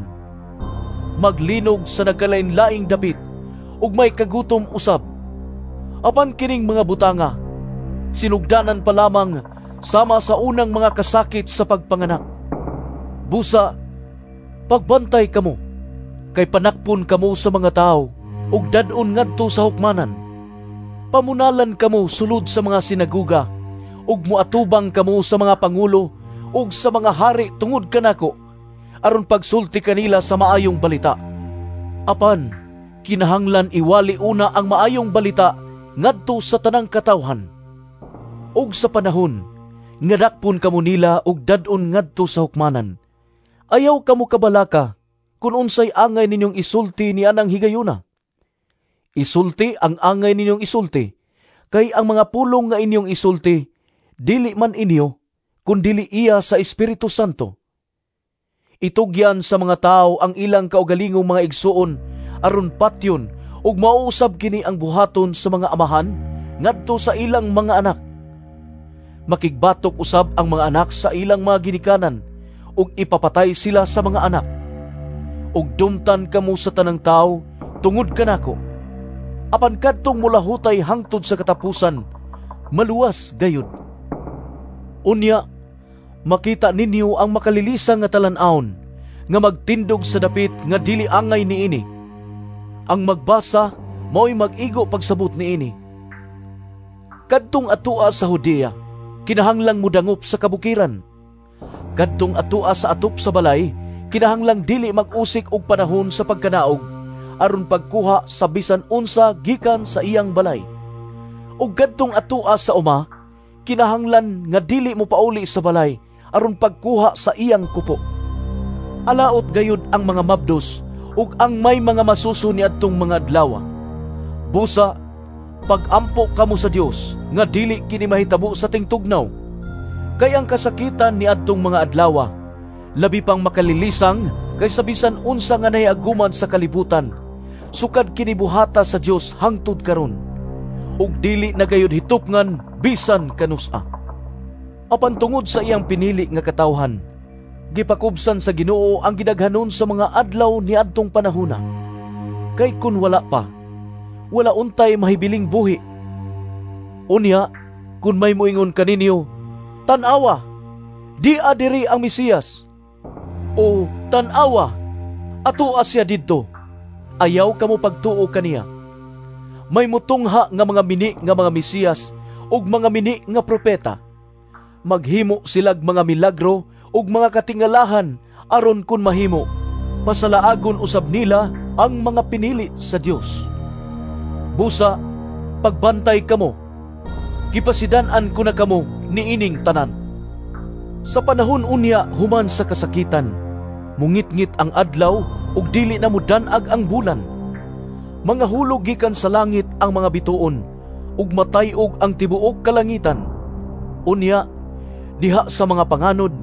Maglinog sa nagkalain-laing dapit, ug may kagutom usab. Apan kining mga butanga, sinugdanan pa lamang sama sa unang mga kasakit sa pagpanganak. Busa, pagbantay kamo, kay panakpon kamo sa mga tao, ug dad-on ngadto sa hukmanan. Pamunalan kamo sulod sa mga sinaguga, ug muatubang kamo sa mga pangulo ug sa mga hari tungod kanako, aron pagsulti kanila sa maayong balita. Apan kinahanglan iwali una ang maayong balita ngadto sa tanang katawhan. Ug sa panahon nga dakpon kamo nila ug dad-on ngadto sa hukmanan, ayaw kamo kabalaka kun unsay angay ninyong isulti ni anang higayuna. Isulti ang angay ninyong isulti, kay ang mga pulong nga inyong isulti dili man inyo, kun dili iya sa Espiritu Santo. Itugyan sa mga tao ang ilang kaugalingong mga igsuon aron patyon, ug mauusab kini ang buhaton sa mga amahan ngadto sa ilang mga anak. Makigbatok usab ang mga anak sa ilang mga ginikanan, ug ipapatay sila sa mga anak. Ug dumtan kamo sa tanang tao tungod kanako. Apan kadtong mulahutay hangtod sa katapusan, maluwas gayud. Unya, makita ninyo ang makalilisang nga talan-awon nga magtindog sa dapit nga dili angay niini. Ang magbasa mao'y mag-igo pagsabot niini. Kadtong atua sa Judea, kinahanglang mudangop sa kabukiran. Kadtong atua sa atop sa balay, kinahanglang dili mag-usik og panahon sa pagkanaog aron pagkuha sa bisan unsa gikan sa iyang balay. Ug kadtong atua sa uma, kinahanglan nga dili mo pauli sa balay aron pagkuha sa iyang kupo. Alaot gayud ang mga mabdos ug ang may mga masuso niadtong mga adlaw. Busa, pagampo kamo sa Dios nga dili kini mahitabo sa tingtugnaw. Kay ang kasakitan niadtong mga adlaw labi pang makalilisang kaysa bisan unsa nga nahiaguman sa kalibutan, sukad kini buhata sa Dios hangtod karon, ug dili na gayud hitupngan bisan kanus-a. Apan tungod sa iyang pinili nga katawhan, gipakubsan sa Ginoo ang gidaghanon sa mga adlaw niadtong panahona. Kay kun wala pa, wala untay mahibiling buhi. Unya, kun may moingon kaninyo, "Tan-awa, di adiri ang Mesiyas," o "Tan-awa, atoa siya didto," ayaw kamo pagtuo kaniya. May mutungha nga mga mini nga mga Mesiyas ug mga mini nga propeta. Maghimo silag mga milagro ug mga katingalahan aron kun mahimo, pasalaagon usab nila ang mga pinili sa Dios. Busa, pagbantay kamo, gipasidan-an ko na kamo niining tanan. Sa panahon unya human sa kasakitan, mungitngit ang adlaw ug dili na mudan-ag ang bulan. Mga hulog gikan sa langit ang mga bituon, ug matay-og ang tibuok kalangitan. Unya, diha sa mga panganod,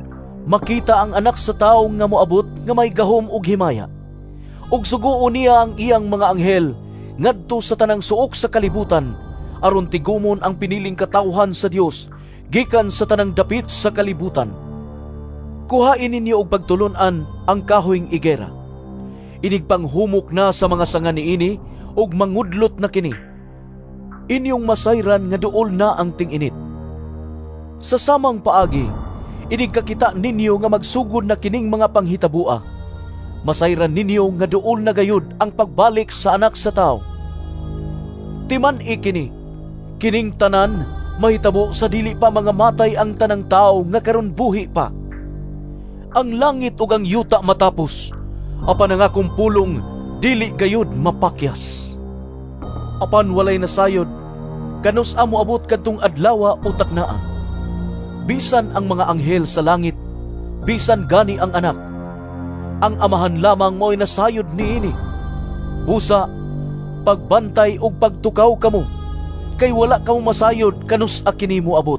makita ang anak sa tawo nga moabot nga may gahom ug himaya. Ug suguon niya ang iyang mga anghel ngadto sa tanang suok sa kalibutan, aron tigumon ang piniling katawhan sa Dios gikan sa tanang dapit sa kalibutan. Kuhain ninyo og pagtulon-an ang kahoyng igera. Inigpanghumok na sa mga sanga niini ug mangudlot na kini. Inyong masayran nga duol na ang ting-init. Sa samang paagi, inigkakita ninyo nga magsugod na kining mga panghitabua. Masayran ninyo nga duol na gayud ang pagbalik sa anak sa tao. Timan-i kini, kining tanan mahitabo sa dili pa mga matay ang tanang tao nga karon buhi pa. Ang langit ug ang yuta matapos, apan ang akong pulong dili gayud mapakyas. Apan walay nasayod, kanus-a moabot kadtong adlawa o taknaa. Bisan ang mga anghel sa langit, bisan gani ang anak. Ang amahan lamang mo'y nasayod niini. Busa, pagbantay ug pagtukaw kamo, kay wala kamo masayod kanus-a kini moabot.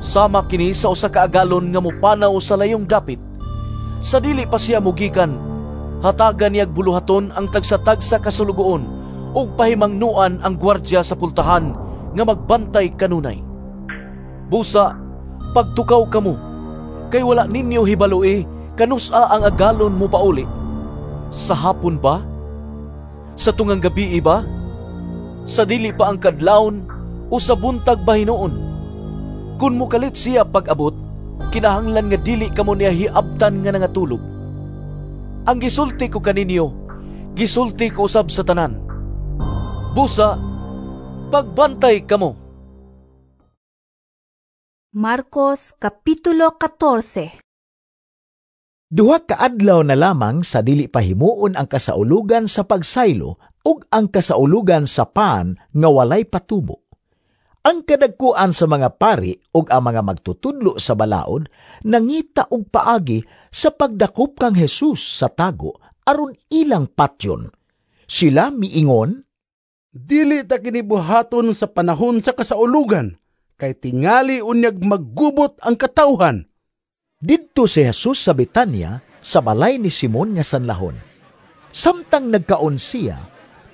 Sama kini sa usa ka agalon nga mopanaw sa layong dapit. Sa dili pa siya mugikan, hatagan niyag buluhaton ang tagsa-tagsa kasulugoon ug pahimangnuan ang gwardya sa pultahan nga magbantay kanunay. Busa, pagtukaw kamo, kay wala ninyo hibaloi kanus-a ang agalon mo pauli. Sa hapon ba? Sa tungang gabi ba? Sa dili pa ang kadlawon o sa buntag ba hinuon? Kung mukalit siya pag-abot, kinahanglan nga dili kamo niya hiabtan nga nangatulog. Ang gisulti ko kaninyo, gisulti ko usab sa tanan. Busa, pagbantay kamo. Marcos Kapitulo 14. Duha ka adlaw na lamang sa dili pahimuon ang kasaulugan sa pagsaylo ug ang kasaulugan sa pan nga walay patubo. Ang kadagkuan sa mga pari ug ang mga magtutudlo sa balaod nangita og paagi sa pagdakop kang Jesus sa tago aron ilang patyon. Sila miingon, "Dili ta kini buhaton sa panahon sa kasaulugan, kay tingali unyag maggubot ang katawhan." Didto si Jesus sa Betanya, sa balay ni Simon nga sanlahon. Samtang nagkaon siya,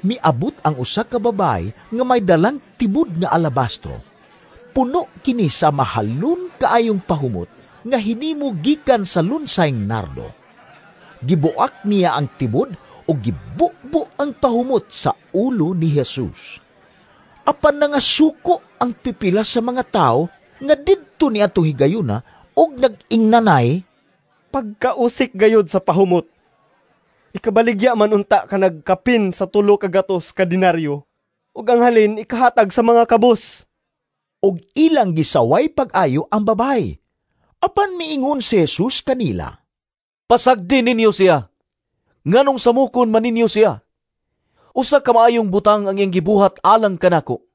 miabot ang usa ka babae nga may dalang tibod nga alabastro. Puno kini sa mahalon kaayong pahumot nga hinimo gikan sa lunsayng nardo. Gibuak niya ang tibod o gibubo ang pahumot sa ulo ni Jesus. Apan nangasuko ang pipila sa mga tao nga didto ni ato higayuna og nag-ingnanay, "Pagkausik gayod sa pahumot. Ikabaligya man unta ka nagkapin sa 3 ka gatos ka denaryo, ug ang halin ikahatag sa mga kabus." Og ilang gisaway pag-ayo ang babae. Apan miingon si Jesus kanila, "Pasagdi ninyo siya. Nganong samukon man ninyo siya? Usa ka maayong butang ang iyang gibuhat alang kanako.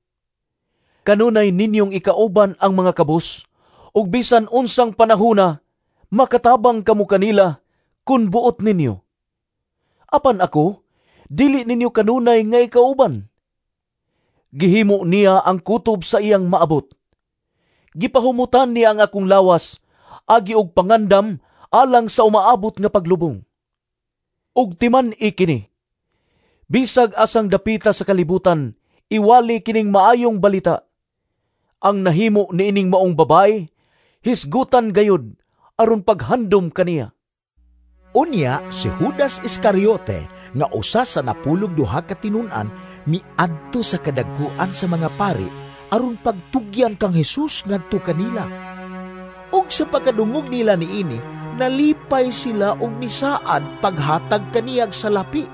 Kanunay ninyong ikauban ang mga kabus, ug bisan unsang panahona makatabang kamo kanila kun buot ninyo. Apan ako, dili ninyo kanunay nga ikauban." Gihimo niya ang kutob sa iyang maabot. Gipahumutan niya ang akong lawas, agi og pangandam alang sa umaabot nga paglubong. Ug timan-i kini, bisag asang dapita sa kalibutan, iwali kining maayong balita. Ang nahimo niining maong babae, hisgutan gayud aron paghandom kaniya. Unya si Judas Iscariote nga usa sa 12 ka tinun-an miadto sa kadagkuan sa mga pari aron pagtugyan kang Jesus ngadto kanila. Ug sa pagkadungog nila niini, nalipay sila og misaad paghatag kaniyag salapi.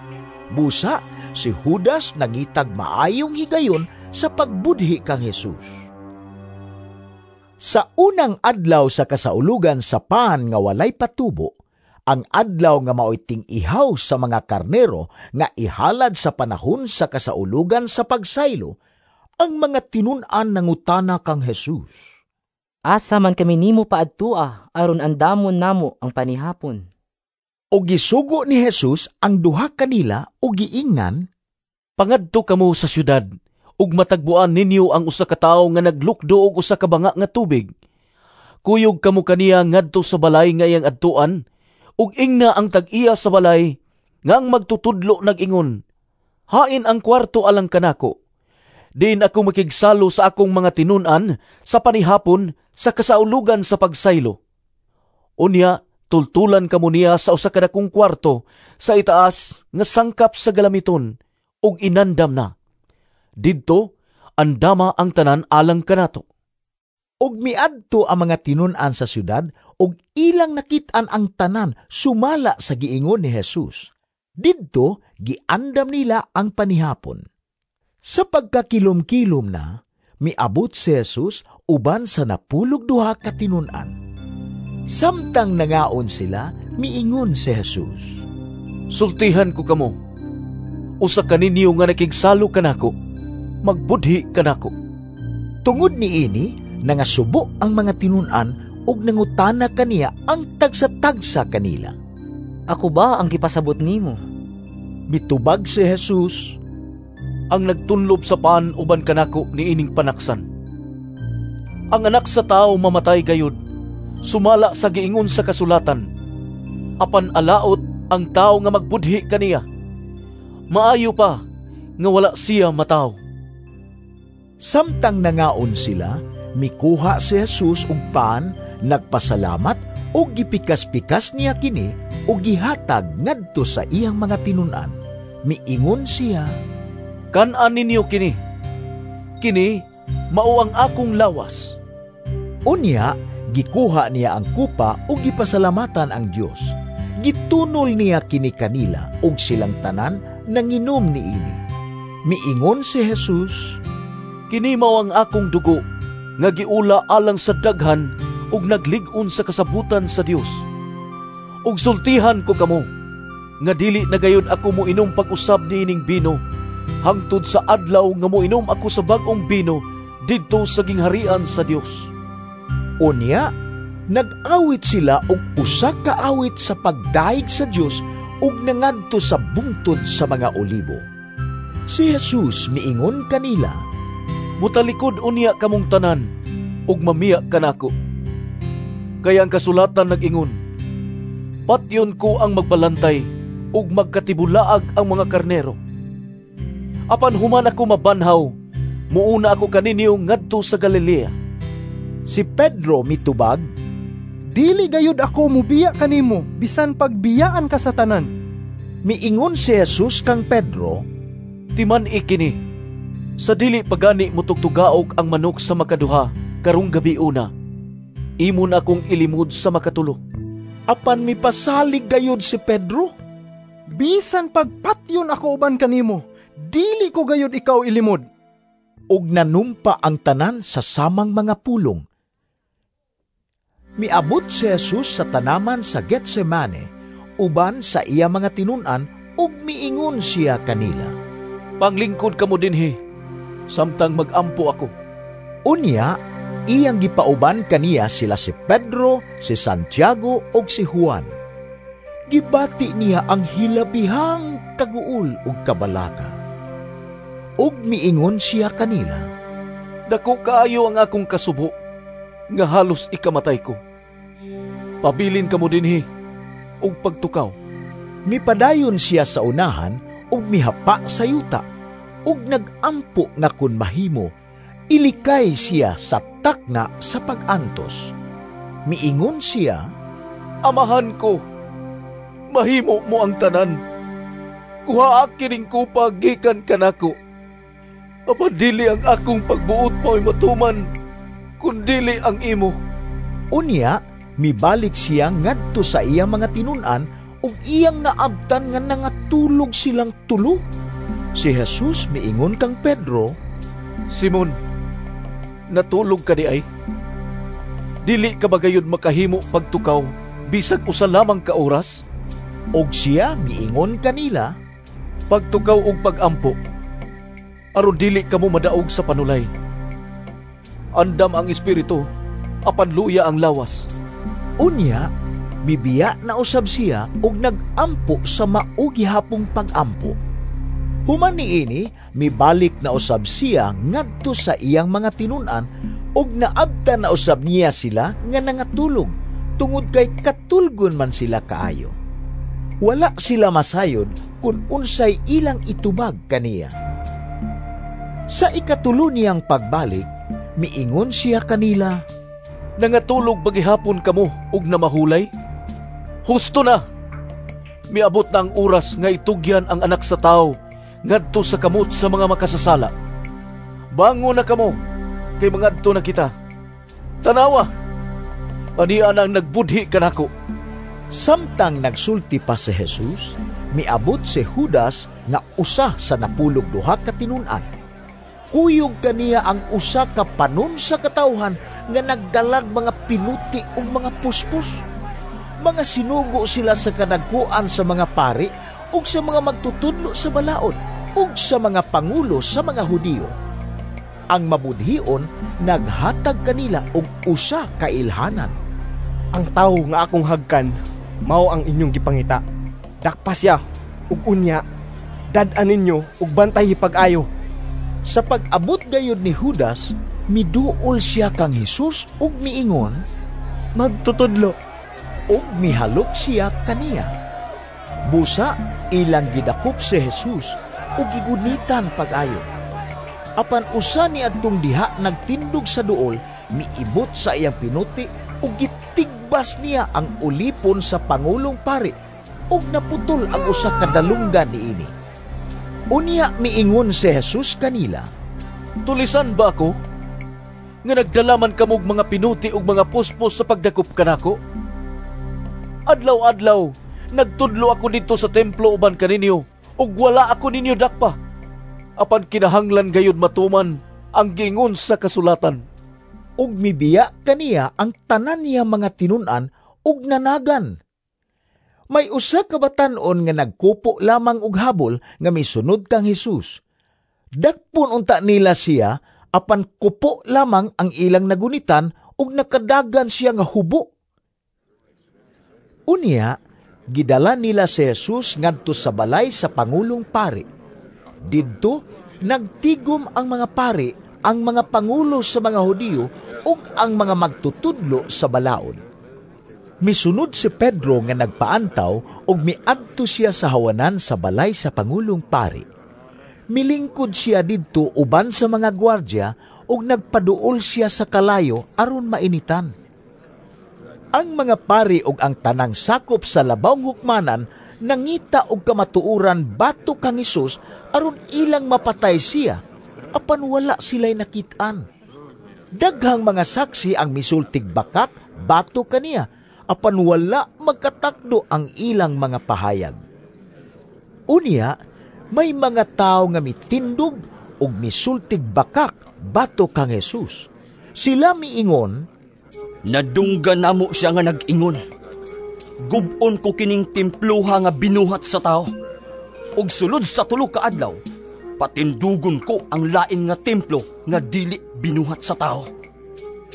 Busa Si Judas nangitag maayong higayon sa pagbudhi kang Jesus. Sa unang adlaw sa kasaulugan sa pan nga walay patubo, ang adlaw nga maoy ting-ihaw sa mga karnero nga ihalad sa panahon sa kasaulugan sa pagsaylo, ang mga tinun-an nangutana kang Jesus. Asa man kami nimo paadtua aron andamon namo ang panihapon? Og gisugo ni Jesus ang duha kanila og giingnan, Pangadto kamo sa syudad ug matagbuan ninyo ang usa ka tawo nga naglukdo og usa ka banga nga tubig. Kuyog kamo kaniya ngadto sa balay nga iyang adtuan, ug ingna ang tag-iya sa balay nga ang magtutudlo nag-ingon, Hain ang kwarto alang kanako. Diin ako makigsalo sa akong mga tinun-an sa panihapon sa kasaulugan sa pagsaylo. Unya, tultulan kamo niya sa usa ka dakong kwarto sa itaas nga sangkap sa galamiton ug inandam na. Didto, andama ang tanan alang kanato. Og miadto ang mga tinun-an sa syudad ug ilang nakit-an ang tanan sumala sa giingon ni Jesus. Didto giandam nila ang panihapon. Sa pagkakilom-kilom na, miabot si Jesus uban sa 12 ka tinun-an. Samtang nangaon sila, miingon si Jesus, Sultihan ko kamo, usa kaninyo nga nakigsalo kanako, magbudhi kanako. Tungod niini, nangasubo ang mga tinun-an ug nangutana kaniya ang tagsa-tagsa kanila. Ako ba ang gipasabot nimo? Mitubag si Jesus, Ang nagtunlob sa pan uban kanako niining panaksan. Ang anak sa tao mamatay gayud, sumala sa giingon sa kasulatan. Apan alaot ang tao nga magbudhi kaniya. Maayo pa nga wala siya mataw. Samtang nangaon sila, mikuha si Jesus og pan, nagpasalamat ug gipikas-pikas niya kini ug gihatag ngadto sa iyang mga tinun-an. Miingon siya, Kan-an ninyo kini. Kini mao ang akong lawas. Unya, gikuha niya ang kupa ug gipasalamatan ang Dios. Gitunol niya kini kanila ug silang tanan nanginom niini. Miingon si Jesus, Kini mao ang akong dugo nga giula alang sa daghan ug naglig-on sa kasabutan sa Dios. Ug sultihan ko kamo nga dili na gayud ako moinom pag-usab niining bino hangtod sa adlaw nga moinom ako sa bag-ong bino didto sa gingharian sa Dios. Unya, nag-awit sila og usa ka awit sa pagdayeg sa Dios ug nangadto sa bungtod sa mga olibo. Si Jesus miingon kanila, Mutalikod unya kamong tanan ug mamiya kanako. Kaya ang kasulatan nag-ingon, Patyon ko ang magbalantay ug magkatibulaag ang mga karnero. Apan human ako mabanhaw, muuna ako kaninyo ngadto sa Galilea. Si Pedro mitubag, Dili gayud ako mubiya kanimo bisan pagbiyaan ka sa tanan. Miingon si Jesus kang Pedro, Timan ikini, sa dili pagani mutugtugaok ang manok sa makaduha karong gabi una, imo na akong ilimod sa makatulo. Apan mipasalig gayud si Pedro, Bisan pagpatyon ako uban kanimo, dili ko gayud ikaw ilimod. Ug nanumpa ang tanan sa samang mga pulong. Miabot si Jesus sa tanaman sa Getsemane uban sa iya mga tinun-an ug miingon siya kanila, Panglingkod kamo dinhi samtang magampo ako. Unya, iyang gipauban kaniya sila si Pedro, si Santiago ug si Juan. Gibati niya ang hilabihang kaguol ug kabalaka. Ug miingon siya kanila, Dako kaayo ang akong kasubo, nga halos ikamatay ko. Pabilin kamo dinhi ug pagtukaw. Mipadayon siya sa unahan ug mihapa sa yuta, ug nagampo nga kun mahimo, ilikay siya sa takna sa pag-antos. Miingon siya, Amahan ko, mahimo mo ang tanan. Kuhaa kining kupa gikan kanako. Apan dili ang akong pagbuot mo'y matuman, kundili ang imo. Unya, mibalik siya ngadto sa iyang mga tinun-an ug iyang naabtan nga nangatulog silang tulo. Si Jesus miingon kang Pedro, "Simon, natulog ka di ay? Dili ka ba gayud makahimo pagtukaw bisag usa lamang ka oras?" Og siya miingon kanila, "Pagtukaw og pagampo, aron dili kamo madaog sa panulay. Andam ang espiritu, apan luya ang lawas." Unya, mibiya na usab siya og nagampo sa mao gihapong pagampo. Human niini, mibalik na usab siya ngadto sa iyang mga tinun-an ug naabtan na usab niya sila nga nangatulog tungod kay katulgon man sila kaayo. Wala sila masayod kung unsay ilang itubag kaniya. Sa ikatulo niyang pagbalik, miingon siya kanila, "Nangatulog ba gihapon kamo ug namahulay? Husto na! Miabot na ang oras nga itugyan ang anak sa tawo ngadto sa kamot sa mga makasasala. Bangon na kamo, kay mangadto na kita. Tanawa, ania na ang nagbudhi kanako." Samtang nagsulti pa si Jesus, miabot si Judas nga usa sa 12 ka tinun-an. Kuyog kaniya ang usa ka panon sa katawhan nga nagdalag mga pinuti ug mga puspos. Mga sinugo sila sa kadagkuan sa mga pari ug sa mga magtutudlo sa balaod ug sa mga pangulo sa mga Hudiyo. Ang mabudhion naghatag kanila og usa ka ilhanan. "Ang tawo nga akong hagkan mao ang inyong gipangita. Dakpa siya ug unya dad-an ninyo ug bantay pag-ayo." Sa pag-abot gayud ni Judas, miduol siya kang Hesus ug miingon, "Magtutudlo," ug mihalok siya kaniya. Busa ilang gidakop si Jesus ug gigunitan pag-ayo. Apan usa ni adtong diha nagtindog sa duol, miibot sa iyang pinuti ug gitigbas niya ang ulipon sa pangulong pari ug naputol ang usa ka dalunggan niini. Unya miingon si Jesus kanila, "Tulisan ba ako nga nagdalaman kamog mga pinuti ug mga puspos sa pagdakop kanako? Adlaw-adlaw nagtudlo ako didto sa templo uban kaninyo ug wala ako ninyo dakpa. Apan kinahanglan gayud matuman ang giingon sa kasulatan." Ug mibiya kaniya ang tanan niya mga tinun-an ug nanagan. May usa ka batan-on nga nagkupo lamang og habol nga misunod kang Hesus. Dakpon unta nila siya, apan kupo lamang ang ilang nagunitan ug nakadagan siya nga hubo. Unya, gidala nila si Jesus ngadto sa balay sa pangulong pari. Didto, nagtigom ang mga pari, ang mga pangulo sa mga Hudiyo ug ang mga magtutudlo sa balaod. Misunod si Pedro nga nagpaantaw ug miadto siya sa hawanan sa balay sa pangulong pari. Milingkod siya didto uban sa mga gwardya ug nagpaduol siya sa kalayo aron mainitan. Ang mga pari ug ang tanang sakop sa labawng hukmanan nangita og kamatuoran batok kang Hesus aron ilang mapatay siya, apan wala sila'y nakit-an. Daghang mga saksi ang misultig bakak batok kaniya, apan wala magkatakdo ang ilang mga pahayag. Unya, may mga tao nga mitindog ug misultig bakak batok kang Hesus. Sila miingon, "Nadunggan namo siya nga nag-ingon, gub-on ko kining templuha nga binuhat sa tao, ug sulod sa 3 ka adlaw, patindugon ko ang lain nga templo nga dili binuhat sa tao."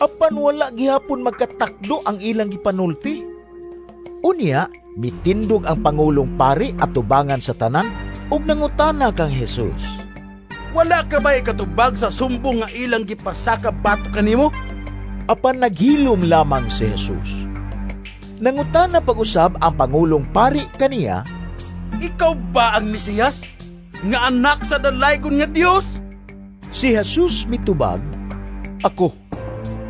Apan wala gihapon magkatakdo ang ilang gipanulti. Unya, mitindog ang pangulong pari at tubangan sa tanan ug nangutana kang Hesus, "Wala ka ba ikatubag sa sumbong nga ilang gipasaka batok kanimo?" Apan naghilom lamang si Jesus. Nangutana pag-usab ang pangulong pari kaniya, "Ikaw ba ang Mesiyas nga anak sa dalaygon nga Dios?" Si Jesus mitubag, "Ako,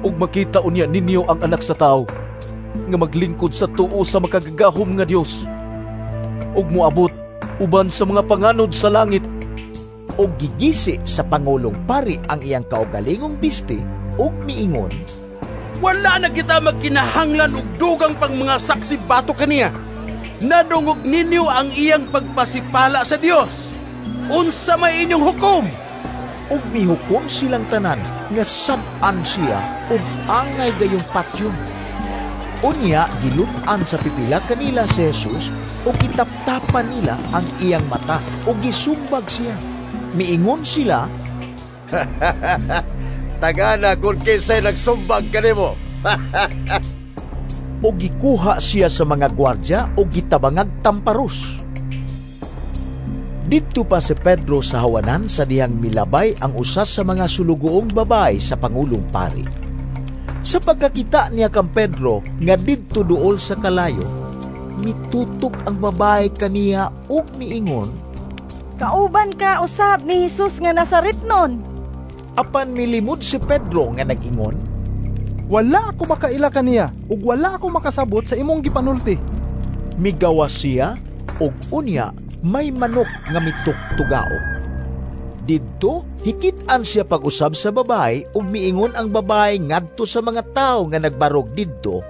ug makita unya ninyo ang anak sa tawo nga maglingkod sa tuo sa makagagahom nga Dios ug moabot uban sa mga panganod sa langit." Ug gigisi sa pangulong pari ang iyang kaugalingong biste ug miingon, "Wala na kita magkinahanglan og dugang pang mga saksi batok kaniya. Nadungog ninyo ang iyang pagpasipala sa Dios. Unsa may inyong hukom? Ug mihukom silang tanan nga sad-an siya ug angay gayong patyon. Unya gilun-an sa pipila kanila si Jesus ug gitaptapan nila ang iyang mata ug gisumbag siya. Miingon sila, "Tagana kung kinsay nagsumbag kanimo." Ug gikuha siya sa mga gwardya ug gitabangag tamparos. Didto pa si Pedro sa hawanan sa dihang milabay ang usa sa mga sulugoong babae sa pangulong pari. Sa pagkakita niya kang Pedro nga didto duol sa kalayo, mitutok ang babae kaniya ug miingon, "Kauban ka usab ni Jesus nga Nazaretnon." Apan milimod si Pedro nga nag-ingon, "Wala ako makaila kaniya ug wala ako makasabot sa imong gipanulti." Migawas siya ug unya may manok nga mituktugaok. Didto hikit-an siya pag-usab sa babae ug miingon ang babae ngadto sa mga tawo nga nagbarog didto,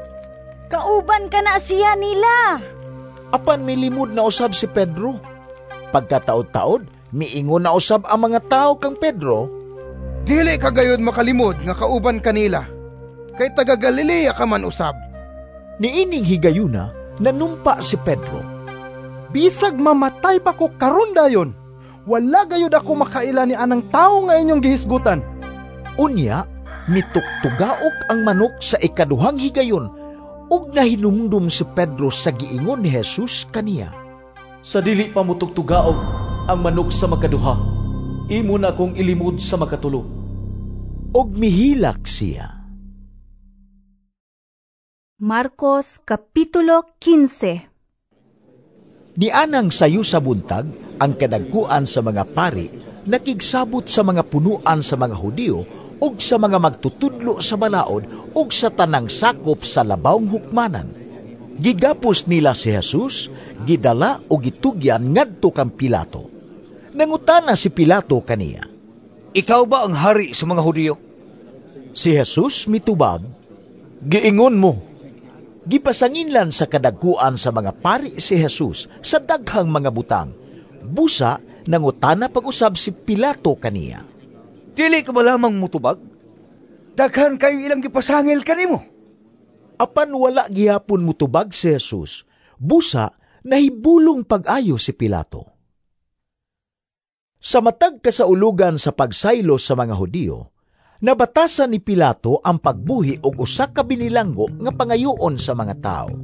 "Kauban ka na siya nila." Apan milimod na usab si Pedro. Pagkataod-taod, miingon na usab ang mga tawo kang Pedro, "Dili ka gayud makalimod nga kauban kanila, kay taga Galilea ka man usab." Niining higayuna, nanumpa si Pedro, "Bisag mamatay pa ko karon dayon, wala gayud ako makaila ni anang tawo nga inyong gihisgutan." Unya, mituktugaok ang manok sa ikaduhang higayon, ug nahinumdum si Pedro sa giingon ni Jesus kaniya, "Sa dili pa mutugtugaok ang manok sa makaduha, imo na akong ilimod sa makatulo." Ug mihilak siya. Marcos Kapitulo 15. Nianang sayo sa buntag, ang kadagkuan sa mga pari nakigsabot sa mga punuan sa mga Hudiyo ug sa mga magtutudlo sa balaod ug sa tanang sakop sa labawng hukmanan. Gigapos nila si Jesus, gidala o gitugyan ngadto kang Pilato. Nangutana si Pilato kaniya, "Ikaw ba ang hari sa mga Hudiyo?" Si Jesus mitubag, "Giingon mo." Gipasanginlan sa kadagkuan sa mga pari si Jesus sa daghang mga butang. Busa, nangutana pag-usab si Pilato kaniya, "Dili ka ba lamang mutubag? Daghan kayo ilang gipasangil kanimo." Apan wala gihapon mutubag si Jesus. Busa, nahibulong pag-ayo si Pilato. Sa matag kasaulugan sa pagsaylo sa mga Hudiyo, nabatasan ni Pilato ang pagbuhi og usa ka binilanggo nga pangayoon sa mga tawo.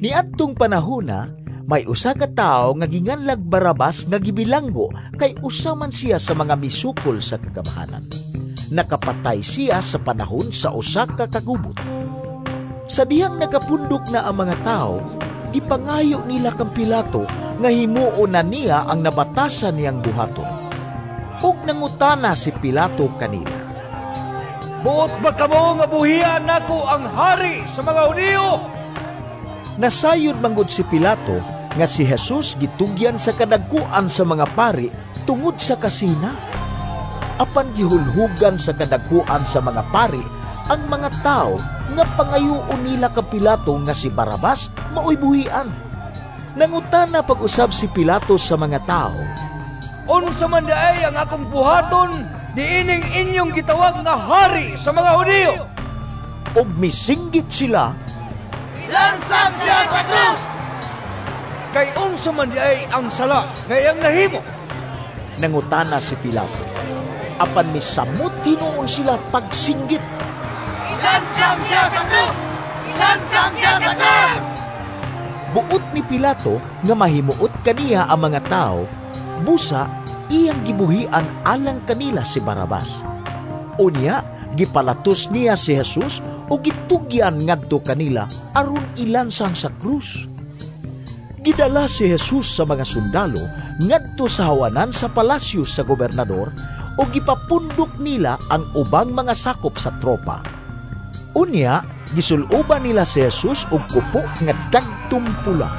Niadtong panahona, may usa ka tawo nga ginganlag Barabas nga gibilanggo kay usa man siya sa mga misukol sa kagamhanan. Nakapatay siya sa panahon sa usa ka kagubot. Sa dihang nakapundok na ang mga tawo, gipangayo nila kang Pilato nga himuon na niya ang nabatasan niyang buhaton. Ug nangutana si Pilato kanila, "Buot ba kamo nga buhian nako ang hari sa mga Hudiyo?" Nasayod manggod si Pilato nga si Jesus gitugyan sa kadagkuan sa mga pari tungod sa kasina. Apan gihulhugan sa kadagkuan sa mga pari ang mga tao nga pangayoon nila ka Pilato nga si Barabas maoy buhian. Nangutana pag-usab si Pilato sa mga tao, "Unsa man diay ang akong buhaton niining inyong gitawag nga hari sa mga Hudiyo?" Ug misinggit sila, "Lansang siya sa krus!" Kay unsa man diay ang sala nga iyang nahimo? Nangutana si Pilato. Apan misamot hinuon sila pagsinggit, "Lansang siya sa krus! Lansang siya sa krus!" Buot ni Pilato nga mahimuot kaniya ang mga tao, busa iyang gibuhian alang kanila si Barabas. Unya, gipalatos niya si Jesus o gitugyan ngadto kanila aron ilansang sa krus. Gidala si Jesus sa mga sundalo ngadto sa hawanan sa palasyo sa gobernador o gipapundok nila ang ubang mga sakop sa tropa. Unya, gisuloban nila si Jesus og kupo nga dagtum pula.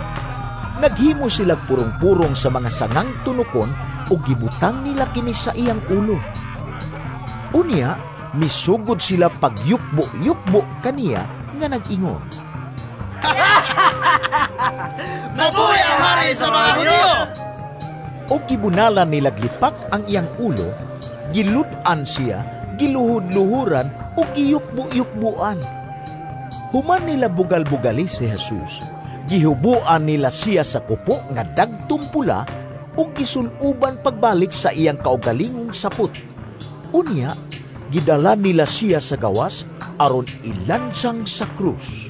Naghimo sila purong-purong sa mga sangang tunukon o gibutang nila kini sa iyang ulo. Unya, misugod sila pagyukbo-yukbo kaniya nga nag-ingon, "Mabuhi ang hari sa mga Hudiyo!" Og gibunalan nila lipak ang iyang ulo, gilud-an siya, giluhod-luhuran ug giyukbo-yukbuan. Human nila bugal-bugali si Jesus, gihubuan nila siya sa kupo nga dagtom pula ug gisuluban pagbalik sa iyang kaugalingong sapot. Unya, gidala nila siya sa gawas aron ilansang sa krus.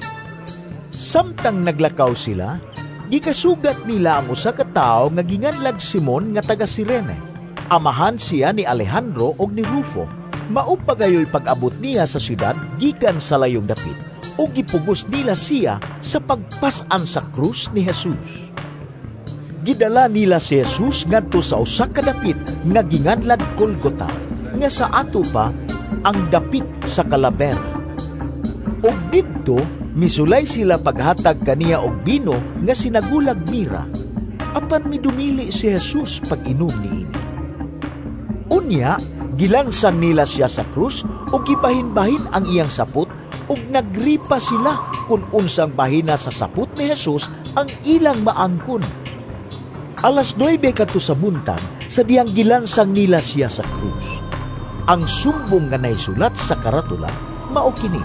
Samtang naglakaw sila, gikasugat nila ang usa ka tawo nga ginganlag Simon nga taga Sirene. Amahan siya ni Alejandro og ni Rufo. Mao pa gayoy pag-abot niya sa syudad gikan sa layong dapit, ug gipugos nila siya sa pagpas-an sa krus ni Jesus. Gidala nila si Jesus ngadto sa usa ka dapit nga ginganlag Golgota, nga sa ato pa ang dapit sa Kalabera. Ug didto misulay sila paghatag kaniya og bino nga sinagulag mira, apan midumili si Jesus pag-inom niini. Unya, gilansang nila siya sa krus ug gibahin-bahin ang iyang sapot, ug nagripa sila kung unsang bahina sa sapot ni Jesus ang ilang maangkon. 9:00 kadto sa buntag sa diyang gilansang nila siya sa krus. Ang sumbong nga naisulat sa karatula mao kini: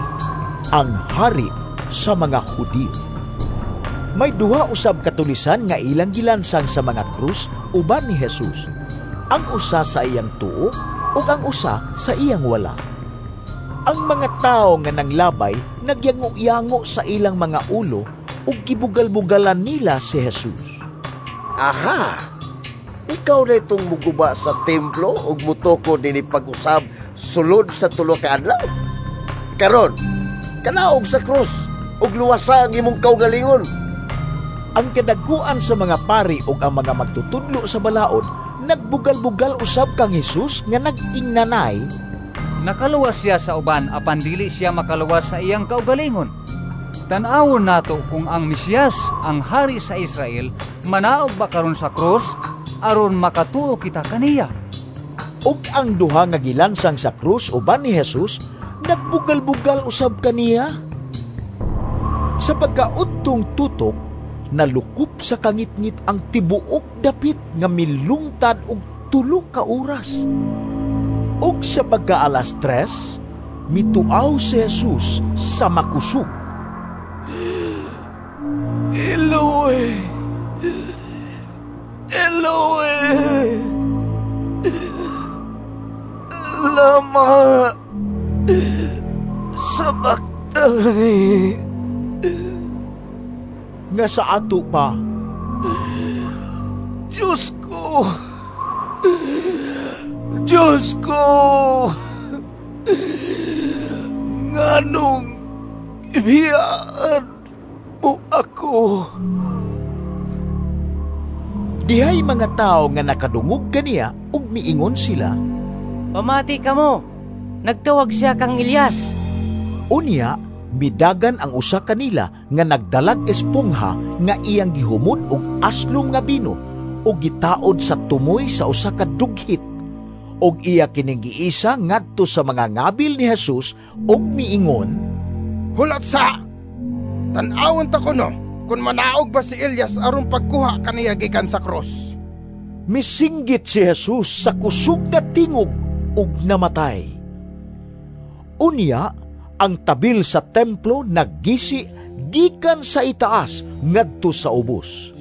ang hari sa mga Hudiyo. May duha usab katulisan nga ilang gilansang sa mga krus uban ni Jesus. Ang usa sa iyang tuo ug ang usa sa iyang wala. Ang mga tawo nga nanglabay nagyango-yango sa ilang mga ulo ug gibugal-bugalan nila si Jesus. Aha! Ikaw na itong muguba sa templo ug mutukod nini pag-usab sulod sa tulo ka adlaw. Karon, kanaog sa krus ug luwasa ang imong kaugalingon. Ang kadaguan sa mga pari ug ang mga magtutudlo sa balaod nagbugal-bugal usab kang Jesus nga nag-ingnanay, nakaluwas siya sa uban apan dili siya makaluwas sa iyang kaugalingon. Tan-awon nato kung ang Mesiyas, ang hari sa Israel, manaog ba karon sa krus aron makatuo kita kaniya. Ug ang duha nga gilansang sa krus uban ni Jesus nagbugal-bugal usab kaniya. Sa pagkaudtong tutok, nalukop sa kangitngit ang tibuok dapit nga milungtad og 3 ka oras. Ug sa pagka-alas 3, mituaw si Jesus sa makusog. Eloe, Eloe, lama sabachthani. Nga sa ato pa, Diyos ko, Diyos ko, nganong ibiyaan mo ako. Dihay mga tao nga nakadungog kaniya ug miingon sila, pamati kamo, nagtawag siya kang Elias. Unya, midagan ang usa kanila nga nagdalag espongha nga iyang gihumod og aslom nga bino ug gitaod sa tumoy sa usa ka dughit, ug iya kining giisa ngadto sa mga ngabil ni Jesus ug miingon, hulat sa! Tan-awon ta kuno kung manaog ba si Elias aron pagkuha kaniya gikan sa krus. Misinggit si Jesus sa kusog nga tingog ug namatay. Unya, ang tabil sa templo naggisi gikan sa itaas ngadto sa ubos.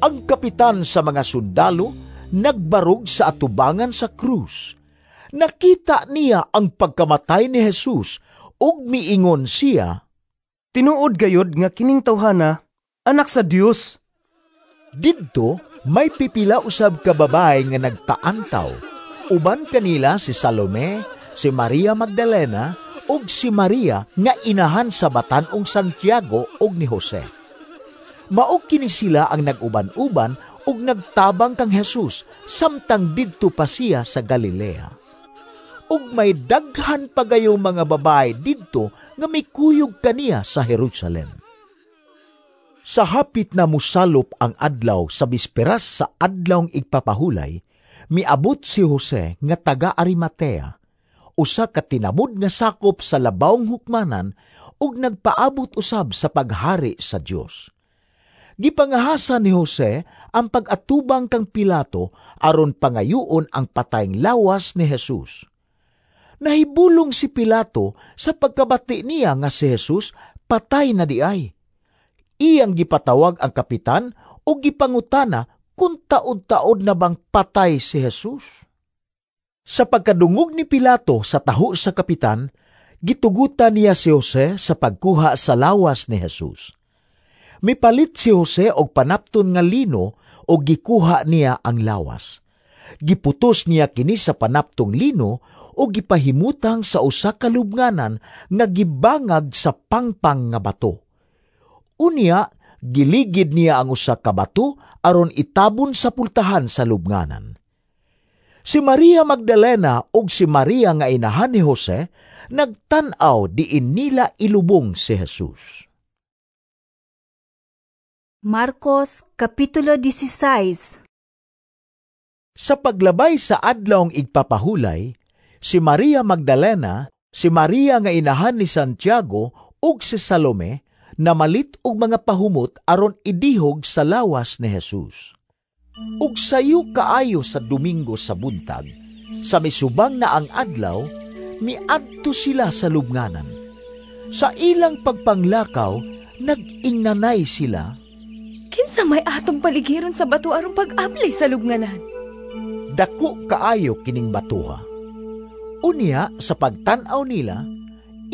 Ang kapitan sa mga sundalo nagbarog sa atubangan sa krus. Nakita niya ang pagkamatay ni Jesus ug miingon siya, tinuod gayod nga kining tawhana anak sa Dios. Didto may pipila usab ka babae nga nagpaantaw. Uban kanila si Salome, si Maria Magdalena ug si Maria nga inahan sa batan-ong Santiago ug ni Jose. Mao kini sila ang nag-uban-uban ug nagtabang kang Jesus samtang didto pa siya sa Galilea. Ug may daghan pa gayong mga babae didto nga mikuyog kaniya sa Jerusalem. Sa hapit na musalop ang adlaw sa bisperas sa adlawng igpapahulay, miabot si Jose nga taga Arimatea, usa ka tinamod nga sakop sa labawng hukmanan ug nagpaabot usab sa paghari sa Dios. Gipangahasa ni Jose ang pag-atubang kang Pilato aron pangayuon ang patayng lawas ni Jesus. Nahibulong si Pilato sa pagkabati niya nga si Jesus patay na diay. Iyang gipatawag ang kapitan ug gipangutana kung taod-taod na bang patay si Jesus. Sa pagkadungog ni Pilato sa taho sa kapitan, gitugutan niya si Jose sa pagkuha sa lawas ni Jesus. Mipalit si Jose og panapton nga lino og gikuha niya ang lawas. Giputos niya kini sa panaptong lino og gipahimutang sa usa ka lubnganan nga gibangag sa pangpang nga bato. Unya, giligid niya ang usa ka bato aron itabon sa pultahan sa lubnganan. Si Maria Magdalena ug si Maria nga inahan ni Jose nagtan-aw diin nila ilubong si Jesus. Marcos Kapitulo 16. Sa paglabay sa adlawng igpapahulay, si Maria Magdalena, si Maria nga inahan ni Santiago ug si Salome namalit og mga pahumot aron idihog sa lawas ni Jesus. Ug sayo kaayo sa Domingo sa buntag, sa misubang na ang adlaw, miadto sila sa lubnganan. Sa ilang pagpanglakaw, nag-ingnanay sila, "Kinsa may atong paligiron sa bato aron pag-abli sa lubnganan?" Dako kaayo kining batuha. Unya sa pagtan-aw nila,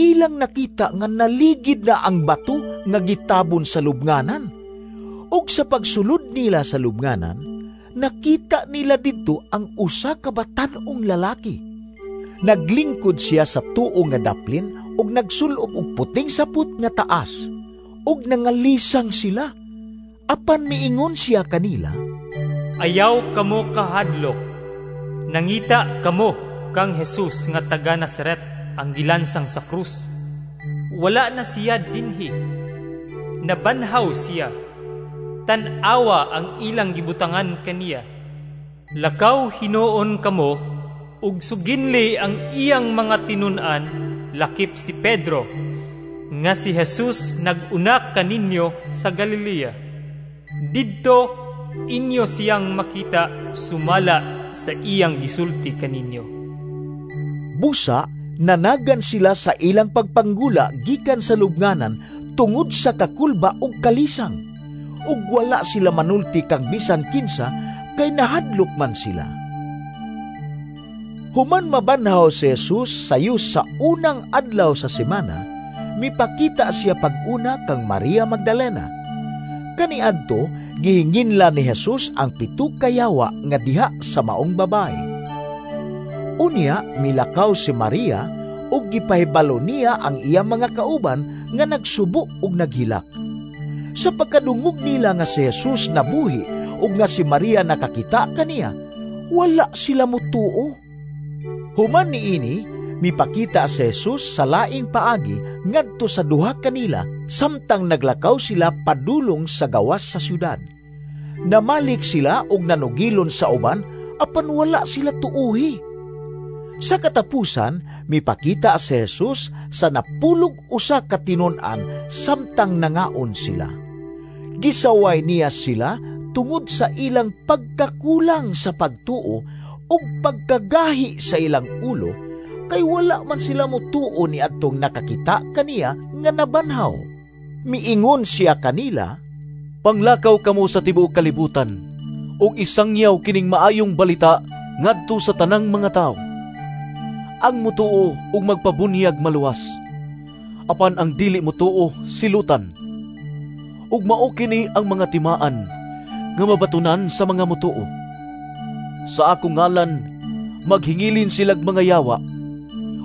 ilang nakita nga naligid na ang bato nga gitabon sa lubnganan. Ug sa pagsulod nila sa lubnganan, nakita nila didto ang usa ka batan-ong lalaki. Naglingkod siya sa tuo nga daplin ug nagsulob og puting sapot nga taas, ug nangalisang sila. Apan miingon siya kanila, "Ayaw kamo kahadlok. Nangita kamo kang Jesus nga taga Nazaret ang gilansang sa krus. Wala na siya dinhi. Nabanhaw siya. Tan-awa ang ilang gibutangan kaniya. Lakaw hinuon kamo ug suginli ang iyang mga tinun-an lakip si Pedro nga si Jesus nag-una kaninyo sa Galilea. Didto inyo siyang makita sumala sa iyang gisulti kaninyo." Busa, nanagan sila sa ilang pagpanggula gikan sa lubnganan tungod sa kakulba ug kalisang. Ug wala sila manulti kang bisan kinsa kay nahadlok man sila. Human mabanhaw si Jesus sayo sa unang adlaw sa semana, mipakita siya pag-una kang Maria Magdalena. Kaniadto, gihinginla ni Jesus ang 7 ka yawa nga diha sa maong babae. Unya, milakaw si Maria ug gipahibalo niya ang iyang mga kauban nga nagsubo ug naghilak. Sa pagkadungog nila nga si Jesus nabuhi ug nga si Maria nakakita kaniya, wala sila mutuo. Human niini, mipakita si Jesus sa laing paagi ngadto sa duha kanila samtang naglakaw sila padulong sa gawas sa syudad. Namalik sila og nanugilon sa uban apan wala sila tuuhi. Sa katapusan, mipakita si Jesus sa 91 ka tinun-an samtang nangaon sila. Gisaway niya sila tungod sa ilang pagkakulang sa pagtuo ug pagkagahi sa ilang ulo, kay wala man sila motuo ni adtong nakakita kaniya nga nabanhaw. Miingon siya kanila, "Panglakaw kamo sa tibuok kalibutan ug isangyaw kining maayong balita ngadto sa tanang mga tawo. Ang mutuo ug magpabunyag maluwas, apan ang dili mutuo silutan. Ug mao kini ang mga timaan nga mabatunan sa mga mutuo. Sa akong ngalan maghingilin silag mga yawa,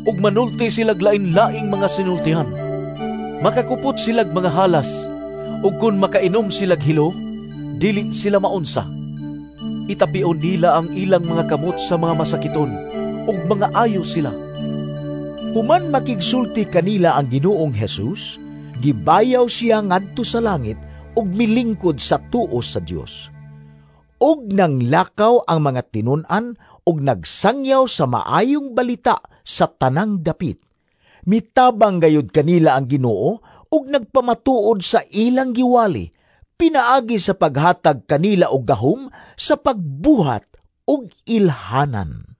ug manulti silag lain-laing mga sinultihan. Makakupot silag mga halas, ug kun makainom silag hilo, dili sila maunsa. Itapion nila ang ilang mga kamot sa mga masakiton, ug mga ayo sila." Human makigsulti kanila ang Ginoong Jesus, gibayaw siya ngadto sa langit ug milingkod sa tuo sa Dios. Ug nanglakaw ang mga tinun-an ug nagsangyaw sa maayong balita sa tanang dapit. Mitabang gayud kanila ang Ginoo ug nagpamatuod sa ilang giwali pinaagi sa paghatag kanila og gahom sa pagbuhat og ilhanan.